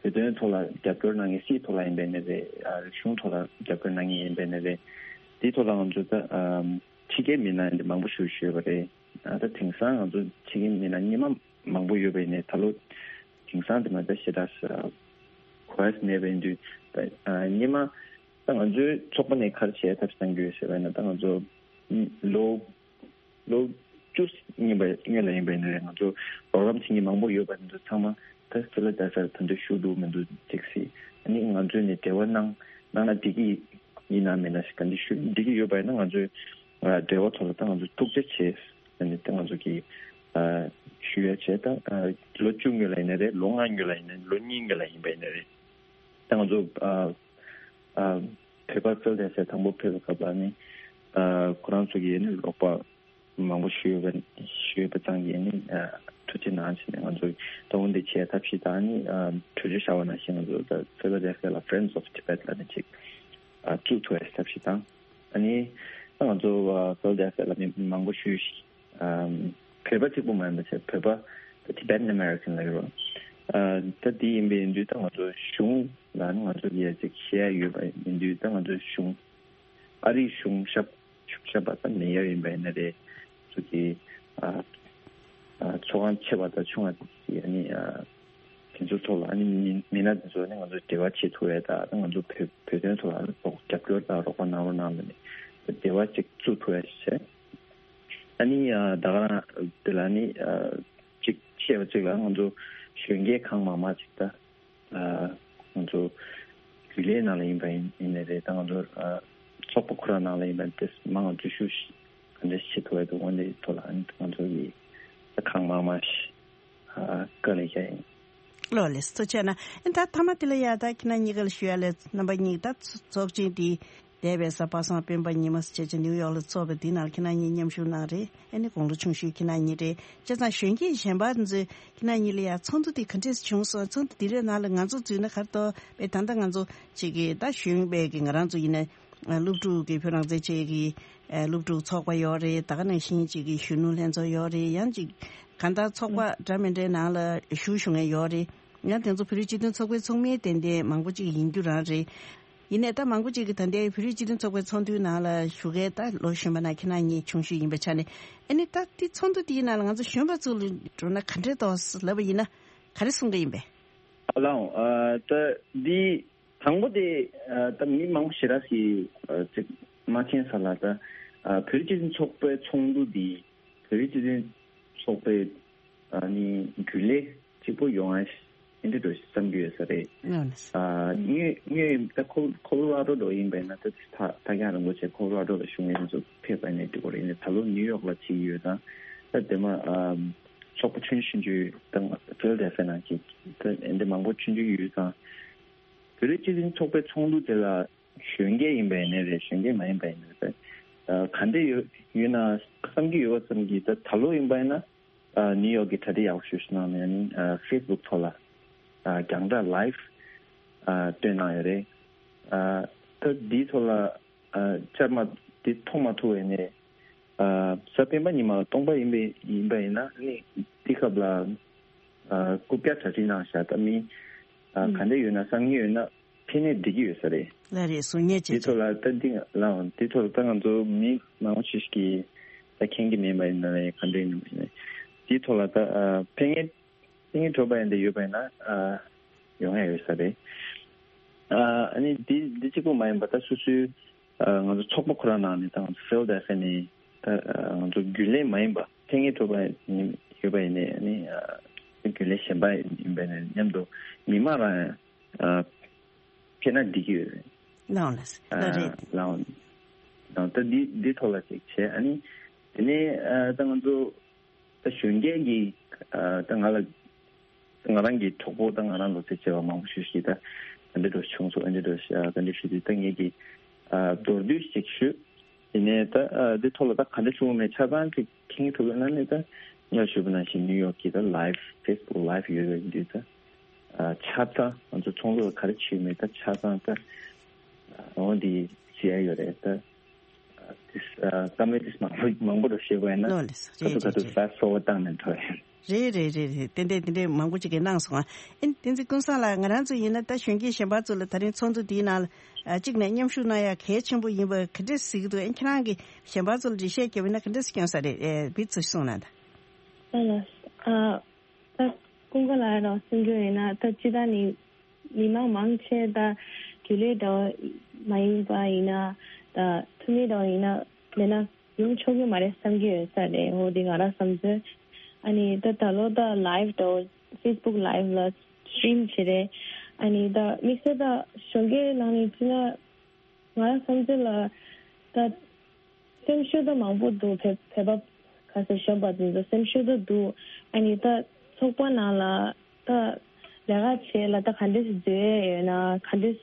བོད་དོན་ཐོག་ལ་རྒྱབ་སྐྱོར་གནང་མཁན་སྲིད་ཐོག་ལ་ཡིན་པའི་ནི་རེད། ཨ་རིག་གཞུང་ཐོག་ལ་རྒྱབ་སྐྱོར་གནང་མཁན་ཡིན་པའི་ནི་རེད། དེའི་ཐོག་ལ་ང་ཚོ་ད་ཨ་ཕྱི་རྒྱལ་མི་སྣ་འདི་མང་པོ་ཞིག་ཞུས་པ་རེད། ཨ་ད་དེང་སང་ང་ཚོ་ཕྱི་རྒྱལ་མི་སྣ་སྔོན་མ་མང་པོ་ཡོད་པ་ཡིན་ནའི་ད་ལོ་དེང་སང་དེ་མ་ད་ཞེ་དྲག་གོ་ཡ་མེད་པ་ཡིན་དུས། ད་ཨ་སྔོན་མ་ད་ང་ཚོའི་ཚོགས་པ་ནས་ག་རེ་བྱས་ཐབས་བསམ་གྱི་ཡོད་ཟེར་བ་ཡིན་ན། ད་ང་ཚོ་ལོ་ལོ་བཅུ་སྔོན་པ་སྔོན་ལ་ཡིན་པ་ཡིན་ན་རེད། ང་ཚོ་རོགས་རམ་བྱེད་མཁན་མང་པོ་ཡོད་པ་དེ་ཚོ་ཚང་མ་ད་ཕི་ལ་ཌེལ་ཕི་ཡ་ལ་ད་དུང་བཞུགས་འདུག་མི་འདུག་ཅིག་སྲིད། ཨ་ནི་ང་ཚོས་ནས་འབྲེལ་བ་གནང་གནང་ན་འགྲིག་གི་ཡིན་ན་མིན་ན་ཞིག་ག་འདི་ཞུ་འགྲིག་གི་ཡོད་པ་ཡིན་ན་ང་ཚོས་ཨ་འབྲེལ་བ་ཐོག་ལ་ད་ང་ཚོ་ཐུགས་རྗེ་ཆེ་ཟེར་ནས་ད་ང་ཚོ་གི་ཨ་ཞུ་ཡ་བྱས། ད་ཨ་ལོ་བཅུ་སྔོན་ལ་ཡིན་ན་རེད། ལོ་ལྔ་སྔོན་ལ་ཡིན་ན་རེད། ལོ་གཉིས་སྔོན་ལ་ཡིན་པ་ཡིན་ན་རེད། ད་ང་ཚོ་ཨ་ཨ་བོད་པ་ཕི་ལ་ཌེལ་ཕི་ཡ་དང་པོ་ཕེབས་པའི་སྐབས་ལ་ནི་ཨ་ཁོ་རང་ཚོ་གི་ནི་རོགས་པ་མང་པོ་ཞུས་ཡོད་པ་ཞུས་ཡོད་པ་ཙང་གིས་ནི་ཨ་ཐུགས་རྗེ་གནང་ཞེས་ནས་ང་ཚོ་ད་འོ་འདི་བྱས་ཐབས་ཤེས་དང་ནི་ཨ་གྲོས་ཆོད་བཞག་པ་ནང་བཞིན་ང་ཚོ་ད་ཕི་ལ་ཌེལ་ཕི་ཡ་ལ་Friends of Tibet ལ་ནི་ཅིག་ཨ་བཙུགས་ཐུབ་པའི་ཐབས་ཤེས་དང་། ཨ་ནི་ད་ང་ཚོ་ཨ་ཕི་ལ་ཌེལ་ཕི་ཡ་ལ་མི་མང་པོ་ཞུས་ཤིག་ཨམ་བོད་པ་གཅིག་པུ་མ་ཡིན་པ་བྱས་བོད་པ་ད་Tibetan American ལ་ཡོད། ཨ་ད་དེ་ཡིན་པའི་ཡིན་དུས་ད་ང་ཚོ་གཞུང་ལ་ནི་ང་ཚོ་ལ་ཅིག་བཤད་ཡ་ཡོད་པ་ཡིན་དུས་ད་ང་ཚོ་གཞུང་ཨ་རིའི་གཞུང་ཞབས་ཞུ་ཞབས་པ་ད་མེ་ཡར་ཡིན་པ་ཡིན་ན་རེད། ཚོ་གི་ཨ་ཨ་ཚོགས་ཁང་ཆེ་བ་དང་ཆུང་བ་དེ་ཚོ་ཨ་ནི་ཨ་དེ་ཚོ་ཐོག་ལ་ཨ་ནི་མི་མི་སྣ་དེ་ཚོ་ནི་ང་ཚོ་འབྲེལ་བ་བྱེད་ཐུབ་ཡ་དང་ང་ཚོ་བོད་བོད་དོན་ཐོག་ལ་རོགས་རྒྱབ་སྐྱོར་དང་རོགས་པ་གནང་རོགས་གནང་ལ་ནི་འབྲེལ་བ་ཅིག་བཙུགས་ཐུབ་ཡ་ཞིག་བྱས། ཨ་ནི་ཨ་ད་ག་རང་དེ་ལ་ནི་ཨ་ཅིག་བཤད་པ་ཅིག་ལ་ང་ཚོ་གཞོན་སྐྱེས་གང་མང་མང་ཅིག་ད་ཨ་ང་ཚོ་རྒྱུན་ལས་ནང་ལ་ཡིན་པ་ཡིན་ཡིན་ནའི་རེད། ད་ང་ཚོ་ཨ་ཚོགས་པ་ཁོ་རང་ནང་ལ་ཡིན་པ་དེ་མང་ང་ཚོ་ཤུགས་ག་འདྲ་བྱེད་ཐུབ་ཡ་འདུག་འོ་འདི་ཐོག་ལ་ཨ་ནི་ང་ཚོ་གི་ད་གང་མང་མང་ཞིག་ཨ་བཀའ་ལས་བཞག་ཡིན། ལོ་ལེགས་སོ་བྱས་ན་ཨ་ད་ཐ་མ་དེ་ལ་ཡ་ད་ཁྱེད་རང་གཉིས་ཀ་ལ་ཞུ་ཡ་ལས་རྣམ་པ་གཉིས་ད་ཚོགས་ཆེན་དེ་འདས་པའི་གཟའ་པ་སངས་སྤེན་པ་ཉི་མ་བྱས་ཀྱི་ནིའུ་ཡོག་ལ་ཚོགས་པའི་དེ་ནང་ལ་ཁྱེད་རང་གཉིས་མཉམ་ཞུགས་གནང་རེད། ཨ་ནི་དགུང་ལོ་ཆུང་ཤོས་ཁྱེད་རང་གཉིས་རེད། བྱས་ཙང་གཞོན་སྐྱེས་གཞན་པ་ཚོས་ཁྱེད་རང་གཉིས་ལ་ཡ་ཚོགས་འདུ་དེ་ག་འདྲས་བྱུང་སོང་། ཚོགས་འདུ་དེ་རེད་ནང་ལ་ང་ཚོ་འཛུལ་ན་ག་རེ་འདུག་པས། ད་ལྟ་ང་ཚོ་ཅིག་གི་ད་གཞོན་པའི་གི་ང་རང་ཚོ་ཡིན་ན་སློབ་ཕྲུག་གི་བོད་རང་བཙན་ཆེད་ཀྱི་སློབ་ཕྲུག་ཚོགས་པ་ཡོད་རེད། ད་ག་ནང་བཞིན་ཅིག་གི་གཞོན་ནུ་ལྷན་ཚོགས་ཡོད་རེད། ཡང་ཅིག་གང་ལྟར་ཚོགས་པ་འདྲ་མི་འདྲའི་ནང་ལ་ཞུགས་ཞུགས་མཁན་ཡོད་རེད། ཡང་དེ་ཚོ་བོད་རིགས་སྤྱི་མཐུན་ཚོགས་པའི་ཚོགས་མི་ཏན་ཏན་མང་པོ་ཅིག་ཡིན་རྒྱུ་རང་རེད། ཡིན་ནའི་ད་མང་པོ་ཅིག་གིས་ད་ལྟའི་བོད་རིགས་སྤྱི་མཐུན་ཚོགས་པའི་ཚོགས་འདུའི་ནང་ལ་ཞུགས་མཁན་ད་ལོ་གཞོན་པ་ནང་ཁྱེད་རང་གཉིས་ཆུང་ཤོས་ཡིན་པའི་ཆ་ནས། ཨ་ནི་ད་དེ་ཚོགས་འདུ་དེའི་ནང་ལ་ང་ཚོ་གཞོན་པ་ཚོ་ལ་འགྲོ་ན་ག་འདྲས་འདུག་ལབ་པ་ཡིན་ན་ག་རེ་གསུང་གི་ཡིན་པས། ཨ་ལའོ། ཨ་ད་འདི་དང་པོ་དེ་ཨ་ད་མི་མང་པོ་ཞེ་དྲག་གིས་ཨ་ཅིག་མ་མཁྱེན་ས་ལ་ད་ཨ་བོད་རིགས་སྤྱི་མཐུན་ཚོགས་པའི་ཚོགས་འདུ་འདི་བོད་རིགས་སྤྱི་མཐུན་ཚོགས་པའི་ཨ་ནི་རྒྱུན་ལས་གཅིག་པོ་ཡོང་ཨ་ཨེ་འདྲ་འགྲོ་བསམ་གྱི་ཡོད་ས་རེད། ཨ་ངོས་ངོས་ད་ཁོ་ཁོ་ལོ་ར་རྡོ་འགྲོ་ཡིན་པས་ན་ད་ད་ད་ཀྱང་རིན་པོ་ཆེ་ཁོ་ལོ་ར་རྡོ་ལ་བཞུགས་མཁན་ཚོ་ཕེབས་པ་ནས་འགྲིག་གི་རེད། ད་ལོ་ནིའུ་ཡོག་ལ་བྱེད་ཀྱི་ཡོད་ཙང་ད་དེ་མ་ཨ་ཚོགས་པ་ཆུང་ཆུང་ཆུང་ད་ཕི་ལ་ཌེལ་ཕི་ཡ་ནང་གི་ད་ཨེ་འདྲ་མང་པོ་ཆུང་ཆུང་ཡོད་ཙང་བོད་རིགས་སྤྱི་མཐུན་ཚོགས་པའི་ཚོགས་འདུ་དེ་ལ་གཞོན་སྐྱེས་ཡིན་པ་ཡིན་ནའི་རེད། གཞོན་སྐྱེས་མ་ཡིན་པ་ཡིན་ནའི་རེད། ཨ་ག་འདྲ་ཡོད་ཡོད་ན་བསམ་གྱི་ཡོད་པ་ཙམ་གྱིས་ད་ད་ལོ་ཡིན་པ་ཡིན་ན་ཨ་ནིའུ་ཡོག་གི་གྲ་སྒྲིག་ཡག་པོ་ཞེ་པོ་ཞིག་གནང་ནས་ཨ་ནི་ཨ་ཕེ་སི་བུག་ཐོག་ལ་ཨ་རྒྱང་བསྒྲགས་ལའེབ་ཨ་སྟོན་གནང་ཡོད་རེད། ཨ་ད་འདིའི་ཐོག་ལ་ཨ་བཅར་མ་འདི་མཐོང་མ་ཐུབ་པ་ཡིན་ནའི་ཨ་གཟའ་སྤེན་པ་ཉི་མ་སྟོང་པ་ཡིན་པ་ཡིན་པ་ཡིན་ན་ཨ་ནི་འདི་སྐབས་ལ་ཨ་རྐུབ་བཀྱག་གྲ་སྒྲིག་གནང་བཞག་ད་མི་ཨ་ག་འདྲ་ཡོད་ན་བསམ་གྱི་ཡོད་ན། ཕན་ནས་འགྲིག་གི་ཡོད་ས་རེད། ལགས་རེད། གསུང་ཉན་བྱེད་དེ་ཚོ་ལ་ད་འདི་ལའང་དེ་ཚོ་ལ་ད་ང་ཚོ་མི་མང་པོ་ཞིག་གིས་ད་མཁྱེན་གྱི་མེད་པ་ཡིན་ན་ལས་ག་འདྲ་ཡིན་ནམ་ཡིན་ན་དེའི་ཐོག་ལ་ད་ཕན་ངེས་ཕན་ངེས་གྲོགས་པ་ཡིན་དེ་ཡོད་པ་ཡིན་ན་ཡོང་ཡ་ཡོད་ས་རེད། ཨ་ནི་འདི་འདི་གཅིག་པུ་མ་ཡིན་པ་ད་སོ་སོའི་ང་ཚོ་ཚོགས་པ་ཁོ་རང་ནང་ནས་ད་ང་ཚོ་ཕི་ལ་ཌེལ་ཕི་ཡ་ནས་ད་ང་ཚོ་རྒྱུན་ལས་མ་ཡིན་པ་ཕན་ངེས་གྲོགས་པ་ཡོད་པ་ཡིན་ནའི་ཨ་ནི་རྒྱུན་ལས་གཞན་པ་ཡིན་པ་ཡིན་ནའི་མཉམ་དུ་མི་མང་རང་ཨ་ཕེབས་ན་འགྲིག་གི་ཡོད་རེད། ལའང་ལ་ལ་རེད། ལའང་ ད་འདི་འདི་ཐོག་ལ་ཅིག་བྱས། ཨ་ནི་དེ་ནས་ཨ་ད་ང་ཚོ་ད་གཞོན་སྐྱེས་ཀྱི་ཨ་ད་ང་ལ་ང་རང་གི་གྲོགས་པོ་དང་ང་རང་ལོ་ཚད་ཆེ་བ་མང་པོ་ཞིག་གིས་ད་ད་འདི་འདྲ་བྱུང་སོང་། ཨ་འདི་འདྲ་ཞིག་ཨ་ད་འདི་ཞུ་དུས་ད་ངེད་ཀྱིས་ཨ་མདོར་བསྡུས་ཤིག་ཞུ། དེ་ནས་ད་ཨ་འདི་ཐོག་ལ་ད་ག་འདྲ་བྱུང་མེད་ཆ་ཚང་གི་མཁྱེན་གྱི་ཐུབ་ཡོད་ན་ནི་ད་སྔར་ཞུས་པ་ནང་བཞིན་ནིའུ་ཡོག་གི་ད་ལའེབ་ཕེ་སི་བུག་ལའེབ་ཡོད་པའི་འདི་ད་ཨ་ཆ་ཚང་ང་ཚོ་ཚོགས་འདུ་ལ་ག་རེ་བྱས་མེད་ད་ཆ་ཚང་ད་ཨ་འོ་འདི་བྱས་ཡོད་རེད། ད་ཨ་དེ་ཨ་ཀ་མེན་ཊི་མང་པོ་མང་པོ་རུ་བཤད་དགོས་ཡིན་ན་ལོ་ལེ་ད་རེད་ཚོ་ད་རེད་ཚོ་རེད། ཕེ་སི་བུག་བཏང་ནས་འགྲོ་ཡིན། རེད་རེད་རེད་རེད། ཏན་ཏན་དེ་འདྲའི་མང་པོ་ཅིག་གིས་གནང་སོང་ཨ། ཨིན་བསྟན་འཛིན་ཀུན་བཟང་ལགས། ང་རང་ཚོ་ཡིན་ན་ད་གཞོན་སྐྱེས་གཞན་པ་ཚོ་ལ་ད་རིང་ཚོགས་འདུ་འདིའི་ནང་ལ་ཨ་གཅིག་ནས་མཉམ་ཞུགས་གནང་ཡ་གལ་ཆེན་པོ་ཡིན་པ་ག་འདྲས་གཟིགས་ཀྱི་འདུག་ཨ་ཁྱེད་རང་གིས་གཞན་པ་ཚོ་ལ་འགྲེལ་བཤད་བརྒྱབ་ཡིན་ན་ག་འདྲས་སྐྱོན་ས་རེད། ཨེ་བི་ཚོ་གསུངས་གནང་དང་། ཨ་ལ་ཨ་ད་ཀུན་དགའ་ལགས་རང་གསུང་རྒྱུ་ཡིན་ན་ད་སྤྱི་བཏང་ནི་མི་མང་མང་ཆེ་ད་རྒྱུན་ལས་འདྲ་བོ་མ་ཡིན་པ་ཡིན་ན་ད་འཐུས་མི་འདྲ་བོ་ཡིན་ན་མེད་ན་ཡོང་ཆོག་གི་མ་རེད་བསམ་གྱི་ཡོད་ས་རེད། འོ་དེ་ང་རང་བསམ་ཚུལ། ཨ་ནི་ད་ད་ལོ་ད་ལའེབ་འདྲ་བོ་ཕེ་སི་བུག་ལའེབ་ལ་སི་ཊི་རིམ་བྱེད་རེད། ཨ་ནི་ད་དམིགས་བསལ་ད་གཞོན་སྐྱེས་ནང་ནས་བྱས་ན་ང་རང་བསམ་ཚུལ་ལ་ད་སེམས་ཤུགས་ད་མང་པོ་འདུག་བོད་བོད་པ་ག་ས་གཞོན་པ་དེ་ཚོ་སེམས་ཤུགས་ད་འདུག་ཨ་ནི་ད་ཚོགས་པ་ནང་ལ་ད་ལས་ཀ་བྱེད་ལ་ད་ག་འདྲས་སེ་བཟོ་ཡས་ཡོད་ན་ག་འདྲས་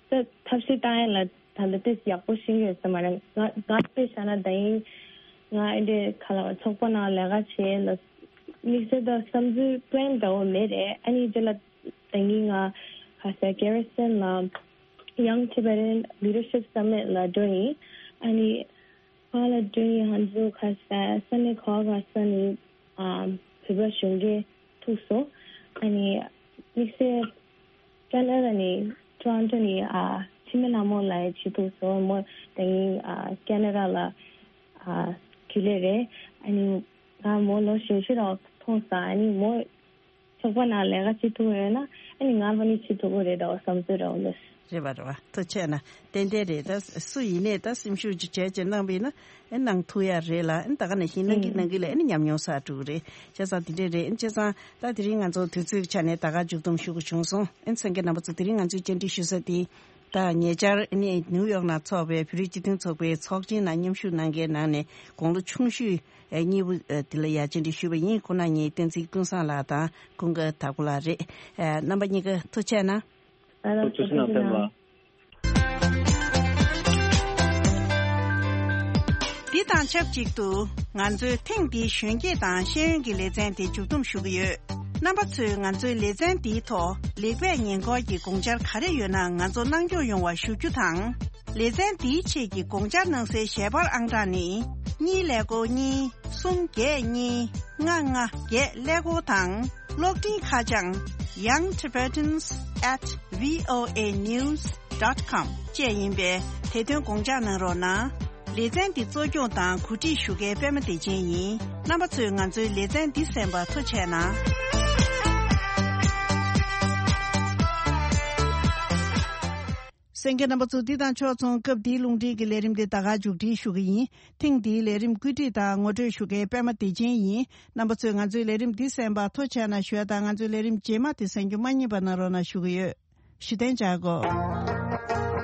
སེ་ད་ཐབས་ཤེས་བཏང་ཡས་ལ་ད་ལྟ་ཏོག་ཙམ་ཡག་པོ་ཤེས་ཀྱི་ཡོད་ས་མ་རེད། ང་ང་དཔེ་བཞག་ན་ད་ཡིན་ང་ཨེ་འདྲས་ག་ལ་ཚོགས་པ་ནང་ལས་ཀ་བྱེད་ལ་དམིགས་བསལ་ད་བསམ་ཚུལ་པི་ལན་འདྲ་བོ་མེད་རེད། ཨ་ནི་དེ་ལ་ད་ཡིན་ང་ག་ས་ཀེ་ར་སན་ལ་Young Tibetan Leadership Summit ལ་འགྲོ་ཡིན། ཨ་ནི་ཁ་ལ་འགྲོ་ཡིན། ང་ཚོ་ག་ས་ས་གནས་ག་ག་ས་ནས་ཨ་བོད་པ་གཞོན་སྐྱེས་ཐུག་སོང་། ཨ་ནི་དམིགས་བསལ་ཀ་ན་ཌ་ནས་ཊོ་རོན་ཊོ་ནས་ཨ་འཆི་མེད་ལྷ་མོ་ལགས་ཅིག་ཐུག་སོང་། མོ་ད་ཡིན་ཨ་ཀ་ན་ཌ་ལ་ཨ་རྒྱུན་ལས་རེད། ཨ་ནི་ང་མོ་ལོ་གཞོན་ཤོས་རང་མཐོང་སོང་། ཨ་ནི་མོ་ཚོགས་པ་ནང་ལས་ཀ་བྱེད་ཐུབ་ཡོད་ན་ཨ་ནི་ང་ཕ་ནི་བྱེད་ཐུབ་ཀྱི་རེད་འདྲ་བ་བསམ་ཚུལ་འདྲ་བ་ལོས། རེད་པ་རེད་པ། ཐུགས་རྗེ་ཆེ་གནང་། ཏན་ཏན་རེད། ད་སུ་ཡིན་ནས་ད་སེམས་ཤུགས་ཅིག་བྱས་བྱས་གནང་པ་ཡིན་ན་ཨེ་གནང་ཐུབ་ཡ་རེད་ལ། ཨེ་ད་ག་ནང་བཞིན་གནང་གི་གནང་གི་ལ་ཨེ་ནི་ཉམས་མྱོང་གསར་འགྲོ་གི་རེད། བྱས་ཙང་དེ་འདྲས་རེད། ཨེ་བྱས་ཙང་ད་དེ་རིང་ང་ཚོ་དུས་ཚོད་ཀྱི་ཆ་ནས་ད་ག་མཇུག་སྡོམ་ཞུ་དགོས་བྱུང་སོང་། ཨེ་གསན་མཁན་རྣམ་པ་ཚོ་དེ་རིང་ང་ཚོའི་བཅར་འདྲི་ཞུ་ས་དེ་ད་ཉེ་ཆར་ཨེ་ནི་ནིའུ་ཡོག་ནང་ཚོགས་པའི་བོད་རིགས་སྤྱི་མཐུན་ཚོགས་པའི་ཚོགས་ཆེན་ནང་མཉམ་ཞུགས་གནང་མཁན་ནང་ནས་དགུང་ལོ་ཆུང་ཤོས་ཨེ་གཉིས་པོ་ཨེ་དེ་ལ་ཡ་བཅར་འདྲི་ཞུས་པ་ཡིན། ཁོང་རྣམ་གཉིས་བསྟན་འཛིན་ཀུན་བཟང་ལགས་དང་ཀུན་དགའ་དྭགས་པོ་ལགས་རེད། ཨེ་རྣམ་པ་གཉིས་ཀ་ཐུགས་རྗེ་ཆེ་གནང་། ཐུགས་རྗེ་གནང་། འདི་དང་ཆབས་ཅིག་ཏུ་ང་ཚོའི་ཐེངས་འདིའི་གཞོན་སྐྱེས་དང་ཤེས་ཡོན་གྱི་ལེ་ཚན་དེ་མཇུག་བསྡོམས་ཞུ་གི་ཡོད། རྣམ་པ་ཚོས་ང་ཚོའི་ལེ་ཚན་འདིའི་ཐོག་ལེགས་སྤེལ་ཉེས་འགོག་གི་དགོངས་འཆར་ག་རེ་ཡོད་ན་ང་ཚོར་གནང་སྐྱོང་ཡོང་བ་ཞུ་རྒྱུ་དང་། ལེ་ཚན་འདིའི་ཆེད་ཀྱི་དགོངས་འཆར་གནང་སའི་ཞལ་པར་ཨང་གྲངས་ནི། གཉིས་ཀླད་ཀོར་གཉིས། གསུམ་བརྒྱད་གཉིས། ལྔ་ལྔ་བརྒྱད་ཀླད་ཀོར་དང་། གློག་འཕྲིན་ཁ་བྱང་young tibetans at voa news dot com བཅས་ཡིན་པས་དེ་དོན་དགོངས་འཇགས་གནང་རོགས་གནང་། ལེ་ཚན་འདི་གཙོ་སྐྱོང་དང་གོ་སྒྲིག་ཞུ་མཁན་པད་མ་བདེ་ཆེན་ཡིན། རྣམ་པ་ཚོས་ང་ཚོའི་ལེ་ཚན་འདི་གསན་པར་ཐུགས་རྗེ་ཆེ་གནང་། གསན་མཁན་རྣམ་པ་ཚོ། འདི་དང་ཕྱོགས་མཚུངས་སྐབས་འདིའི་རླུང་འཕྲིན་གྱི་ལས་རིམ་འདི་ད་ག་མཇུག་སྒྲིལ་ཞུ་གི་ཡིན། ཐེངས་འདིའི་ལས་རིམ་བཀོད་སྒྲིག་དང་ངོ་སྤྲོད་ཞུ་མཁན་པད་མ་བདེ་ཆེན་ཡིན། རྣམ་པ་ཚོས་ང་ཚོའི་ལས་རིམ་འདི་གསན་པར་ཐུགས་རྗེ་ཆེ་གནང་ཞུ་ཡ་དང་། ང་ཚོའི་ལས་རིམ་རྗེས་མ་དེ་གསན་རྒྱུ་མ་བསྙེལ་བ་གནང་རོགས་གནང་ཞུ་གི་ཡོད། ཞུ་གཏན་འཇགས་གོ།